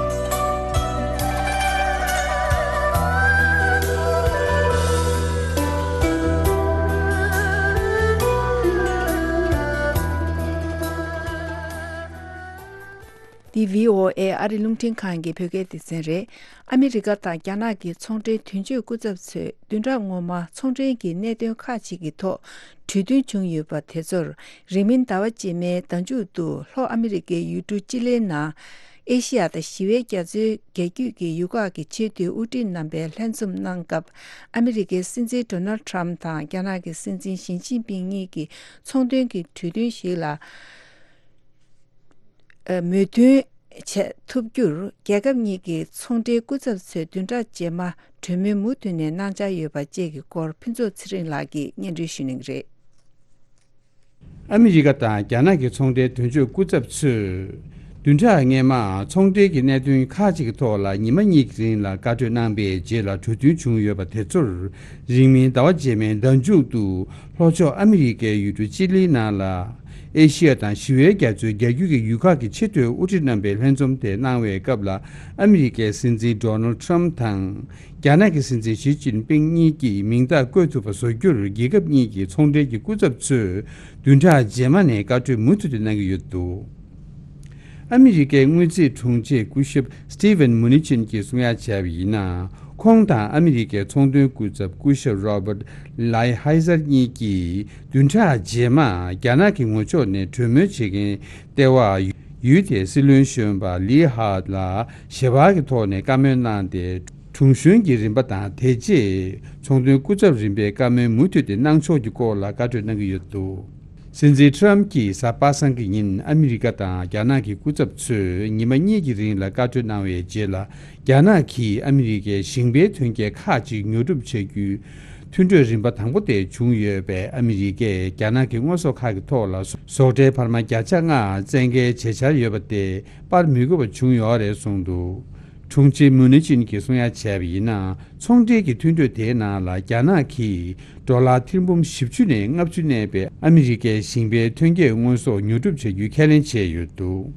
འདི་བྷི་ཨོ་ཨེ་ཨ་རི་རླུང་འཕྲིན་ཁང་གི་བོད་སྐད་སྡེ་ཚན་རེད། ཨ་མི་རི་ཀ་དང་རྒྱ་ནག་གི་ཚོང་འབྲེལ་དོན་གཅོད་སྐུ་ཚབ་ཚོས་བདུན་ཕྲག་སྔོན་མ་ཚོང་འབྲེལ་གྱི་གནད་དོན་ཁག་ཅིག་གི་ཐོག་གྲོས་མཐུན་བྱུང་ཡོད་པ་དེ་ཚོར། རིང་མིན་ཟླ་བ་རྗེས་མའི་ཟླ་མཇུག་ཏུ་ལྷོ་ཨ་མི་རི་ཀའི་ཡུལ་གྲུ་ཅི་ལིའི་ནང་། ཨེ་ཤི་ཡ་དང་ཞི་བའི་རྒྱ་མཚོའི་རྒྱ་རྒྱུད་ཀྱི་ཡུལ་ཁག་གི་ཆེས་མཐོའི་དབུ་ཁྲིད་རྣམ་པས་ལྷན་འཛོམས་གནང་སྐབས། ཨ་མི་རི་ཀའི་སྲིད་འཛིན་ཌོ་ནལ་ཊམ་དང་རྒྱ་ནག་གི་སྲིད་འཛིན་ཞི་ཅིན་ཕིང་གཉིས་ཀྱིས་ཚོང་དོན་གྱི་གྲོས་མཐུན་ཞིག་ལ། ཨ། མོས་མཐུན་བྱེད་ཐུབ་རྒྱུར། རྒྱལ་ཁབ་གཉིས་ཀྱི་ཚོང་འབྲེལ་སྐུ་ཚབ་ཚོས་བདུན་ཕྲག་རྗེས་མ་གྲོས་མོལ་མུ་མཐུད་ནས་གནང་འཆར་ཡོད་པ་བཅས་ཀྱི་སྐོར། ཕུན་ཚོགས་ཚེ་རིང་ལགས་ཀྱིས་སྙན་སྒྲོན་ཞུ་གནང་གི་རེད། ཨ་མི་རི་ཀ་དང་རྒྱ་ནག་གི་ཚོང་འབྲེལ་དོན་གཅོད་སྐུ་ཚབ་ཚོས། བདུན་ཕྲག་སྔོན་མ་ཚོང་འབྲེལ་གྱི་གནད་དོན་ཁག་ཅིག་གི་ཐོག་ལ་ཉི་མ་གཉིས་ཀྱི་རིང་ལ་བཀའ་གྲོས་གནང་པའི་རྗེས་ལ་གྲོས་མཐུན་བྱུང་ཡོད་པ་དེ་ཚོར། རིང་མིན་ཟླ་བ་རྗེས་མའི་ཟླ་མཇུག་ཏུ། ལྷོ་ཕྱོགས་ཨ་མི་རི་ཀའི་ཡུལ་གྲུ་ཅི་ལིའི་ནང་ལ། ཨེ་ཤི་ཡ་དང་ཞི་བའི་རྒྱ་མཚོའི་རྒྱ་རྒྱུད་ཀྱི་ཡུལ་ཁག་གི་ཆེས་མཐོའི་དབུ་ཁྲིད་རྣམ་པའི་ལྷན་འཛོམས་དེ་གནང་བའི་སྐབས་ལ། ཨ་མི་རི་ཀའི་སྲིད་འཛིན་ཌོ་ནལ་ཊམ་དང་། རྒྱ་ནག་གི་སྲིད་འཛིན་ཞི་ཅིན་ཕིང་གཉིས་ཀྱིས་མིང་རྟགས་བཀོད་ཐུབ་པ་བཟོ་རྒྱུར། རྒྱལ་ཁབ་གཉིས་ཀྱི་ཚོང་འབྲེལ་གྱི་སྐུ་ཚབ་ཚོས་བདུན་ཕྲག་རྗེས་མ་ནས་བཀའ་གྲོས་མུ་མཐུད་དུ་གནང་གི་ཡོད་འདུག་ཨ་མི་རི་ཀའི་དངུལ་རྩིས་དྲུང་ཆེ་སྐུ་ཞབས་སི་ཊི་ཝན་མུ་ནི་ཆིན་གྱིས་གསུང་ཡ་བྱས་པ་ཡིན་ན། ཁོང་དང་ཨ་མི་རི་ཀའི་ཚོང་དོན་སྐུ་ཚབ་སྐུ་ཞབས་རོ་བར་ལའི་ཧའི་ཟར་གཉིས་ཀྱིས་བདུན་ཕྲག་རྗེས་མ་རྒྱ་ནག་གི་ངོས་ཕྱོགས་ནས་གྲོས་མོལ་བྱེད་མཁན་ལྟེ་བ་ཡུལ་དེའི་སྲིད་བློན་གཞོན་པ་ལི་ཧཱ་ལ་ཞལ་པར་གྱི་ཐོག་ནས་བཀའ་མོལ་གནང་སྟེ། དྲུང་གཞོན་གྱི་རིམ་པ་དང་། དེ་རྗེས་ཚོང་དོན་སྐུ་ཚབ་རིམ་པའི་བཀའ་མོལ་མུ་མཐུད་དེ་གནང་ཕྱོགས་ཀྱི་སྐོར་ལ་བཀའ་གྲོས་གནང་གི་ཡོད་འདུག་སྲིད་འཛིན་ཊམ་གྱིས་གཟའ་པ་སངས་ཀྱི་ཉིན་ཨ་མི་རི་ཀ་དང་རྒྱ་ནག་གི་སྐུ་ཚབ་ཚོས་ཉི་མ་གཉིས་ཀྱི་རིང་ལ་བཀའ་གྲོས་གནང་བའི་རྗེས་ལ། རྒྱ་ནག་གིས་ཨ་མི་རི་ཀའི་ཞིང་པའི་ཐོན་སྐྱེད་ཁག་ཅིག་ཉོ་སྒྲུབ་བྱ་རྒྱུའི་མཐུན་གྲོས་རིམ་པ་དང་པོ་དེ་བྱུང་ཡོད་པས། ཨ་མི་རི་ཀས་རྒྱ་ནག་གི་དངོས་ཟོག་ཁག་གི་ཐོག་ལ་ཟོག་ཁྲལ་འཕར་མ་བརྒྱ་ཆ་ལྔ་བཙན་འགེལ་བྱེད་འཆར་ཡོད་པ་དེ་པར་མི་དགོས་པ་བྱུང་ཡོད་རེད་གསུངས་འདུག་དྲུང་ཆེ་མུ་ནི་ཅིན་གྱིས་གསུང་ཡ་བྱས་པ་ཡིན་ན། ཚོང་འབྲེལ་གྱི་མཐུན་གྲོས་དེའི་ནང་ལ་རྒྱ་ནག་གིས་ཌོ་ལར་ཐེར་འབུམ་བཞི་བཅུ་ནས་ལྔ་བཅུ་གནས་པའི་ཨ་མི་རི་ཀའི་ཞིང་པའི་ཐོན་སྐྱེད་དངོས་ཟོག་ཉོ་སྒྲུབ་བྱ་རྒྱུའི་ཁས་ལེན་བྱས་ཡོད་འདུག་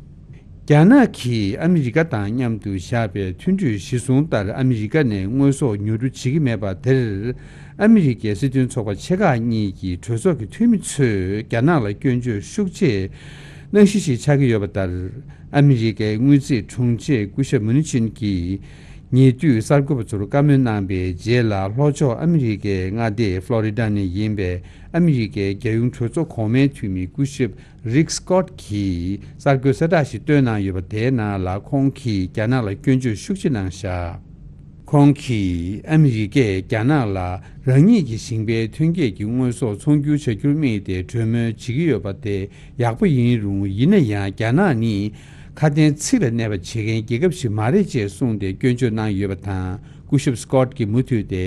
རྒྱ་ནག་གིས་ཨ་མི་རི་ཀ་དང་མཉམ་དུ་བཞག་པའི་མཐུན་གྲོས་གཞི་བཟུང་ལྟར། ཨ་མི་རི་ཀ་ནས་དངོས་ཟོག་ཉོ་སྒྲུབ་བྱེད་ཀྱི་མེད་པ་དེར། ཨ་མི་རི་ཀའི་སྲིད་དོན་ཚོགས་པ་ཆེ་ཁག་གཉིས་ཀྱི་གྲོས་ཚོགས་ཀྱི་འཐུས་མི་ཚོས་རྒྱ་ནག་ལ་སྐྱོན་བརྗོད་ཤུགས་ཆེ་གནང་གཞི་ཞིག་ཆགས་ཀྱི་ཡོད་པ་ལྟར། ཨ་མི་རི་ཀའི་དངུལ་རྩིས་དྲུང་ཆེ་སྐུ་ཞབས་མུ་ནི་ཆིན་གྱིས་ཉེ་དུས་གསར་འགོད་པ་ཚོར་བཀའ་མོལ་གནང་པའི་རྗེས་ལ། ལྷོ་ཕྱོགས་ཨ་མི་རི་ཀའི་མངའ་སྡེ་ཕློ་རི་ཌ་ནས་ཡིན་པའི་ཨ་མི་རི་ཀའི་རྒྱལ་ཡོངས་གྲོས་ཚོགས་གོང་མའི་འཐུས་མི་སྐུ་ཞབས་རིག་སི་ཀོཊ་གྱིས་གསར་འགོད་གསལ་བསྒྲགས་ཤིག་བཏོན་གནང་ཡོད་པ། དེའི་ནང་ལ་ཁོང་གིས་རྒྱ་ནག་ལ་སྐྱོན་བརྗོད་ཤུགས་ཆེ་གནང་བཞག་ཁོང་གིས་ཨ་མི་རི་ཀས་རྒྱ་ནག་ལ་རང་ཉིད་ཀྱི་ཞིང་པའི་ཐོན་སྐྱེད་ཀྱི་དངོས་ཟོག་ཚོང་སྒྱུར་བྱ་རྒྱུར་དམིགས་ཏེ་གྲོས་མོལ་བྱེད་ཀྱི་ཡོད་པ་དེ་ཡག་པོ་ཡིན་རུང་། ཡིན་ན་ཡང་རྒྱ་ནག་ནི་ཁ་དན་ཚིག་ལ་གནས་པ་བྱེད་མཁན་རྒྱལ་ཁབ་ཞིག་མ་རེད་ཅེས་གསུངས་ཏེ་སྐྱོན་བརྗོད་གནང་ཡོད་པ་དང་། སྐུ་ཞབས་སི་ཀོཊ་གྱིས་མུ་མཐུད་དེ།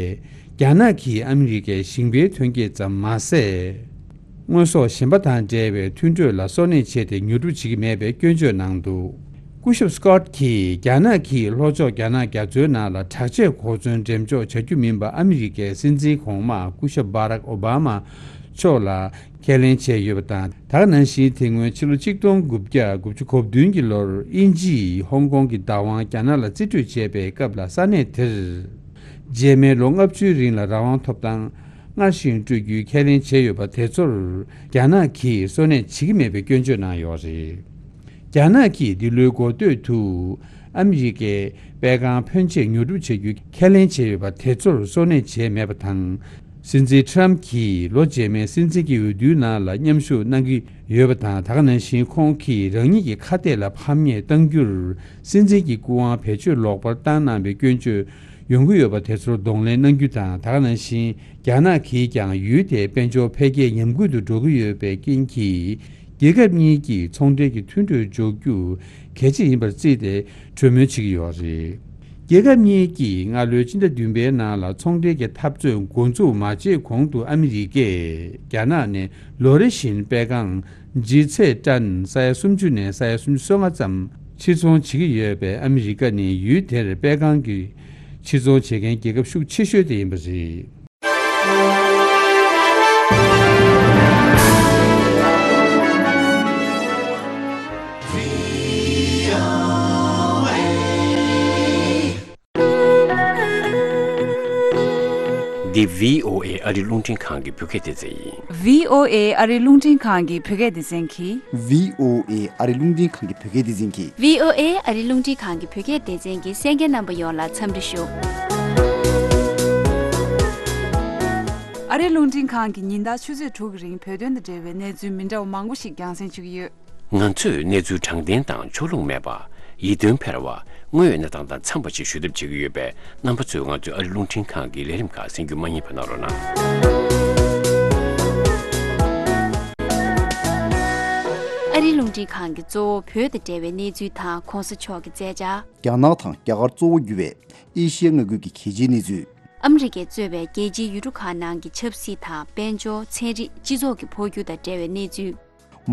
རྒྱ་ནག་གིས་ཨ་མི་རི་ཀའི་ཞིང་པའི་ཐོན་སྐྱེད་ཙམ་མ་ཟད། དངོས་ཟོག་གཞན་པ་དང་འབྲེལ་བའི་མཐུན་གྲོས་ལ་སོ་ནད་བྱས་ཏེ་ཉོ་སྒྲུབ་བྱེད་ཀྱི་མེད་པའི་སྐྱོན་བརྗོད་གནང་འདུག་སྐུ་ཞབས་སི་ཀོཊ་གྱིས། རྒྱ་ནག་གིས་ལྷོ་ཕྱོགས་རྒྱ་ནག་རྒྱ་མཚོའི་ནང་ལ་དྲག་ཆས་གོ་མཚོན་འགྲེམས་འཇོག་བྱ་རྒྱུ་མིན་པ། ཨ་མི་རི་ཀའི་སྲིད་འཛིན་གོང་མ་སྐུ་ཞབས་བྷ་རག་ཨོ་བྷ་མ་མཆོག་ལ་ཁས་ལེན་བྱས་ཡོད་པ་དང་། ད་ག་ནང་བཞིན། དེ་སྔོན་ཕྱི་ལོ་ཆིག་སྟོང་དགུ་བརྒྱ་དགུ་བཅུ་གོ་བདུན་གྱི་ལོར་དབྱིན་ཇིས་ཧོང་ཀོང་གི་བདག་དབང་རྒྱ་ནག་ལ་རྩིས་སྤྲོད་བྱས་པའི་སྐབས་ལ། ས་གནས་དེར་རྗེས་མའི་ལོ་ལྔ་བཅུའི་རིང་ལ་རང་དབང་ཐོབ་ཐང་སྔར་བཞིན་སྤྲོད་རྒྱུའི་ཁས་ལེན་བྱས་ཡོད་པ། དེ་ཚོར་རྒྱ་ནག་གིས་སོ་ནད་བྱེད་ཀྱི་མེད་པའི་སྐྱོན་བརྗོད་གནང་ཡོད་རེད། རྒྱ་ནག་གིས་འདི་ལོའི་འགོ་སྟོད་དུ་ཨ་མི་རི་ཀའི་པད་ཁང་ཕོན་ཆེ་ཉོ་སྒྲུབ་བྱ་རྒྱུའི་ཁས་ལེན་བྱས་ཡོད་པ། དེ་ཚོར་སོ་ནད་བྱས་མེད་པ་དང་། སྲིད་འཛིན་ཊམ་གྱིས་ལོ་རྗེས་མའི་སྲིད་འཛིན་གྱི་འོས་བསྡུའི་ནང་ལ་མཉམ་ཞུགས་གནང་གི་ཡོད་པ་དང་། ད་ག་ནང་བཞིན་ཁོང་གིས་རང་ཉིད་ཀྱི་ཁ་གཏད་ལ་ཕམ་ཉེས་གཏང་རྒྱུར་སྲིད་འཛིན་གྱི་སྐུ་དབང་བེད་སྤྱོད་ལོག་པར་བཏང་གནང་བའི་སྐྱོན་བརྗོད་ཡོང་གི་ཡོད་པ། དེ་ཚོར་གདོང་ལེན་གནང་རྒྱུ་དང་། ད་ག་ནང་བཞིན་རྒྱ་ནག་གིས་ཀྱང་ཡུལ་དེའི་དཔལ་འབྱོར་འཕེལ་རྒྱས་ཉམས་རྒུད་དུ་འགྲོ་གི་ཡོད་པའི་རྐྱེན་གྱིས། རྒྱལ་ཁབ་གཉིས་ཀྱིས་ཚོང་འབྲེལ་གྱི་མཐུན་གྲོས་འཇོག་རྒྱུ་གལ་ཆེ་ཡིན་པར་བརྩིས་ཏེ་གྲོས་མོལ་བྱེད་ཀྱི་ཡོད་རེད། རྒྱལ་ཁབ་གཉིས་ཀྱིས་སྔ་ལོའི་སྤྱི་ཟླ་བདུན་པའི་ནང་ལ་ཚོང་འབྲེལ་གྱི་འཐབ་རྩོད་འགོ་འཛུགས་མ་བྱས་གོང་དུ། ཨ་མི་རི་ཀས་རྒྱ་ནག་ནས་ལོ་རེ་བཞིན་པད་ཁང་ལྗིད་ཚད་ཏན་ས་ཡ་སུམ་ཅུ་ནས་ས་ཡ་སུམ་ཅུ་སོ་ལྔ་ཙམ་ཕྱིར་ཚོང་བྱེད་ཀྱི་ཡོད་པས། ཨ་མི་རི་ཀ་ནི་ཡུལ་དེར་པད་ཁང་གི་ཕྱིར་ཚོང་བྱེད་མཁན་རྒྱལ་ཁབ་ཤུགས་ཆེ་ཤོས་དེ་ཡིན་པ་རེད། འདི་བྷི་ཨོ་ཨེ་ཨ་རིའི་རླུང་འཕྲིན་ཁང་གི་བོད་སྐད་སྡེ་ཚན་ཡིན། བྷི་ཨོ་ཨེ་ཨ་རིའི་རླུང་འཕྲིན་ཁང་གི་བོད་སྐད་སྡེ་ཚན་གྱིས། བྷི་ཨོ་ཨེ་ཨ་རིའི་རླུང་འཕྲིན་ཁང་གི་བོད་སྐད་སྡེ་ཚན་གྱིས། བྷི་ཨོ་ཨེ་ཨ་རིའི་རླུང་འཕྲིན་ཁང་གི་བོད་སྐད་སྡེ་ཚན་གྱི་གསན་མཁན་རྣམ་པ་ཡོངས་ལ་འཚམས་འདྲི་ཞུ། ཨ་རིའི་རླུང་འཕྲིན་ཁང་གིས་ཉིན་ལྟར་ཆུ་ཚོད་དྲུག་གི་རིང་བོད་དོན་དང་འབྲེལ་བའི་གནས་ཚུལ་མི་འདྲ་བ་མང་པོ་ཞིག་རྒྱང་སྲིང་བྱེད་ཀྱི་ཡོད། ང་ཚོས་གནས་ཚུལ་དྲང་བདེན་དང་ཕྱོགས་ལྷུང་མེད་པ། ཡིད་རྟོན་འཕེར་བ། དངོས་ཡོད་གནས་སྟངས་དང་འཚམས་པ་ཞིག་ཞུ་ཐབས་བྱེད་ཀྱི་ཡོད་པས། རྣམ་པ་ཚོས་ང་ཚོའི་ཨ་རིའི་རླུང་འཕྲིན་ཁང་གི་ལས་རིམ་ཁག་གསན་རྒྱུ་མ་བསྙེལ་བ་གནང་རོགས་གནང་། ཨ་རིའི་རླུང་འཕྲིན་ཁང་གིས་གཙོ་བོ་བོད་དང་འབྲེལ་བའི་གནས་ཚུལ་དང་གོང་ས་མཆོག་གི་མཛད་འཆར། རྒྱ་ནག་དང་རྒྱ་གར་གཙོ་བོ་གྱུར་བའི་ཨེ་ཤི་ཡ་མངའ་ཁུལ་གྱི་གལ་ཆེའི་གནས་ཚུལ། ཨ་མི་རི་ཀས་གཙོས་པའི་རྒྱལ་སྤྱིའི་ཡུལ་གྲུ་ཁག་ནང་གི་ཆབ་སྲིད་དང་། དཔལ་འབྱོར། ཚན་རིག་སྤྱི་ཚོགས་ཀྱི་འཕོ་འགྱུར་དང་འབྲེལ་བའི་གནས་ཚུལ།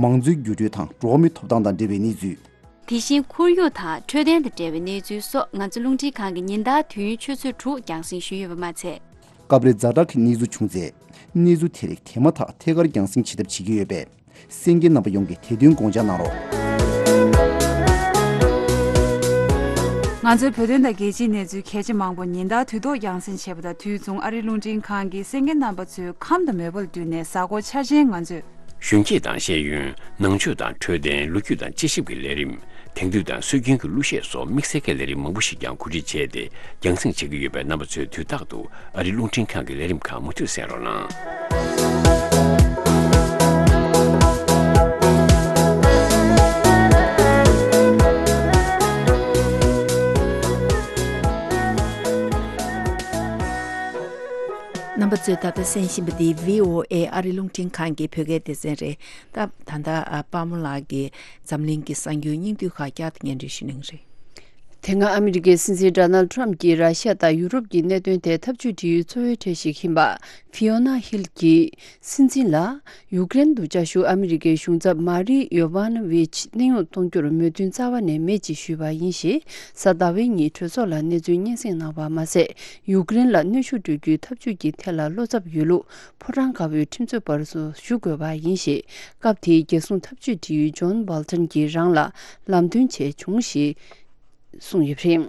མང་གཙོའི་འགྱུར་འགྲོས་དང་འགྲོ་བ་མིའི་ཐོབ་ཐང་དང་འབྲེལ་བའི་གནས་ཚུལ། དེ་བཞིན་ཁོར་ཡུག་དང་འཕྲོད་བསྟེན་དང་འབྲེལ་བའི་གནས་ཚུལ་སོགས་ང་ཚོ་རླུང་འཕྲིན་ཁང་གིས་ཉིན་ལྟར་དུས་ཡུན་ཆུ་ཚོད་དྲུག་རྒྱང་སྲིང་ཞུས་ཡོད་པ་མ་ཚད། སྐབས་རེ་ཛ་དྲག་གི་གནས་ཚུལ་བྱུང་ཚེ། གནས་ཚུལ་དེ་རིགས་དེ་མ་ཐག་ཐད་ཀར་རྒྱང་སྲིང་བྱེད་ཐབས་བྱེད་ཀྱི་ཡོད་པས། གསན་མཁན་རྣམ་པ་ཡོངས་ཀྱིས་དེ་དོན་དགོངས་འཇགས་གནང་རོགས། ང་ཚོའི་བོད་དོན་དང་རྒྱལ་སྤྱིའི་གནས་ཚུལ་གལ་ཆེ་མང་པོ་ཉིན་ལྟར་དུས་ཐོག་རྒྱང་སྲིང་བྱེད་པ་དང་དུས་མཚུངས། ཨ་རིའི་རླུང་འཕྲིན་ཁང་གིས་གསན་མཁན་རྣམ་པ་ཚོའི་ཁམས་དང་མོས་པ་ལ་བསྟུན་ནས་གཟའ་འཁོར་འཆར་ཅན་ང་ཚོས། གཞོན་སྐྱེས་དང་ཤེས་ཡོན། ནང་ཆོས་དང་འཕྲོད་བསྟེན། ལོ་རྒྱུས་དང་དཔྱད་ཞིབ་ཀྱི་ལས་རིམ། དེང་དུས་དང་སྲོལ་རྒྱུན་གྱི་གླུ་གཞས་སོགས་དམིགས་བསལ་གྱི་ལས་རིམ་མང་པོ་ཞིག་ཀྱང་གོ་སྒྲིག་བྱས་ཏེ་རྒྱང་སྲིང་བྱེད་ཀྱི་ཡོད་པས། རྣམ་པ་ཚོས་དུས་རྟག་ཏུ་ཨ་རིའི་རླུང་འཕྲིན་ཁང་གི་ལས་རིམ་ཁག་མུ་མཐུད་གསན་རོགས་གནང་། རྣམ་པ་ཚོས་ད་ལྟ་གསན་བཞིན་པ་འདི་བྷི་ཨོ་ཨེ་ཨ་རིའི་རླུང་འཕྲིན་ཁང་གི་བོད་སྐད་སྡེ་ཚན་རེད། ད་ད་ལྟ་ཨ་དཔལ་མོ་ལགས་ཀྱིས་འཛམ་གླིང་གི་གསར་འགྱུར་སྙིང་བསྡུས་ཁག་བསྐྱར་དུ་སྙན་སྒྲོན་ཞུ་གནང་རེད། དེ་སྔ་ཨ་མི་རི་ཀའི་སྲིད་འཛིན་ཌོ་ནལ་ཊམ་གྱིས་ར་ཤ་དང་ཡུ་རོབ་ཀྱི་གནད་དོན་ཐད་འཐབ་ཇུས་སྒྲིལ་ཡུལ་གཙོ་བོའི་གྲས་ཤིག་ཡིན་པ་ཧྥི་ཡོ་ན་ཧིལ་གྱིས་སྲིད་འཛིན་ལ། ཡུཀ་རེན་དུ་བཅའ་བཞུགས་ཨ་མི་རི་ཀའི་གཞུང་ཚབ་མ་རི་ཡོ་ཝཱ་ནོ་ཝིཆ་གནས་དབྱུང་གཏོང་རྒྱུར་མོས་མཐུན་རྩ་བ་ནས་མེད་ཅེས་ཞུས་པ་ཡིན་ཞེས། གཟའ་ཟླ་བའི་ཉིན་གྲོས་ཚོགས་ལ་གནས་ཚུལ་སྙན་སེང་གནང་བ་མ་ཟད། ཡུཀ་རེན་ལ་གནོན་ཤུགས་སྤྲོད་རྒྱུའི་ཐབས་ཇུས་ཀྱི་ཐད་ལ་བློ་འཚབ་ཡོད་ལུགས་ཕོ་བྲང་དཀར་པོའི་ཁྲིམས་རྩོད་པར་སོགས་ཞུ་དགོས་པ་ཡིན་ཞེས། སྐབས་དེའི་རྒྱལ་སྲུང་ཐབས་ཇུས་སྒྲིག་ཡུལ་ཇོན་བྷལ་ཊོན་གྱིས་རང་ལ་ལམ་སྟོན་བྱས་བྱུང་ཞེས་གསུངས་ཡོད་པ་རེད།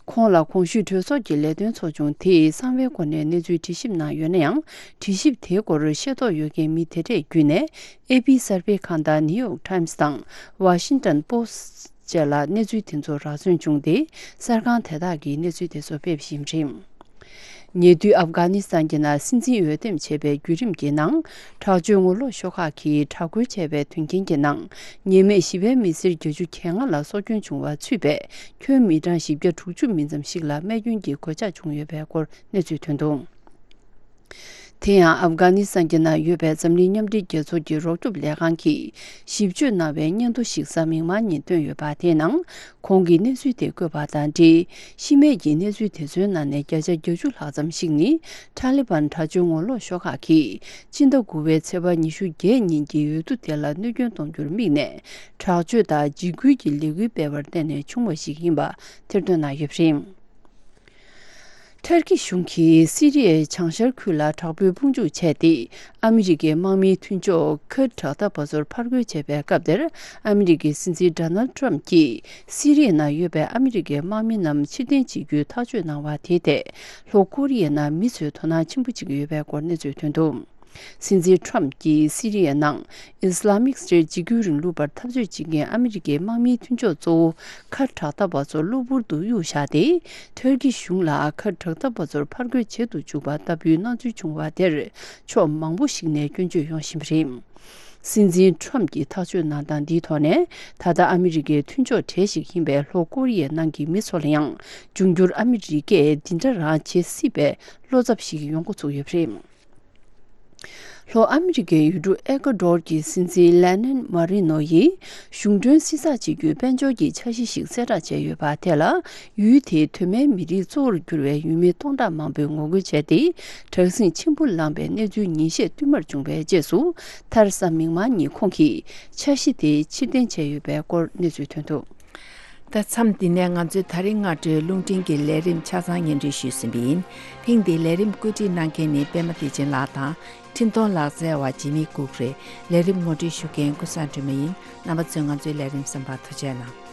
ཁོང་ལ་གོང་ཞུས་གྲོས་ཚོགས་ཀྱི་ལས་དོན་ཚོགས་ཆུང་དེས་གསང་བའི་སྒོ་ནས་གནས་ཚུལ་དྲི་ཞིབ་གནང་ཡོད་ན་ཡང་། དྲི་ཞིབ་དེའི་སྐོར་ཤེས་རྟོགས་ཡོད་མཁན་མི་དེ་གྲས་བརྒྱུད་ནས་ཨེ་པི་གསར་སྤེལ་ཁང་དང་ནིའུ་ཡོག་ཊའིམ་སི་དང་ཝ་ཤིང་ཊོན་པོ་སི་ཊི་བཅས་ལ་གནས་ཚུལ་དེ་ཚོ་རག་ཚུན་བྱུང་སྟེ། གསར་ཁང་དེ་དག་གིས་གནས་ཚུལ་དེ་ཚོ་སྤེལ་བཞིན་རེད། ཉེ་དུས་ཨབ་གྷ་ནི་སི་ཐན་གྱི་ནང་སྲིད་འཛིན་འོས་འདེམས་བྱས་པའི་བརྒྱུད་རིམ་གྱི་ནང་། དྲག་སྤྱོད་ངོ་ལོག་ཤོག་ཁག་གིས་དྲག་རྒོལ་བྱས་པའི་དོན་རྐྱེན་གྱི་ནང་། ཉེས་མེད་ཞི་བའི་མི་སེར་བརྒྱད་ཅུ་གྱ་ལྔ་ལ་སྲོག་སྐྱོན་བྱུང་བ་ཚུད་པས། ཁྱོན་མི་གྲངས་བཞི་བརྒྱ་དྲུག་ཅུ་མི་ཙམ་ཞིག་ལ་རྨས་སྐྱོན་གྱི་གོད་ཆག་བྱུང་ཡོད་པའི་སྐོར་གནས་ཚུལ་ཐོན་འདུག་དེ་ཡང་ཨབ་གྷ་ནི་སི་ཐན་གྱི་ནང་ཡོད་པའི་འཛམ་གླིང་མཉམ་འབྲེལ་རྒྱལ་ཚོགས་ཀྱི་རོགས་སྐྱོབ་ལས་ཁང་གིས་ཞིབ་དཔྱོད་གནང་བའི་སྙན་ཐོ་ཞིག་གཟའ་མིག་དམར་ཉིན་བཏོན་ཡོད་པ། དེའི་ནང་ཁོང་གིས་གནས་ཚུལ་དེ་བཀོད་པ་དང་འབྲེལ། ཤི་རྨས་ཀྱི་གནས་ཚུལ་དེ་ཚོའི་ནང་ནས་བརྒྱ་ཆ་བརྒྱད་ཅུ་ལྷག་ཙམ་ཞིག་ནི་ཐ་ལི་བན་དྲག་སྤྱོད་ངོ་ལོག་ཤོག་ཁག་གིས་སྤྱི་ཟླ་དགུ་པའི་ཚེས་པ་ཉི་ཤུ་བརྒྱད་ཉིན་གྱི་འོས་བསྡུ་དེ་ལ་གནོད་སྐྱོན་གཏོང་རྒྱུར་དམིགས་ནས་དྲག་སྤྱོད་དང་འཇིགས་སྐུལ་གྱི་ལས་འགུལ་སྤེལ་བར་བརྟེན་ནས་བྱུང་བ་ཞིག་ཡིན་པ་ཐེར་འདོན་གནང་ཡོད་པ་རེད། ཐར་ཀི་གཞུང་གིས་སི་རི་ཡའི་བྱང་ཤར་ཁུལ་ལ་དྲག་པོའི་དཔུང་འཇུག་བྱས་ཏེ། ཨ་མི་རི་ཀའི་དམག་མིའི་མཐུན་ཕྱོགས་ཁུར་དྲག་འཐབ་པ་ཚོར་ཕར་རྒོལ་བྱས་པའི་སྐབས་དེར། ཨ་མི་རི་ཀའི་སྲིད་འཛིན་ཌོ་ནལ་ཊམ་གྱིས་སི་རི་ཡའི་ནང་ཡོད་པའི་ཨ་མི་རི་ཀའི་དམག་མི་རྣམས་ཕྱིར་འཐེན་བྱེད་རྒྱུའི་ཐག་གཅོད་གནང་བ་དེའི་ཐད། ལྷོ་ཀོ་རི་ཡའི་ནང་མི་ཚོས་དོ་སྣང་ཆེན་པོ་བྱེད་ཀྱི་ཡོད་པའི་སྐོར་གནས་ཚུལ་ཐོན་འདུག་སྲིད་འཛིན་ཊམ་གྱིས་སི་རི་ཡའི་ནང་ཨི་སི་ལ་མིག་སི་ཊེཊ་འཇིགས་སྐུལ་རིང་ལུགས་པར་འཐབ་རྩོད་བྱེད་མཁན་ཨ་མི་རི་ཀའི་དམག་མིའི་མཐུན་ཕྱོགས་གཙོ་བོ་ཁ་དྲག་འཐབ་པ་ཚོ་གློ་བུར་དུ་གཡུག་བཞག་སྟེ། ཐུར་ཀི་གཞུང་ལ་ཁ་དྲག་འཐབ་པ་ཚོར་ཕར་རྒོལ་བྱེད་དུ་འཇུག་པ་ལྟ་བུའི་སྣང་ཚུལ་བྱུང་བ་དེར་ཕྱོགས་མང་པོ་ཞིག་ནས་སྐྱོན་བརྗོད་ཡོང་བཞིན་པ་རེད། སྲིད་འཛིན་ཊམ་གྱིས་ཐག་གཅོད་གནང་སྟངས་འདིའི་ཐོག་ནས། ད་ལྟ་ཨ་མི་རི་ཀའི་མཐུན་ཕྱོགས་གྲས་ཤིག་ཡིན་པའི་ལྷོ་ཀོ་རི་ཡའི་ནང་གི་མི་ཚོ་ལ་ཡང་། འབྱུང་འགྱུར་ཨ་མི་རི་ཀས་འདི་འདྲ་རང་བྱེད་སྲིད་པའི་བློ་འཚབ་ཞིག་ཡོང་འགོ་ཚུགས་ཡོད་པ་རེད། ལྷོ་ཨ་མི་རི་ཀའི་ཡུལ་གྲུ་ཨེ་ཀོ་ཌོར་གྱི་སྲིད་འཛིན་ལེ་ནན་མ་རི་ནོ་ཡིས་གཞུང་གྲོན་བསྲི་ཚགས་བྱེད་རྒྱུའི་དཔལ་འབྱོར་གྱི་འཆར་གཞི་ཞིག་གསལ་བསྒྲགས་བྱས་ཡོད་པ་དེ་ལ། ཡུལ་དེའི་གདོད་མའི་མི་རིགས་གཙོ་བོར་གྱུར་བའི་ཡུལ་མི་སྟོང་ཕྲག་མང་པོས་ངོ་རྒོལ་བྱས་ཏེ། དྲག་ཟིང་ཆེན་པོ་ལངས་པའི་གནས་ཚུལ་ཉིན་ཤས་བསྟུད་མར་བྱུང་བའི་རྗེས་སུ། མཐར་གཟའ་མིག་དམར་ཉིན་ཁོང་གིས་འཆར་གཞི་དེ་ཕྱིར་འཐེན་བྱས་ཡོད་པའི་སྐོར་གནས་ཚུལ་ཐོན་འདུག་ད་མཚམས་འདི་ནས་ང་ཚོའི་ད་རིང་སྔ་དྲོའི་རླུང་འཕྲིན་གྱི་ལས་རིམ་ཆ་ཚང་སྙན་སྒྲོན་ཞུས་ཟིན་པ་ཡིན། ཐེངས་འདིའི་ལས་རིམ་བཀོད་སྒྲིག་གནང་མཁན་ནི་པད་མ་བདེ་ཆེན་ལགས་དང་། འཕྲིན་གཏོང་ལག་རྩལ་བ་ཇི་མི་ཀུག་རེད། ལས་རིམ་ངོ་སྤྲོད་ཞུ་མཁན་ཀུན་བཟང་སྒྲོལ་མ་ཡིན། རྣམ་པ་ཚོས་ང་ཚོའི་ལས་རིམ་གསན་པར་ཐུགས་རྗེ་གནང་།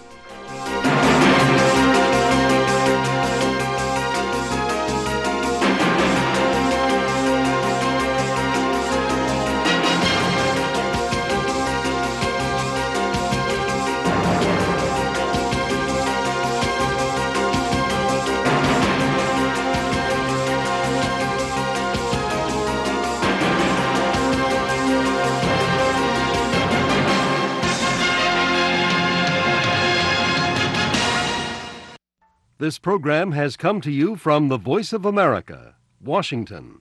This program has come to you from the Voice of America, Washington.